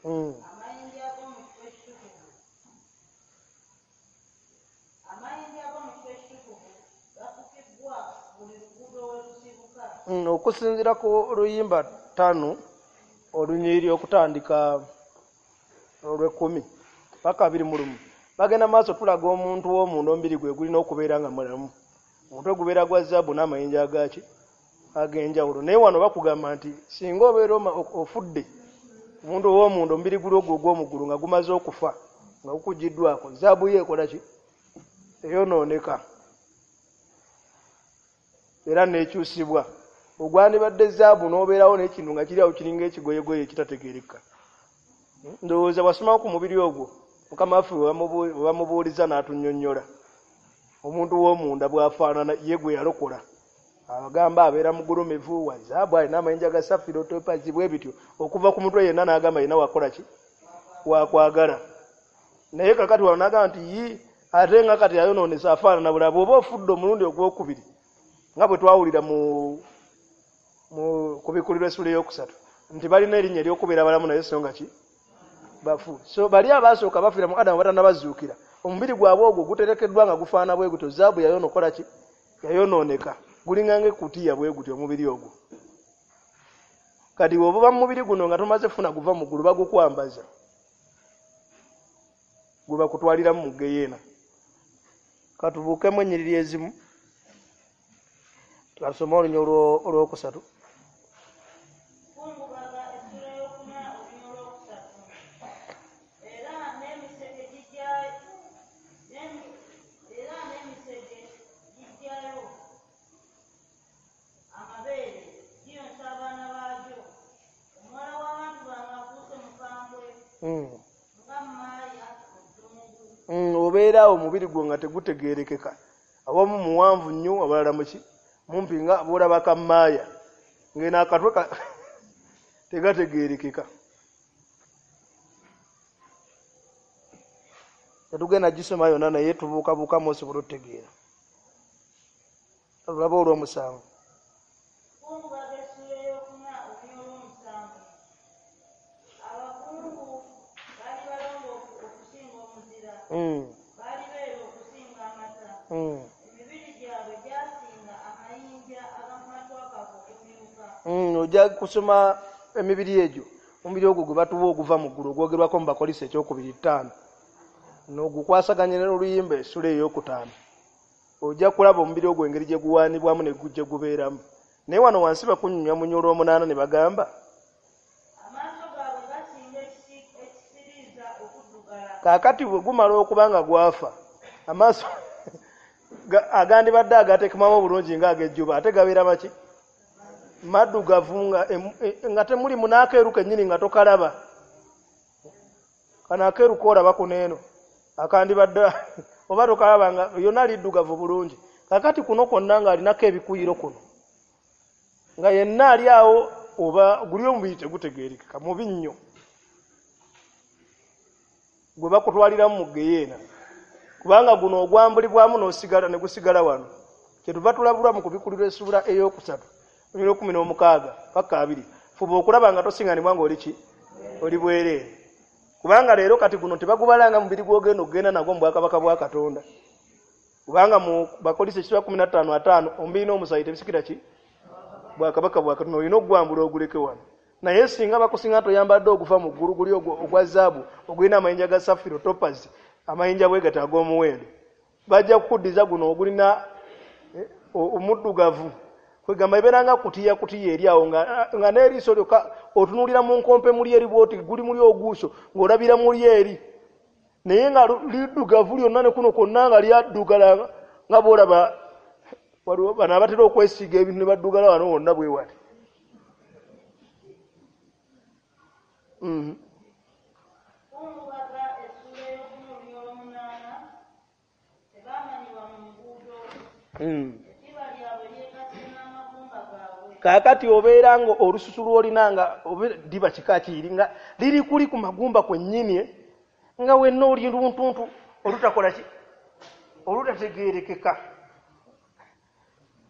Speaker 3: Mm. Okusinziira ku luyimba ttaano olunyiriri okutandika olw'ekkumi paka abiri mu lumu, bagenda maaso tulaga omuntu w'omunda omubiri gwe gulina okubeera nga mulamu. Omutwe gubeera gwa zaabu n'amayinja agaki ag'enjawulo. Naye wano bakugamba nti singa obeera ofudde, omuntu ow'omunda omubiri guli ogwo ogw'omuggulu nga gumaze okufa nga gukugiddwako, zaabu ye ekola ki? Eyonooneka era n'ekyusibwa. Ogwandibadde zaabu n'obeerawo n'ekintu nga kiri awo kiringa ekigoyegoye ekitategeereka. Ndowooza bw'asomako ku mubiri ogwo Mukama waffe bwe bamubuuliza n'atunnyonnyola omuntu w'omunda bw'afaanana ye gwe yalokola. Abagamba abeera mugulumivu wa zaabu, alina amayinja ga safiro, topazi bwe bityo okuva ku mutwe yenna n'agamba yenna wakola ki? Wakwagala. Naye kakati wano n'agamba nti yi ate nga kati ayonoonese afaanana bulala. Bw'oba ofudde omulundi ogwokubiri nga bwe twawulira mu mu kubikulirwa essula ey'okusatu nti balina erinnya ery'okubeera balamu naye so nga ki bafu. So bali abaasooka bafiira mu Adamu batannabazuukira, omubiri gwabwe ogwo guterekeddwa nga gufaana bwe gutyo. Zaabu yayonokola ki? Yayonooneka, gulinga ng'ekutiya bwe gutyo omubiri ogwo. Kati bw'oba mu mubiri guno nga tomaze kufuna guva mu ggulu, bagukwambaza gwe bakutwaliramu mu ggeyeena. Katubuukemu ennyiriri ezimu, twasoma olunya olwokusatu. Obeera awo omubiri gwo nga tegutegeerekeka, awamu muwanvu nnyo abalala muki mumpi nga bw'olaba kammaaya ng'eno akatwe tegategeerekeka. Tetugenda gisoma yonna naye tubuukabuukamu osobola otutegeera. Tulaba olw'omusanvu.
Speaker 2: Kungubaga essula
Speaker 1: Mm, ojja kusoma emibiri egyo, omubiri ogwo gwe batuwa oguva mu ggulu ogwogerwako mu Bakolisi ekyokubiri ttaano, n'ogukwasaganya n'oluyimba essula ey'okutaano, ojja kulaba omubiri ogwo engeri gye guwaanibwamu ne gye gubeeramu. Naye wano wansi bakunyumya mu nnyolo omunaana ne bagamba
Speaker 2: amaaso gaabwe gasinga ekisiriiza okuddugala.
Speaker 1: Kaakati bwe gumala okuba nga gwafa, amaaso agandibadde agateekemamu obulungi ng'ag'ejjuba ate gabeera maki? Maddugavu, nga, nga temulimu n'akeeru kennyini nga tokalaba. Kano akeeru koolaba kuno eno akandibadde oba tokalaba nga yonna liddugavu bulungi. Kaakati kuno kwonna ng'alinako ebikuyiro kuno, nga yenna ali awo oba guli omubiri tegutegeerekeka, mubi nnyo, gwe bakutwaliramu mu ggeyeena, kubanga guno ogwambulibwamu n'osigala ne gusigala wano. Kyetuva tulabulwa mu kubikulirwa essuula ey'okusatu olunyiriri kumi n'omukaaga paka abiri, fuba okulaba nga tosinganibwa ng'oli ki? Oli bwereere. Kubanga leero kati guno tebagubalanga mubiri gw'ogenda okugenda nagwo mu bwakabaka bwa Katonda, kubanga mu Bakolisi ekisula kumi na ttaano ataano omubiri n'omusaayi tebisikira ki? Bwakabaka bwa Katonda. Olina okugwambula oguleke wano. Naye singa bakusinga toyambadde oguva mu ggulu guli ogwa zaabu ogulina amayinja ga safiro, topazi, amayinja bwe gati ag'omuwendo, bajja kukuddiza guno ogulina omuddugavu. Kwegamba ebeera nga kutiya kutiya eri awo nga, nga n'eriiso lyokka otunuulira mu nkompe muli eri bw'oti guli muli oguuso ng'olabira muli eri, naye nga liddugavu lyonna ne kuno kwonna nga lyaddugala nga bw'olaba waliwo bano abatera okwesiiga ebintu ne baddugala wano wonna bwe wati. Mm.
Speaker 2: Kungubaga essuula ey'okumi olunyolo omunaana, tebaamanyibwa mu nguudo.
Speaker 1: Mm.
Speaker 2: Eddiba lyabwe lyekase n'amagumba gaabwe.
Speaker 1: Kaakati obeera nga olususu lw'olina nga ddiba kika kiri nga liri kuli ku magumba kwennyini, nga wenna oli luntuntu olutakola ki? Olutategeerekeka,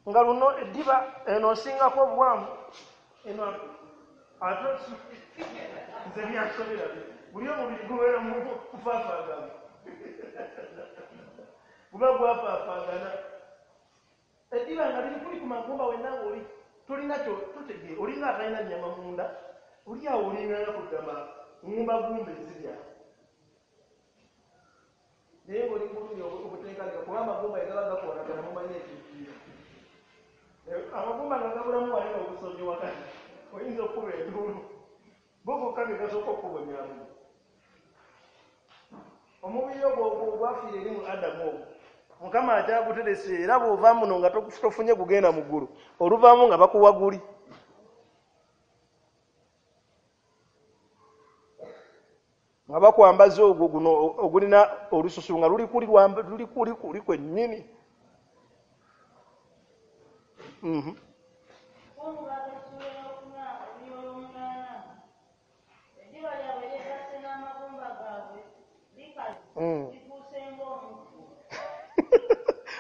Speaker 1: nga luno eddiba eno osingako obuwanvu eno ate nze byansobera buli omubiri gubeera mu kufaafaagana, guba gwafaafaagana. Eddiba nga liri kuli ku magumba wenna ng'oli tolina kyo totegeera, olinga atalina nnyama munda, oli awo olinganga kugamba ŋŋumbagumba ezirya, naye ng'oli bulumi obutenkanika, kuba amagumba ge gaba gakoonagana mumanyi ekintu. Amagumba nga gabulamu wanene obusonyi wakati, oyinza okukuba enduulu, bo gokka ge gasooka okukubonyamu. Omubiri ogwo ogwafiira eri mu Adamu ogwo Mukama akyaguterese, era bw'ova muno nga tofunye gugenda mu ggulu, oluvaamu nga bakuwa guli. Nga bakwambaza ogwo guno ogulina olususu nga luli kuli luli kuli kuli kwennyini. Mhm.
Speaker 2: Kungubaga essuula ey'okuna olunyolo omunaana, eddiba lyabwe lyekase n'amagumba gaabwe likaze, lifuuse ng'omuggo.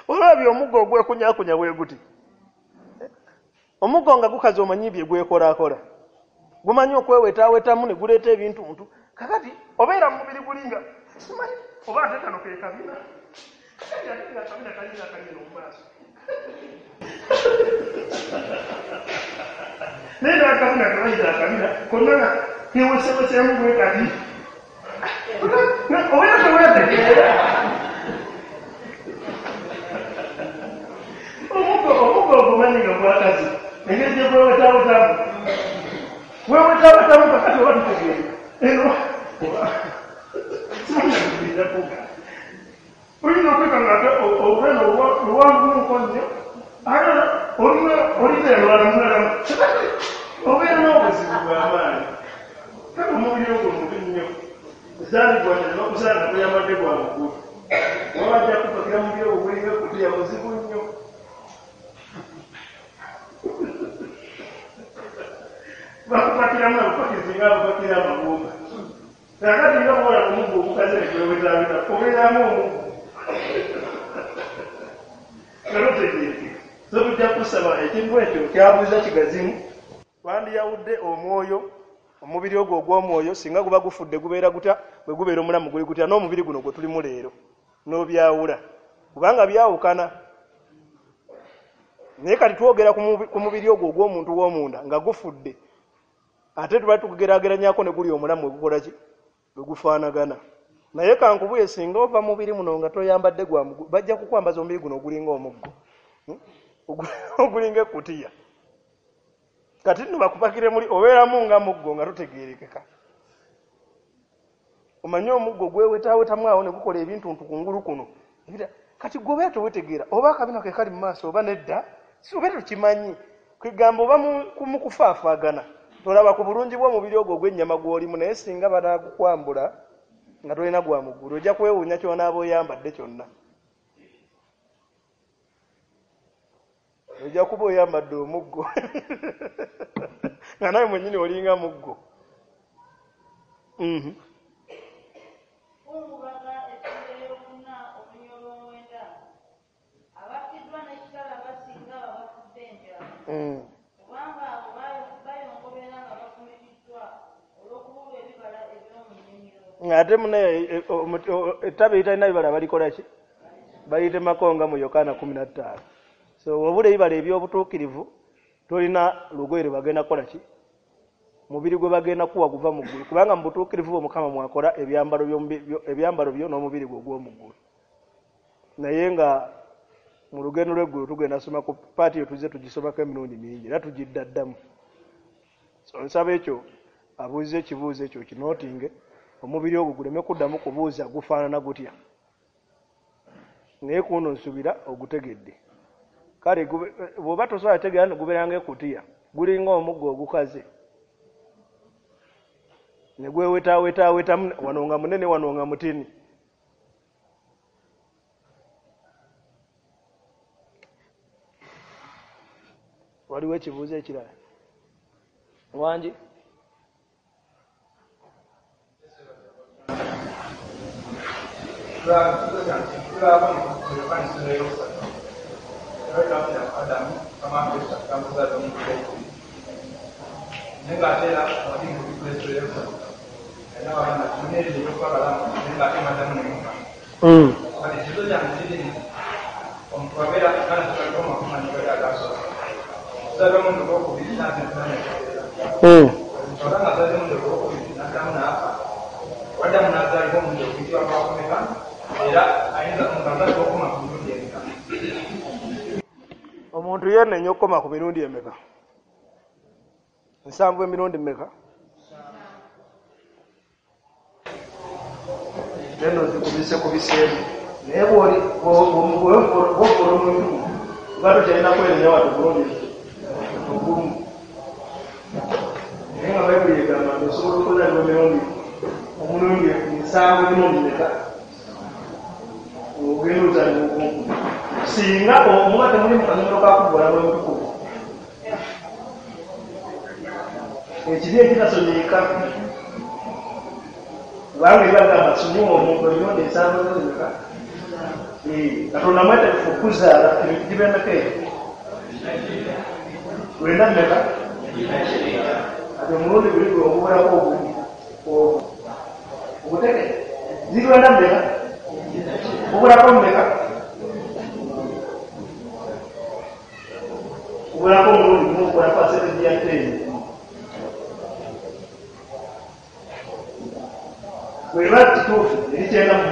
Speaker 1: Olabye omuggo ogwekunyakunya bwe guti. Omuggo nga gukaze omanyi bye gwekolaakola, gumanyi okwewetaawetamu ne guleeta ebintu ntu. Kakati obeera mu mubiri gulinga simanyi oba ate kano ke kabina, kakati ate nga akabina kalinga akanyeno mu maaso, naye n'akabina kebayita akabina konna nga keweseweseemu bwe kati, obeera teweetegeera. Omuggo omuggo ogumanyi nga gwakazi engeri gye gwewetaawetamu wewetaawetamu, kakati oba tutegeera eno simanyi oyinza okwekanga ate olweno luwanvuko nnyo, ate olina elwalamulalamu, obeera n'obuzibu bw'amaanyi. Kale omubiri ogwo mubi nnyo, zaalibwa nebakusanga guyambadde gwa muggulu, oba bajja kupakira mubiri ogwo gulinga kutiya muzibu nnyo. Bakupakiramu abupakizi nga abupakira amagumba. Kakati nga bw'ola ku muggo ogukaze ne gwewetaaweta, obeeramu omuggo nga totegeerekeka. So tujja kusaba ekintu ekyo kyabuuza kigazimu. Twandiyawudde omwoyo, omubiri ogwo ogw'omwoyo singa guba gufudde gubeera gutya, bwe gubeera omulamu guli gutya, n'omubiri guno gwe tulimu leero n'obyawula, kubanga byawukana. Naye kati twogera ku mubiri ogwo ogw'omuntu w'omunda nga gufudde, ate tuba tukugeraageranyako ne guli omulamu ogukola ki, bwe gufaanagana. Naye kankubuye singa ova mubiri muno nga toyambadde gwa bajja kukwambaza omubiri guno ogulinga omuggo, ogulinga ekkutiya. Kati nno bakupakire muli obeeramu nga muggo nga totegeerekeka. Omanyi omuggo gwewetaawetamu awo ne gukola ebintu ntu kungulu kuno. Kati gwe obeera towetegeera oba akabina ke kali mu maaso oba nedda, si obeera tokimanyi. Kwegamba oba mu kufaafaagana tolaba ku bulungi bw'omubiri ogwo ogw'ennyama gw'olimu, naye singa banaagukwambula nga tolina gwa muggulu ojja kwewuunya ky'onaaba oyambadde kyonna. Ojja kuba oyambadde omuggo nga nawe mwennyini olinga muggo. Mhm. Mm. Ate munaye ettabi eritalina bibala balikola ki? Balitemako nga mu Yokaana kumi na ttaano. So wabula ebibala eby'obutuukirivu tolina lugoye lwe bagenda kukola ki? Mubiri gwe bagenda kuwa guva mu ggulu, kubanga mu butuukirivu bwo Mukama mwakola ebyambalo ebyambalo byo n'omubiri gwe ogw'omu ggulu. Naye nga mu lugendo lw'eggulu tugenda soma ku paati eyo tuzze tugisomako emirundi mingi era tugidda ddamu. So nsaba ekyo abuuze ekibuuzo ekyo kinootinge, omubiri ogwo guleme kuddamu kubuuza gufaanana gutya. Naye kuno nsubira ogutegedde. Kale bw'oba tosobola kutegeera no gubeera ng'ekutiya, gulinga omuggo ogukaze ne gwewetaawetaawetamu wano nga munene wano nga mutini. Waliwo ekibuuzo ekirala? Wangi? Mm. Mm. Omuntu yenenya okukoma ku mirundi emeka? Nsanvu emirundi mmeka? Eno zikubise kubiseemu. Naye bw'oli bw'okola omuntu oba tokyalina kwenenya wadde obulungi ogumu. Naye nga Bayibuli egamba nti osobola okuzaalibwa emirundi omulundi nsanvu emirundi mmeka? Ogenda ozaalibwa ogwokubiri. Singa omuba temuli mu kanyomero ka kuvvoola lw'omutukuvu, ekibi ekitasonyiika, kubanga ebagamba sonyiwa omuntu emirundi ensanvu emirundi mmeka? Katonda mwetegefu okuzaala ebintu giba emeka egyo? Lwenda mmeka? Ati omulundi guli gwe ogubulako ogumu ogwo oguteke ziri lwenda mmeka? Gubulako mmeka? Gubulako omulundi gumu ogukola pasentegi ya tteni. Bweba kituufu eri kyenda mu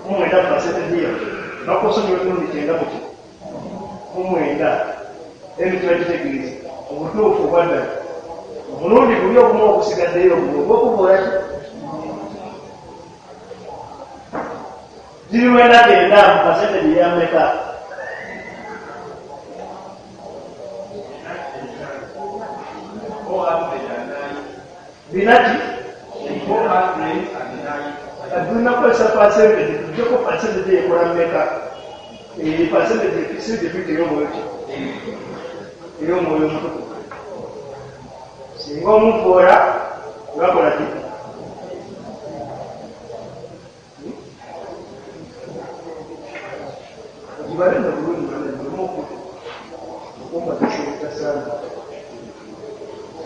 Speaker 1: mu mwenda pasentegi yawe bakusonyiwa emirundi kyenda mu ki mu mwenda. Ebyo kiba kitegeeza obutuufu obwa ddala omulundi guli ogumu ogusigaddeyo ogwo ogw'okuvoola ki? Ziri lwenda kyenda mu pasentegi ya mmeka? Bina ki? Tulina kukozesa pasentegi, tuggyeko pasentegi ekola mmeka? Pasentegi si gye tuyita ey'omwoyo ki? Ey'omwoyo omutukuvu. Singa omuvoola gakola ki? Ogibale nno bulungi banange, okumpa teseetasaana.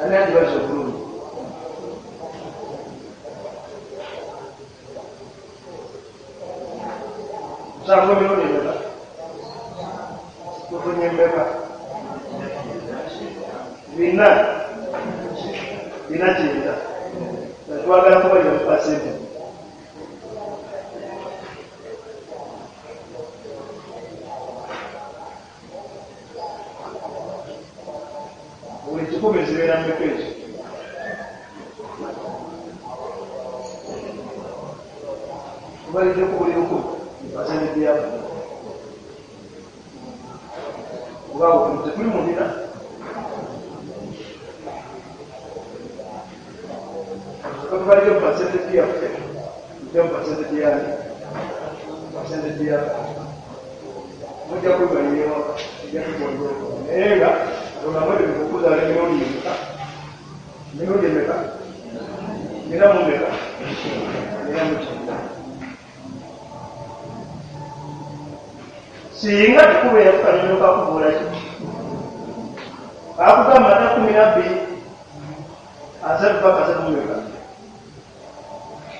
Speaker 1: Ani agibaza obulungi? Musanvu emirundi emeka? Tufunye mmeka?
Speaker 4: Bina bina kyenda twagala kubalira mu pasente. Buli kikumi zibeera mmeka ekyo? Tubalidde ku buli lukumi pasente yaabwe. Oba tetuli mu bina? Tubalidde mu pasente yaffe, tujja mu pasente yange, pasente yaffe. Mujja kwebalira ewaka, mujja kugonjoola. Naye nga olwo kukuzaala emirundi emeka? Emirundi emeka? Bina mu mmeka? Bina mu kyenda. Singa tekubeera ku kanyonyo kakubuula ki? Kakugamba ata kkumi na bbiri asatu paka asatu mu mmeka?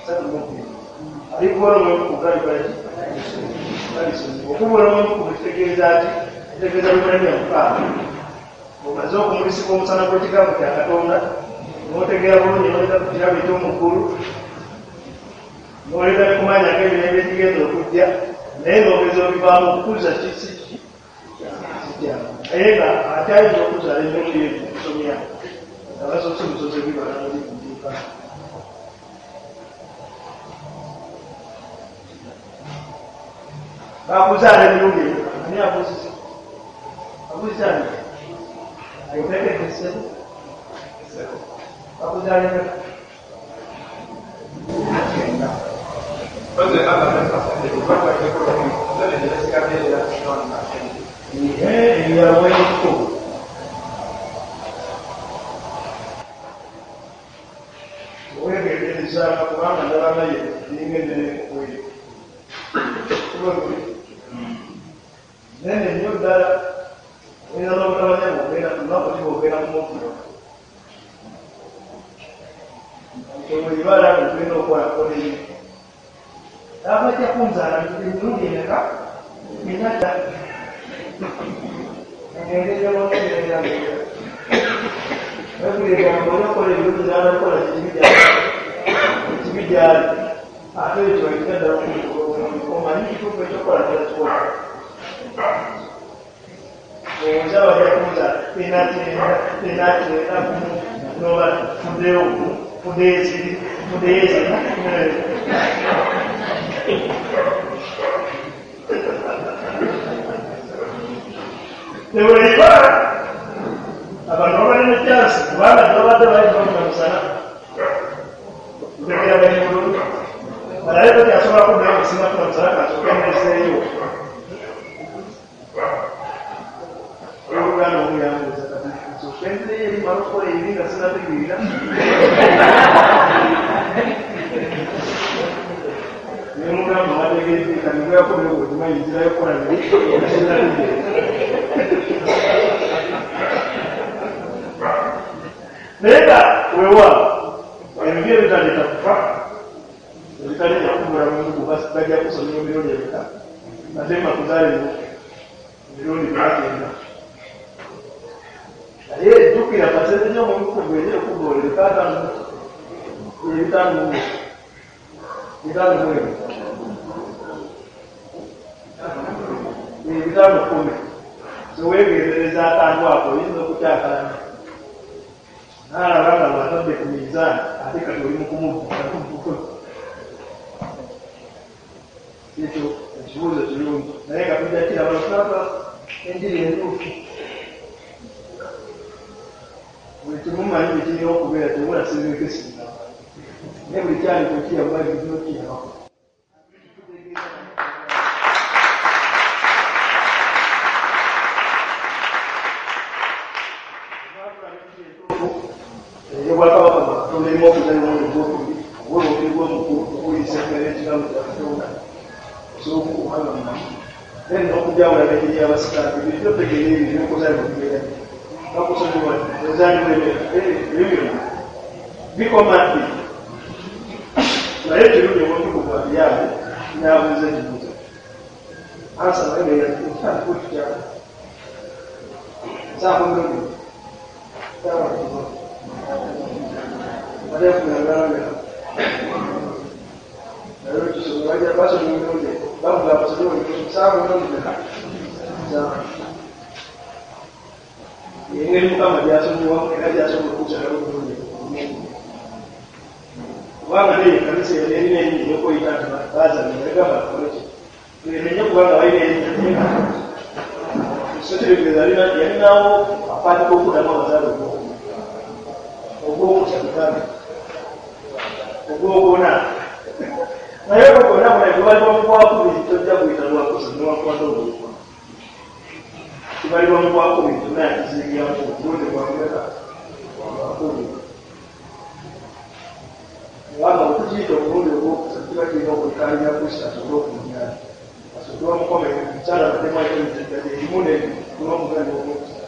Speaker 4: Asatu mu bbiri. Alikubola omwoyo galikola ki? Galisonyiwa. Okubuula omwoyo kitegeeza ki? Kitegeeza Lwebbulaniya mukaaga. Omaze okumulisibwa omusana gw'ekigambo kya Katonda, n'otegeera bulungi n'oleta ku kirabo eky'omu ggulu, n'oleta ne kumanya ak'emirembe egigenda okujja, naye n'ogeza obivaamu okukuza ki si ki? Si kyangu. Naye nga akyayinza okuzaala emirundi egyo okusomya, nga basoose busoose bibala nga bikutuuka. Bakuzaala emirundi emeka? Ani abuuzizza? Abuuzizza ani? Ayotegedde ssebo? Bakuzaala emeka? Ebyaweko. Weegendereza kubanga ndaba naye eringa ennene kweyo. Nene nnyo ddala oyinza n'obutamanya bw'ogenda ku lunaku ki bw'ogenda ku muvvula. Bw'olibala tulina okukola kola ennyo. Abajja kunzaala emirundi emeka? Mina ttaano. Engeri gy'onotegeera Bayibuli egamba oli okola ebirungi n'atakola kibi gy'ali. Ekibi gy'ali. Ate ekyo ekitya ddala omanyi kituufu ekyokukola kyakikola. Obuuza bajja kunzaala ena kyenda, ena kyenda gumu, n'oba tuddeyo gumu, tuddeyo ekiri, tuddeyo ekiri. Teweriba abantu babadde ne kyansi kubanga tebabadde bayinza musana ntegera bali bulungi balabe tokyasobola kuddayo kusinga kufuna musana kasooke ndeseeyo. Oluganda omuyambuuza kati nsooke nzireyo eri mmale okukola ebibi nga sinnategeera. Ne mugamba wategedde kati gweyakomewo okimanyi nzirayo kukola bibi nga sinnategeera. Naye nga weewaawo ebibi ebitaleeta kufa ebitaleeta kubula mungu bajja kusomera emirundi emeka ate mbakuzaala emirundi bina. Naye jjukira pasente gy'omuntu gweri okugolera ekaataano ebitaano mu bitaano mu emu ebitaano kkumi. So weegendereza akantu ako oyinza okukyakalanya n'alaba nga bw'atadde ku minzaani ate kati oli mu kumubba. Ekyo ekibuuzo kirungi naye nga tujja kiraba lwakubanga enjiri entuufu. Buli kimu mmanyi bwe kirina okubeera tewula sireke singa naye buli kyaliko kiyamba ebirina okiyambako. Ey'obwakabaka bwa Katonda erimu okuzaalibwa omulundi ogwokubiri, ogw'olubiri gw'omukulu, okuwuliriza emmere y'ekigambo kya Katonda, osobola okukuuma nga mulamu. Then n'okujawula n'engeri y'abasikaati, ebyo otegeera ebyo eby'okuzaalibwa bibeera bitya. Bakusonyiwa ozaalibwa emeka, ebyo byonna bikoma ddi? Naye ekirungi omutukuvu abiyambe n'abuuza ekibuuzo. Ansa nayo neera ekitandika okukyala. Nsaako emirundi. Saawa kino ate kunagana naye ekisoma bajja basoma emirundi bavuga basome saawa emirundi meka engeri Mukama gy'asonyiwamu era gy'asobola okukyalamu obulungi kubanga naye ekkanisa erina erinnya ery'okweyita nti baazannya negamba tukole ki tulenenye kubanga balina erinnya so kitegeeza yalinawo apaati k'okuddamu abazaale ogwokuna ogwokusatu kale ogwokuna naye ogwo gwonna buna gubalibwa mu gwakubiri tojja kuyita lwakusatu newankubadde ogwokuna kibalibwa mu gwakubiri kyonna yakizingiramu omulundi gwakumeka gwakubiri kubanga bwe tukiyita omulundi ogwokusatu kiba kirina okwekkaanya Kristo asobole okumujjana asooke bamukomere omukyala baddemu ayite emiziggaje erimu n'omuganda ogwokusatu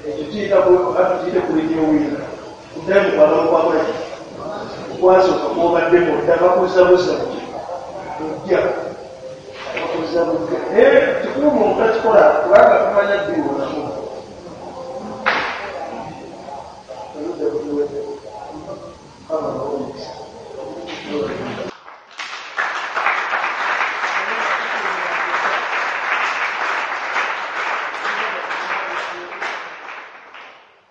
Speaker 4: ekyo kiyita tukiyite kulinyowiira kuddayo mu kwagala okwakola ki okwasooka kwobaddemu odda bakuzza buzza ojja bakuzza bujja naye kikulu muntu takikola kubanga tumanya ddi wonamu